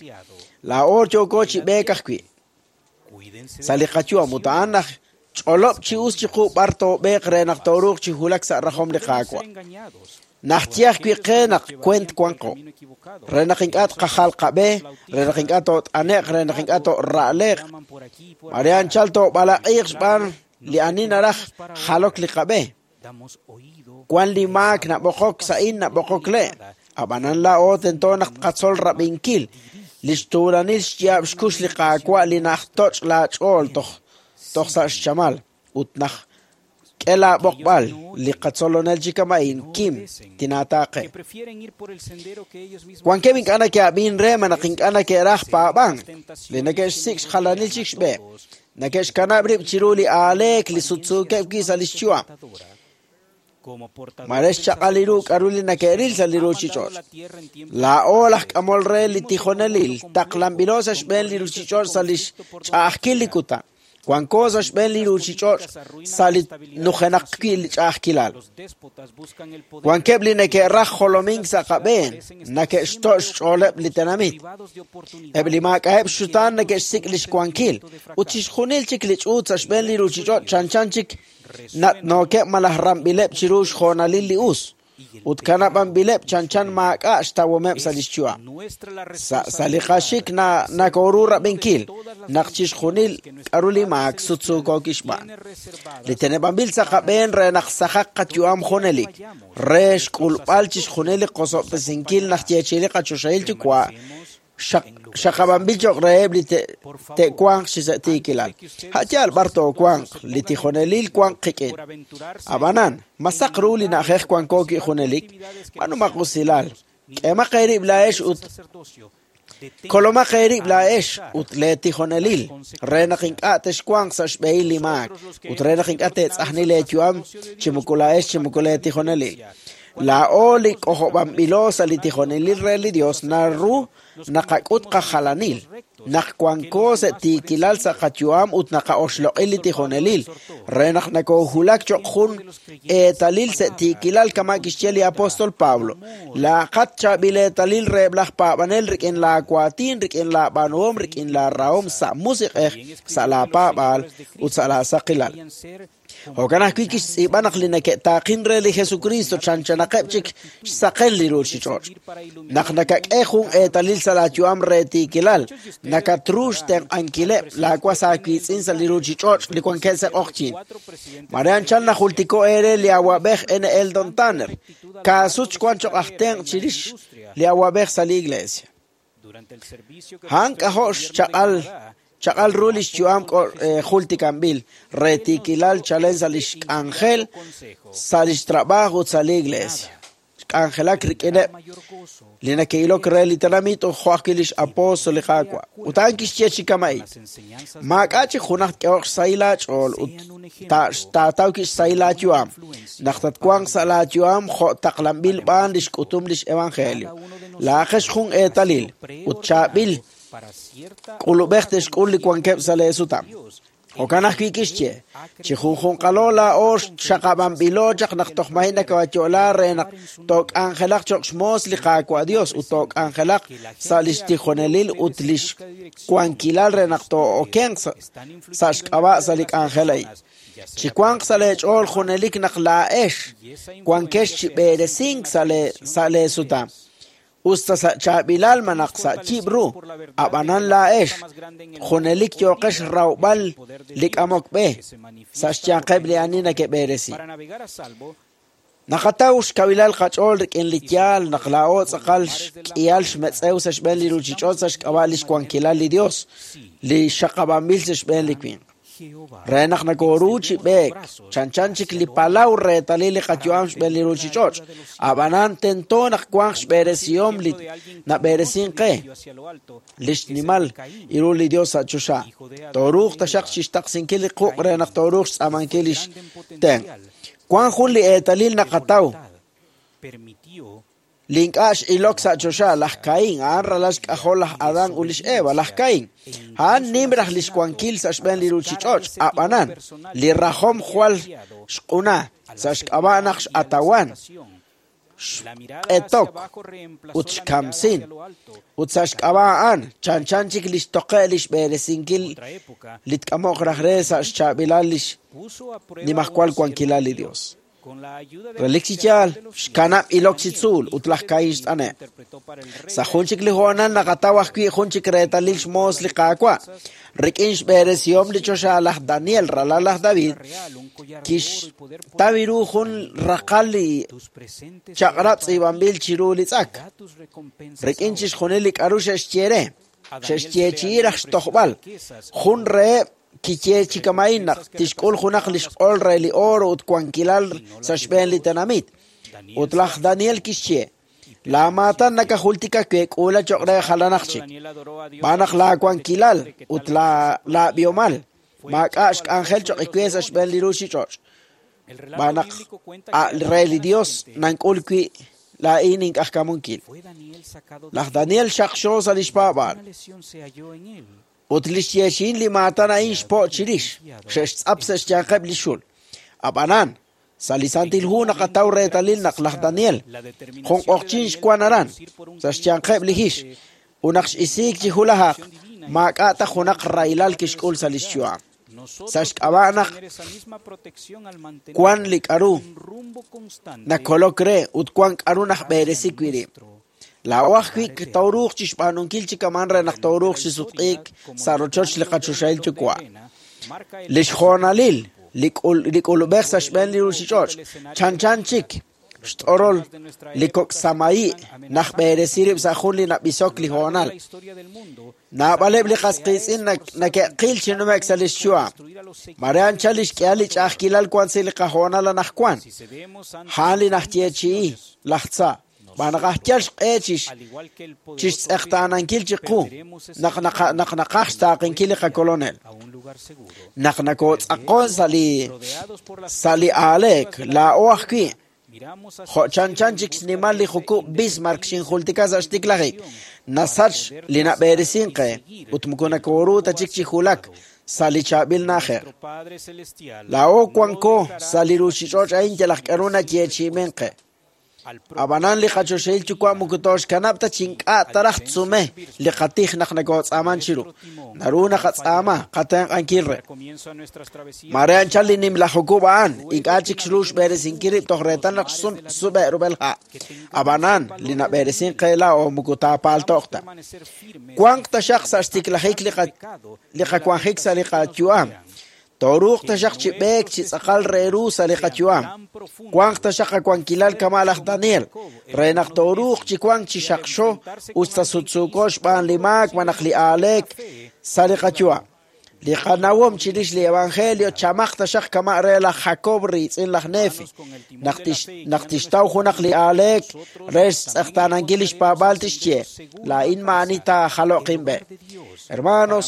Laa'o yooko chi b'eek ajwi' sa' li qayu'am ut a'an naj ch'olob' chi us chiqu b'ar toob'eeq re naq tooruuq chi wulak sa' rajom li Qaawa'. Najye ajwi' qe naq kwent wanqo, re naq ink'a' tqajal qab'e, re naq ink'a' toot'ane'q, re naq ink'a' toora'leq. Mare anchal toob'alaq'iiq xb'aan li ani naraj jalok li qab'e. Wan li maak nab'oqok sa'in nab'oqok le', ab'anan laa'o tento naq tqatzol rab'inkil li xtuulanil xyaab' xkux li Qaawa' li najtoch' laach'ool toj toj sa' xchamal ut naj k'e laab'oqb'al li qatzolonel chi kama'in kim tinaataaqe. Wankeb' ink'a' neke'ab'in re malaj ink'a' neke'raj paab'ank, li neke'xsik' xjalanil chik xb'e, neke'xkanab' rib' chiru li aaleek li sutsuukeb' wi' sa' li xyu'am. Mare xchaq'al li ru k'aru li neke'ril sa' li ruuchich'och'. Laa'o laj k'amol re li tijonelil taqlanb'ilo sa' xb'een li ruuchich'och' sa' li xch'a'ajkil li kutan. Wanko sa' xb'een li ruuchich'och' sa' li nujenaq wi' li ch'a'ajkilal. Wankeb' li neke'raj jolomink sa' qab'een, neke'xto' xch'ooleb' li tenamit. Eb' li maak'a'eb' xxutaan neke'xsik' li xwankil, ut chixjunil chik li ch'uut sa' xb'een li ruuchich'och' chanchan chik nat'nookeb' malaj ramb'ileb' chiru xjoonalil li us, ut kanab'anb'ileb' chanchan maak'a' xtawomeb' sa' li xyu'am. Sa' sa' li qaxik nakoru rab'inkil naq chixjunil k'aru li maak sutsuuko kixb'aan. Li teneb'anb'il sa' qab'een re naq saqaq qayu'am junelik, re xk'ulb'al chixjunil li qosob'tesinkil najyeechi'i li qachoxahil yuwa' xaqab'anb'il cho'q reheb' li te'wanq chi sa' tiikilal. A'yaal b'ar toowanq, li tijonelil wanq qik'in. Ab'anan, masaq ru li na'ajej wanko wi' junelik, b'anumaq usilal, k'emaq eerib' laa'ex ut kolomaq eerib' laa'ex ut leetijonelil re naq ink'a' texwanq sa' xb'ehil li maak ut re naq ink'a' teetz'ajni leeyu'am chi moko laa'ex chi moko leetijonelil. Laa'o li k'ojob'anb'ilo sa' li tijonelil re li Dios naru naqak'ut qajalanil, naq wanko sa' tiikilal sa' qayu'am ut naqa'oxloq'i li tijonelil, re naq nakoohulak cho'q jun eetalil sa' tiikilal kama' kixye li apóstol Pablo. Laaqat chaab'il eetalil reheb' laj paab'anel rik'in laawaatin, rik'in laab'aanuhom, rik'in laarahom sa' musiq'ej, sa' laapaab'aal ut sa' laasaqilal. Jo'kan ajwi' kixtz'iib'a naq li neke'taaqin re li Jesucristo chanchanaqeb' chik xsaqen li ruuchich'och'. Naq nakak'e jun eetalil sa' laayu'am re tiikilal, nakatru xtenq'ankileb' laawas aawiitz'in sa' li ruuchich'och' li wankeb' sa' q'oqyin. Mare anchal najultiko eere li awab'ej N. Eldon Tanner, kaasut xwan cho'q aj tenq' chirix li awab'ej sa' li iglesia. A'an k'ajo' xchaq'al chaq'al ru li xyu'am jultikanb'il re tiikilal chalen sa' li xk'anjel, sa' li xtrab'aaj ut sa' li iglesia. Xk'anjelak rik'ineb' li neke'ilok re li tenamit ut jo' ajwi' li xapóstol li Qaawa'. Ut a'an kixye chi kama'in: maak'a' chik junaq tk'ehoq xsahil aach'ool ut taataw xsahil aayu'am naq tatwanq sa' laayu'am jo' taqlanb'il b'aan li xk'utum li xevangelio. Laa'ajex jun eetalil ut chaab'il k'ulub'ej te'xk'ul li wankeb' sa' leesutam. Jo'kan ajwi' kixye: chi junjunqalo laa'o xaqab'anb'ilo chaq naq toj maji nakawayo'la re naq took'anjelaq cho'q xmoos li Qaawa' Dios ut took'anjelaq sa' li xtijonelil ut li xwankilal re naq too'okenq sa' xk'ab'a' sa' li k'anjel a'in. Chi wanq sa' leech'ool junelik naq laa'ex wankex chi b'eresink sa' leesutam. Usta sa' chaab'ilal malaj sa' yib' ru, ab'anan laa'ex junelik yooqex rawb'al li k'amok b'e sa' xyanqeb' li ani neke'b'eresi. Naqataw xkawilal qach'ool rik'in li yaal naq laa'o tz'aqal xk'ihal xmetz'ew sa' xb'een li ruuchich'och' sa' xk'ab'a' li xwankilal li Dios, li xaqab'anb'il sa' xb'een li winq. Re naq nakoru chi b'eek, chanchan chik li palaw reetalil li qayu'am xb'een li ruuchich'och', ab'anan tento naq wanq xb'eresihom li nab'eresin qe, li xnimal iru li Dios sa' choxa. Tooruuq taxaq chixtaqsinkil li quq' re naq tooruuq xtz'aamankil li xtenq'. Wank jun li eetalil naqataw li ink'a' x'ilok sa' choxa laj Caín, a'an ralal xk'ajol laj Adán ut lix Eva. Laj Caín, a'an nim raj li xwankil sa' xb'een li ruuchich'och', ab'anan li rajom jwal xq'una sa' xk'ab'a' naq x'atawan, xq'etok ut xkamsin, ut sa' xk'ab'a' a'an chanchan chik li xtoqe' li xb'eresinkil li tk'amoq raj re sa' xchaab'ilal li xnimajwal wankilal li Dios. Relik chi yaal, xkanab' ilok chi tzuul ut laj Caín xt'ane'. Sa' jun chik li hoonal naqataw ajwi' jun chik reetalil xmoos li Qaawa'. Rik'in xb'eresihom li choxa laj Daniel, ralal laj David, kixtaw ru jun raqal li chaq'rab' tz'iib'anb'il chiru li tz'ak. Rik'in chixjunil li k'aru xe'xye re, xe'xyeechi'i raj xtojb'al. Jun reheb' kiyeechi kama'in naq tixk'ul junaq li xq'ol re li oro ut wankilal sa' xb'een li tenamit. Ut laj Daniel kixye, laamaatan nakajultika we k'uula cho'q re jalanaq chik. B'an naq laawankilal ut laab'ihomal maak'a' xk'anjel cho'q we sa' xb'een li ruuchich'och'. B'an naq re li Dios nank'ul wi' laa'in ink'ajkamunkil. Laj Daniel xaqxo sa' li xpaab'aal. Ut li xyeechi'in li maatan a'in xpo' chirix, xe'xtz'ap sa' xyanqeb' li xul. Ab'anan, sa' li Santil Hu naqataw reetalil naq laj Daniel, jun q'oqchin xwan aran, sa' xyanqeb' li hix, ut naq x'isiik chi hulajaq, maak'a' ta junaq rahilal kixk'ul sa' li xyu'am. Sa' xk'ab'a' naq wan li k'aru nakolok re ut wan k'aru najb'eresi wi' rib'. Laa'o ajwi' tooruuq chi xb'aanunkil chi kaman re naq tooruuq chi sutq'iik sa' rochoch li qachoxahil yuwa'. Li xjoonalil li k'ulub'ej sa' xb'een li ruuchich'och' chanchan chik xt'orol li kok' samayi' najb'eresi rib' sa' jun li nab'isok li hoonal. Naab'aleb' li qas qiitz'in nake'qil chi nume'k sa' li xyu'am. Mare anchal li xk'ihal li ch'a'ajkilal wan sa' li qahoonal anaqwan. A'an li najyeechi'i laj tza. B'an naq ajyal xq'e chixtz'eqtaanankil chiqu naq naq naqaj xtaaqinkil li qakolonel. Naq nakootz'aqon sa' li sa' li aaleek laa'o ajwi' jo' chanchan chik xnimal li jukub' Bismarck xinjultika sa' xtiklajik. Nasach li nab'eresin qe ut moko nakooru ta chik chi julak sa' li chaab'il na'ajej. Laa'o wanko sa' li ruuchich'och' a'in yalaq k'aru nayeechi'imen qe. Ab'anan li qachoxahil yuwa' moko tooxkanab' ta chi ink'a' taraj tsume li qatij naq nakootz'aaman chiru. Naru naqatz'aama qatenq'ankil re. Mare anchal li nimla jukub' a'an ink'a' chik xru xb'eresinkil rib' toj reetal naq xsub'e' rub'el ha'. Ab'anan li nab'eresin qe laa'o moko taapaalto'q ta. Wanq taxaq sa' xtiklajik li qawanjik sa' li qayu'am. Tooruuq taxaq chi b'eek chi tz'aqal re ru sa' li qayu'am. Wanq taxaq qawankilal kama' laj Daniel, re naq tooruuq chi wank chi xaqxo ut sasutsuuko xb'aan li maak malaj li aaleek sa' li qayu'am. Li qanawom chirix li evangelio chamaq taxaq kama' re laj Jacob riitz'in laj Nefi, naq tixtaw junaq li aaleek re xtz'eqtaanankil li xpaab'aal tixye, laa'in maa'ani taajalo'q inb'e. Hermanos,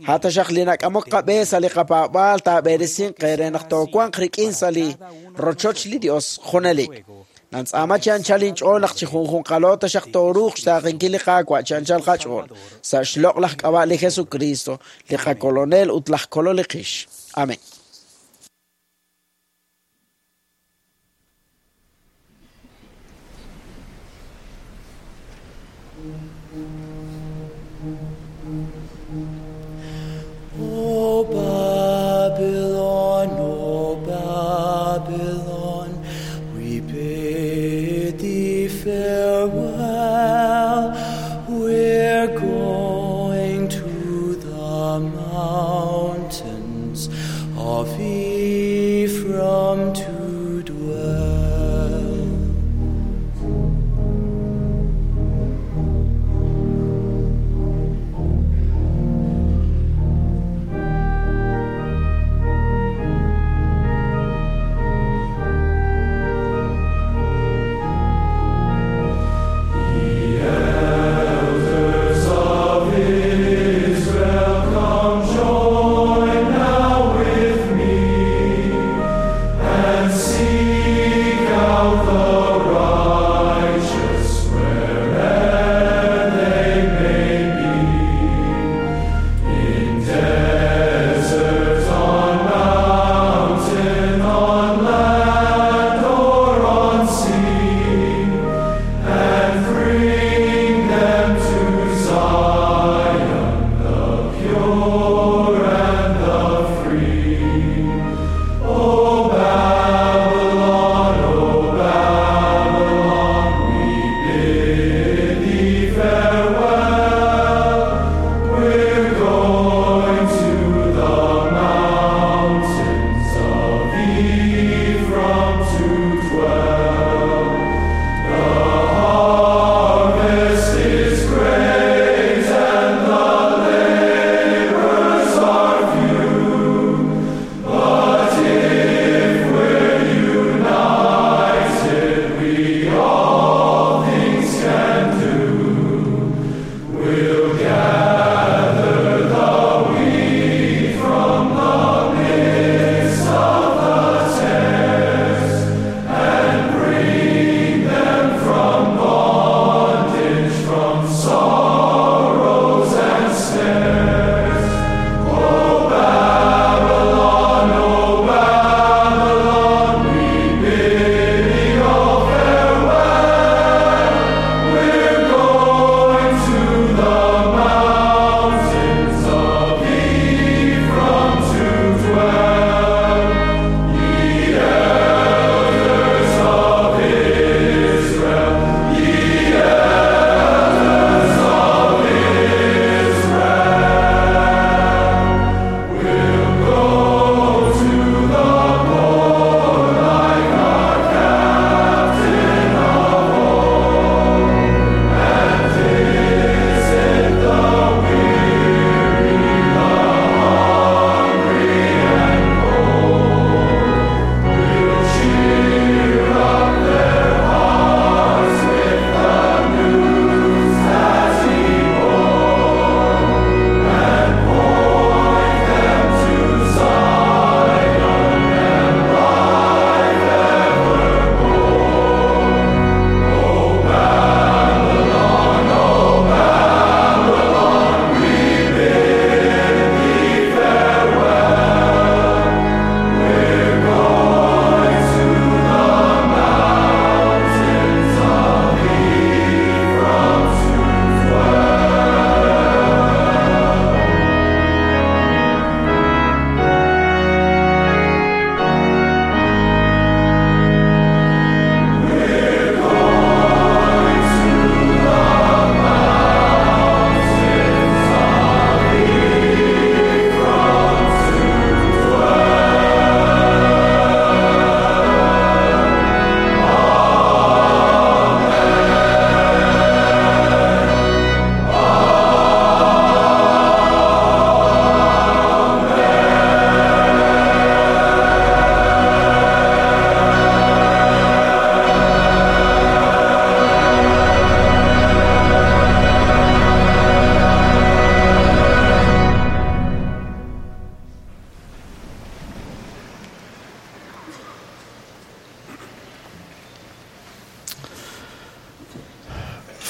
hataxaq li nak'amok qab'e sa' li qapaab'aal taab'eresin qe re naq toowanq rik'in sa' li rochoch li Dios junelik. Nantz'aama chi anchal inch'ool naq chi junjunqalo taxaq tooruuq xtaaqinkil li Qaawa' chi anchal qach'ool sa' xloq' laj k'ab'a' li Jesucristo, li qakolonel ut laj kolol li qix. Amén. O Babylon, O Babylon, we bid thee farewell. We're going to the mountains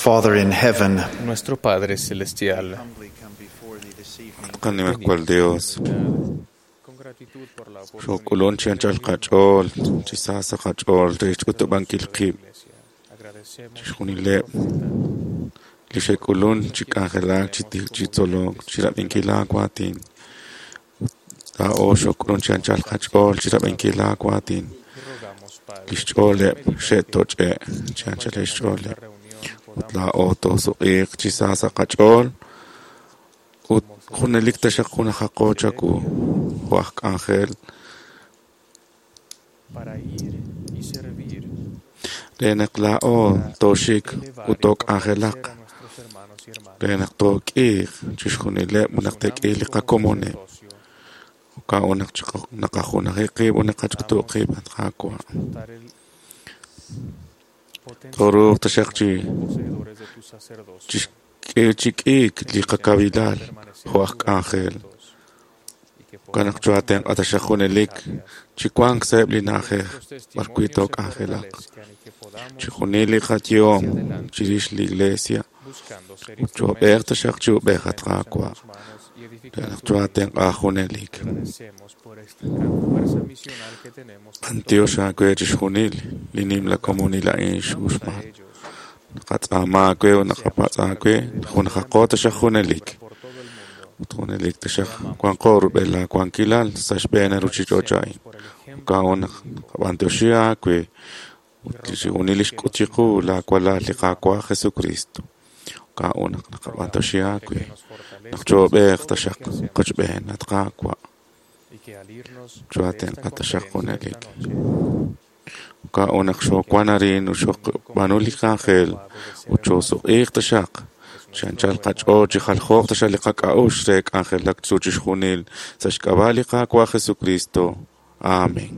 Father in heaven, Nuestro Padre Celestial, Qanimajwal Dios. Xok'ulun chi anchal qach'ool, chi saasa qach'ool re xk'utub'ankil qib'. Chixjunileb' li xe'k'ulun chi k'anjelak, chi tij, chi tzolok, chi rab'inkil aawatin. Laa'o xok'ulun chi anchal qach'ool chi rab'inkil aawatin. Lix ch'ooleb' xe'toch'e' chi anchal xch'ooleb'. Ut laa'o toosuq'iiq chi saasa qach'ool ut junelik taxaq junajaqo chaku jo' aj k'anjel para ir y servir re naq laa'o tooxik ut took'anjelaq re naq took'iiq chixjunileb' ut naq te'k'iiq li qakomoneb'. Jo'kan naq naqajunaji qib' ut naqach'utu' qib' at Qaawa'. Tooruuq taxaq chi poseedores de tu sacerdocio chi chi k'iik li qakawilaal jo' aj k'anjel. Jo'kan naq choo'atenq'a taxaq junelik chi wank sa'eb' li na'ajej b'ar wi' took'anjelaq. Chixjunil li qayehom chirix li Iglesia ut choob'eeq taxaq chi ub'ej at Qaawa' re naq choo'atenq'a junelik. Agradecemos por esta gran fuerza misional que tenemos B'antiox aawe chixjunil li nimla komonil a'in x'uxman. Naqatz'aama aawe ut naqapatz' aawe junajaqo taxaq junelik. Ut junelik taxaq wanqo rub'el laawankilal sa' xb'een ruuchich'och' a'in. Jo'kan naq naqab'antioxi aawe ut chixjunil li xk'ut chiqu laawalal li Qaawa' Jesucristo. Jo'kan naq naqab'antioxi aawe naq choob'eeq taxaq qochb'een at Qaawa'. y que al irnos de esta Choo'atenq'a taxaq conferencia esta junelik. noche Jo'kan naq xoowan arin ut xoob'aanu li k'anjel ut choosuq'iiq taxaq. Chi anchal qach'ool chi jaljooq taxaq li qak'a'uxl re k'anjelak chu chixjunil sa' xk'ab'a' li Qaawa' Jesucristo. Amén.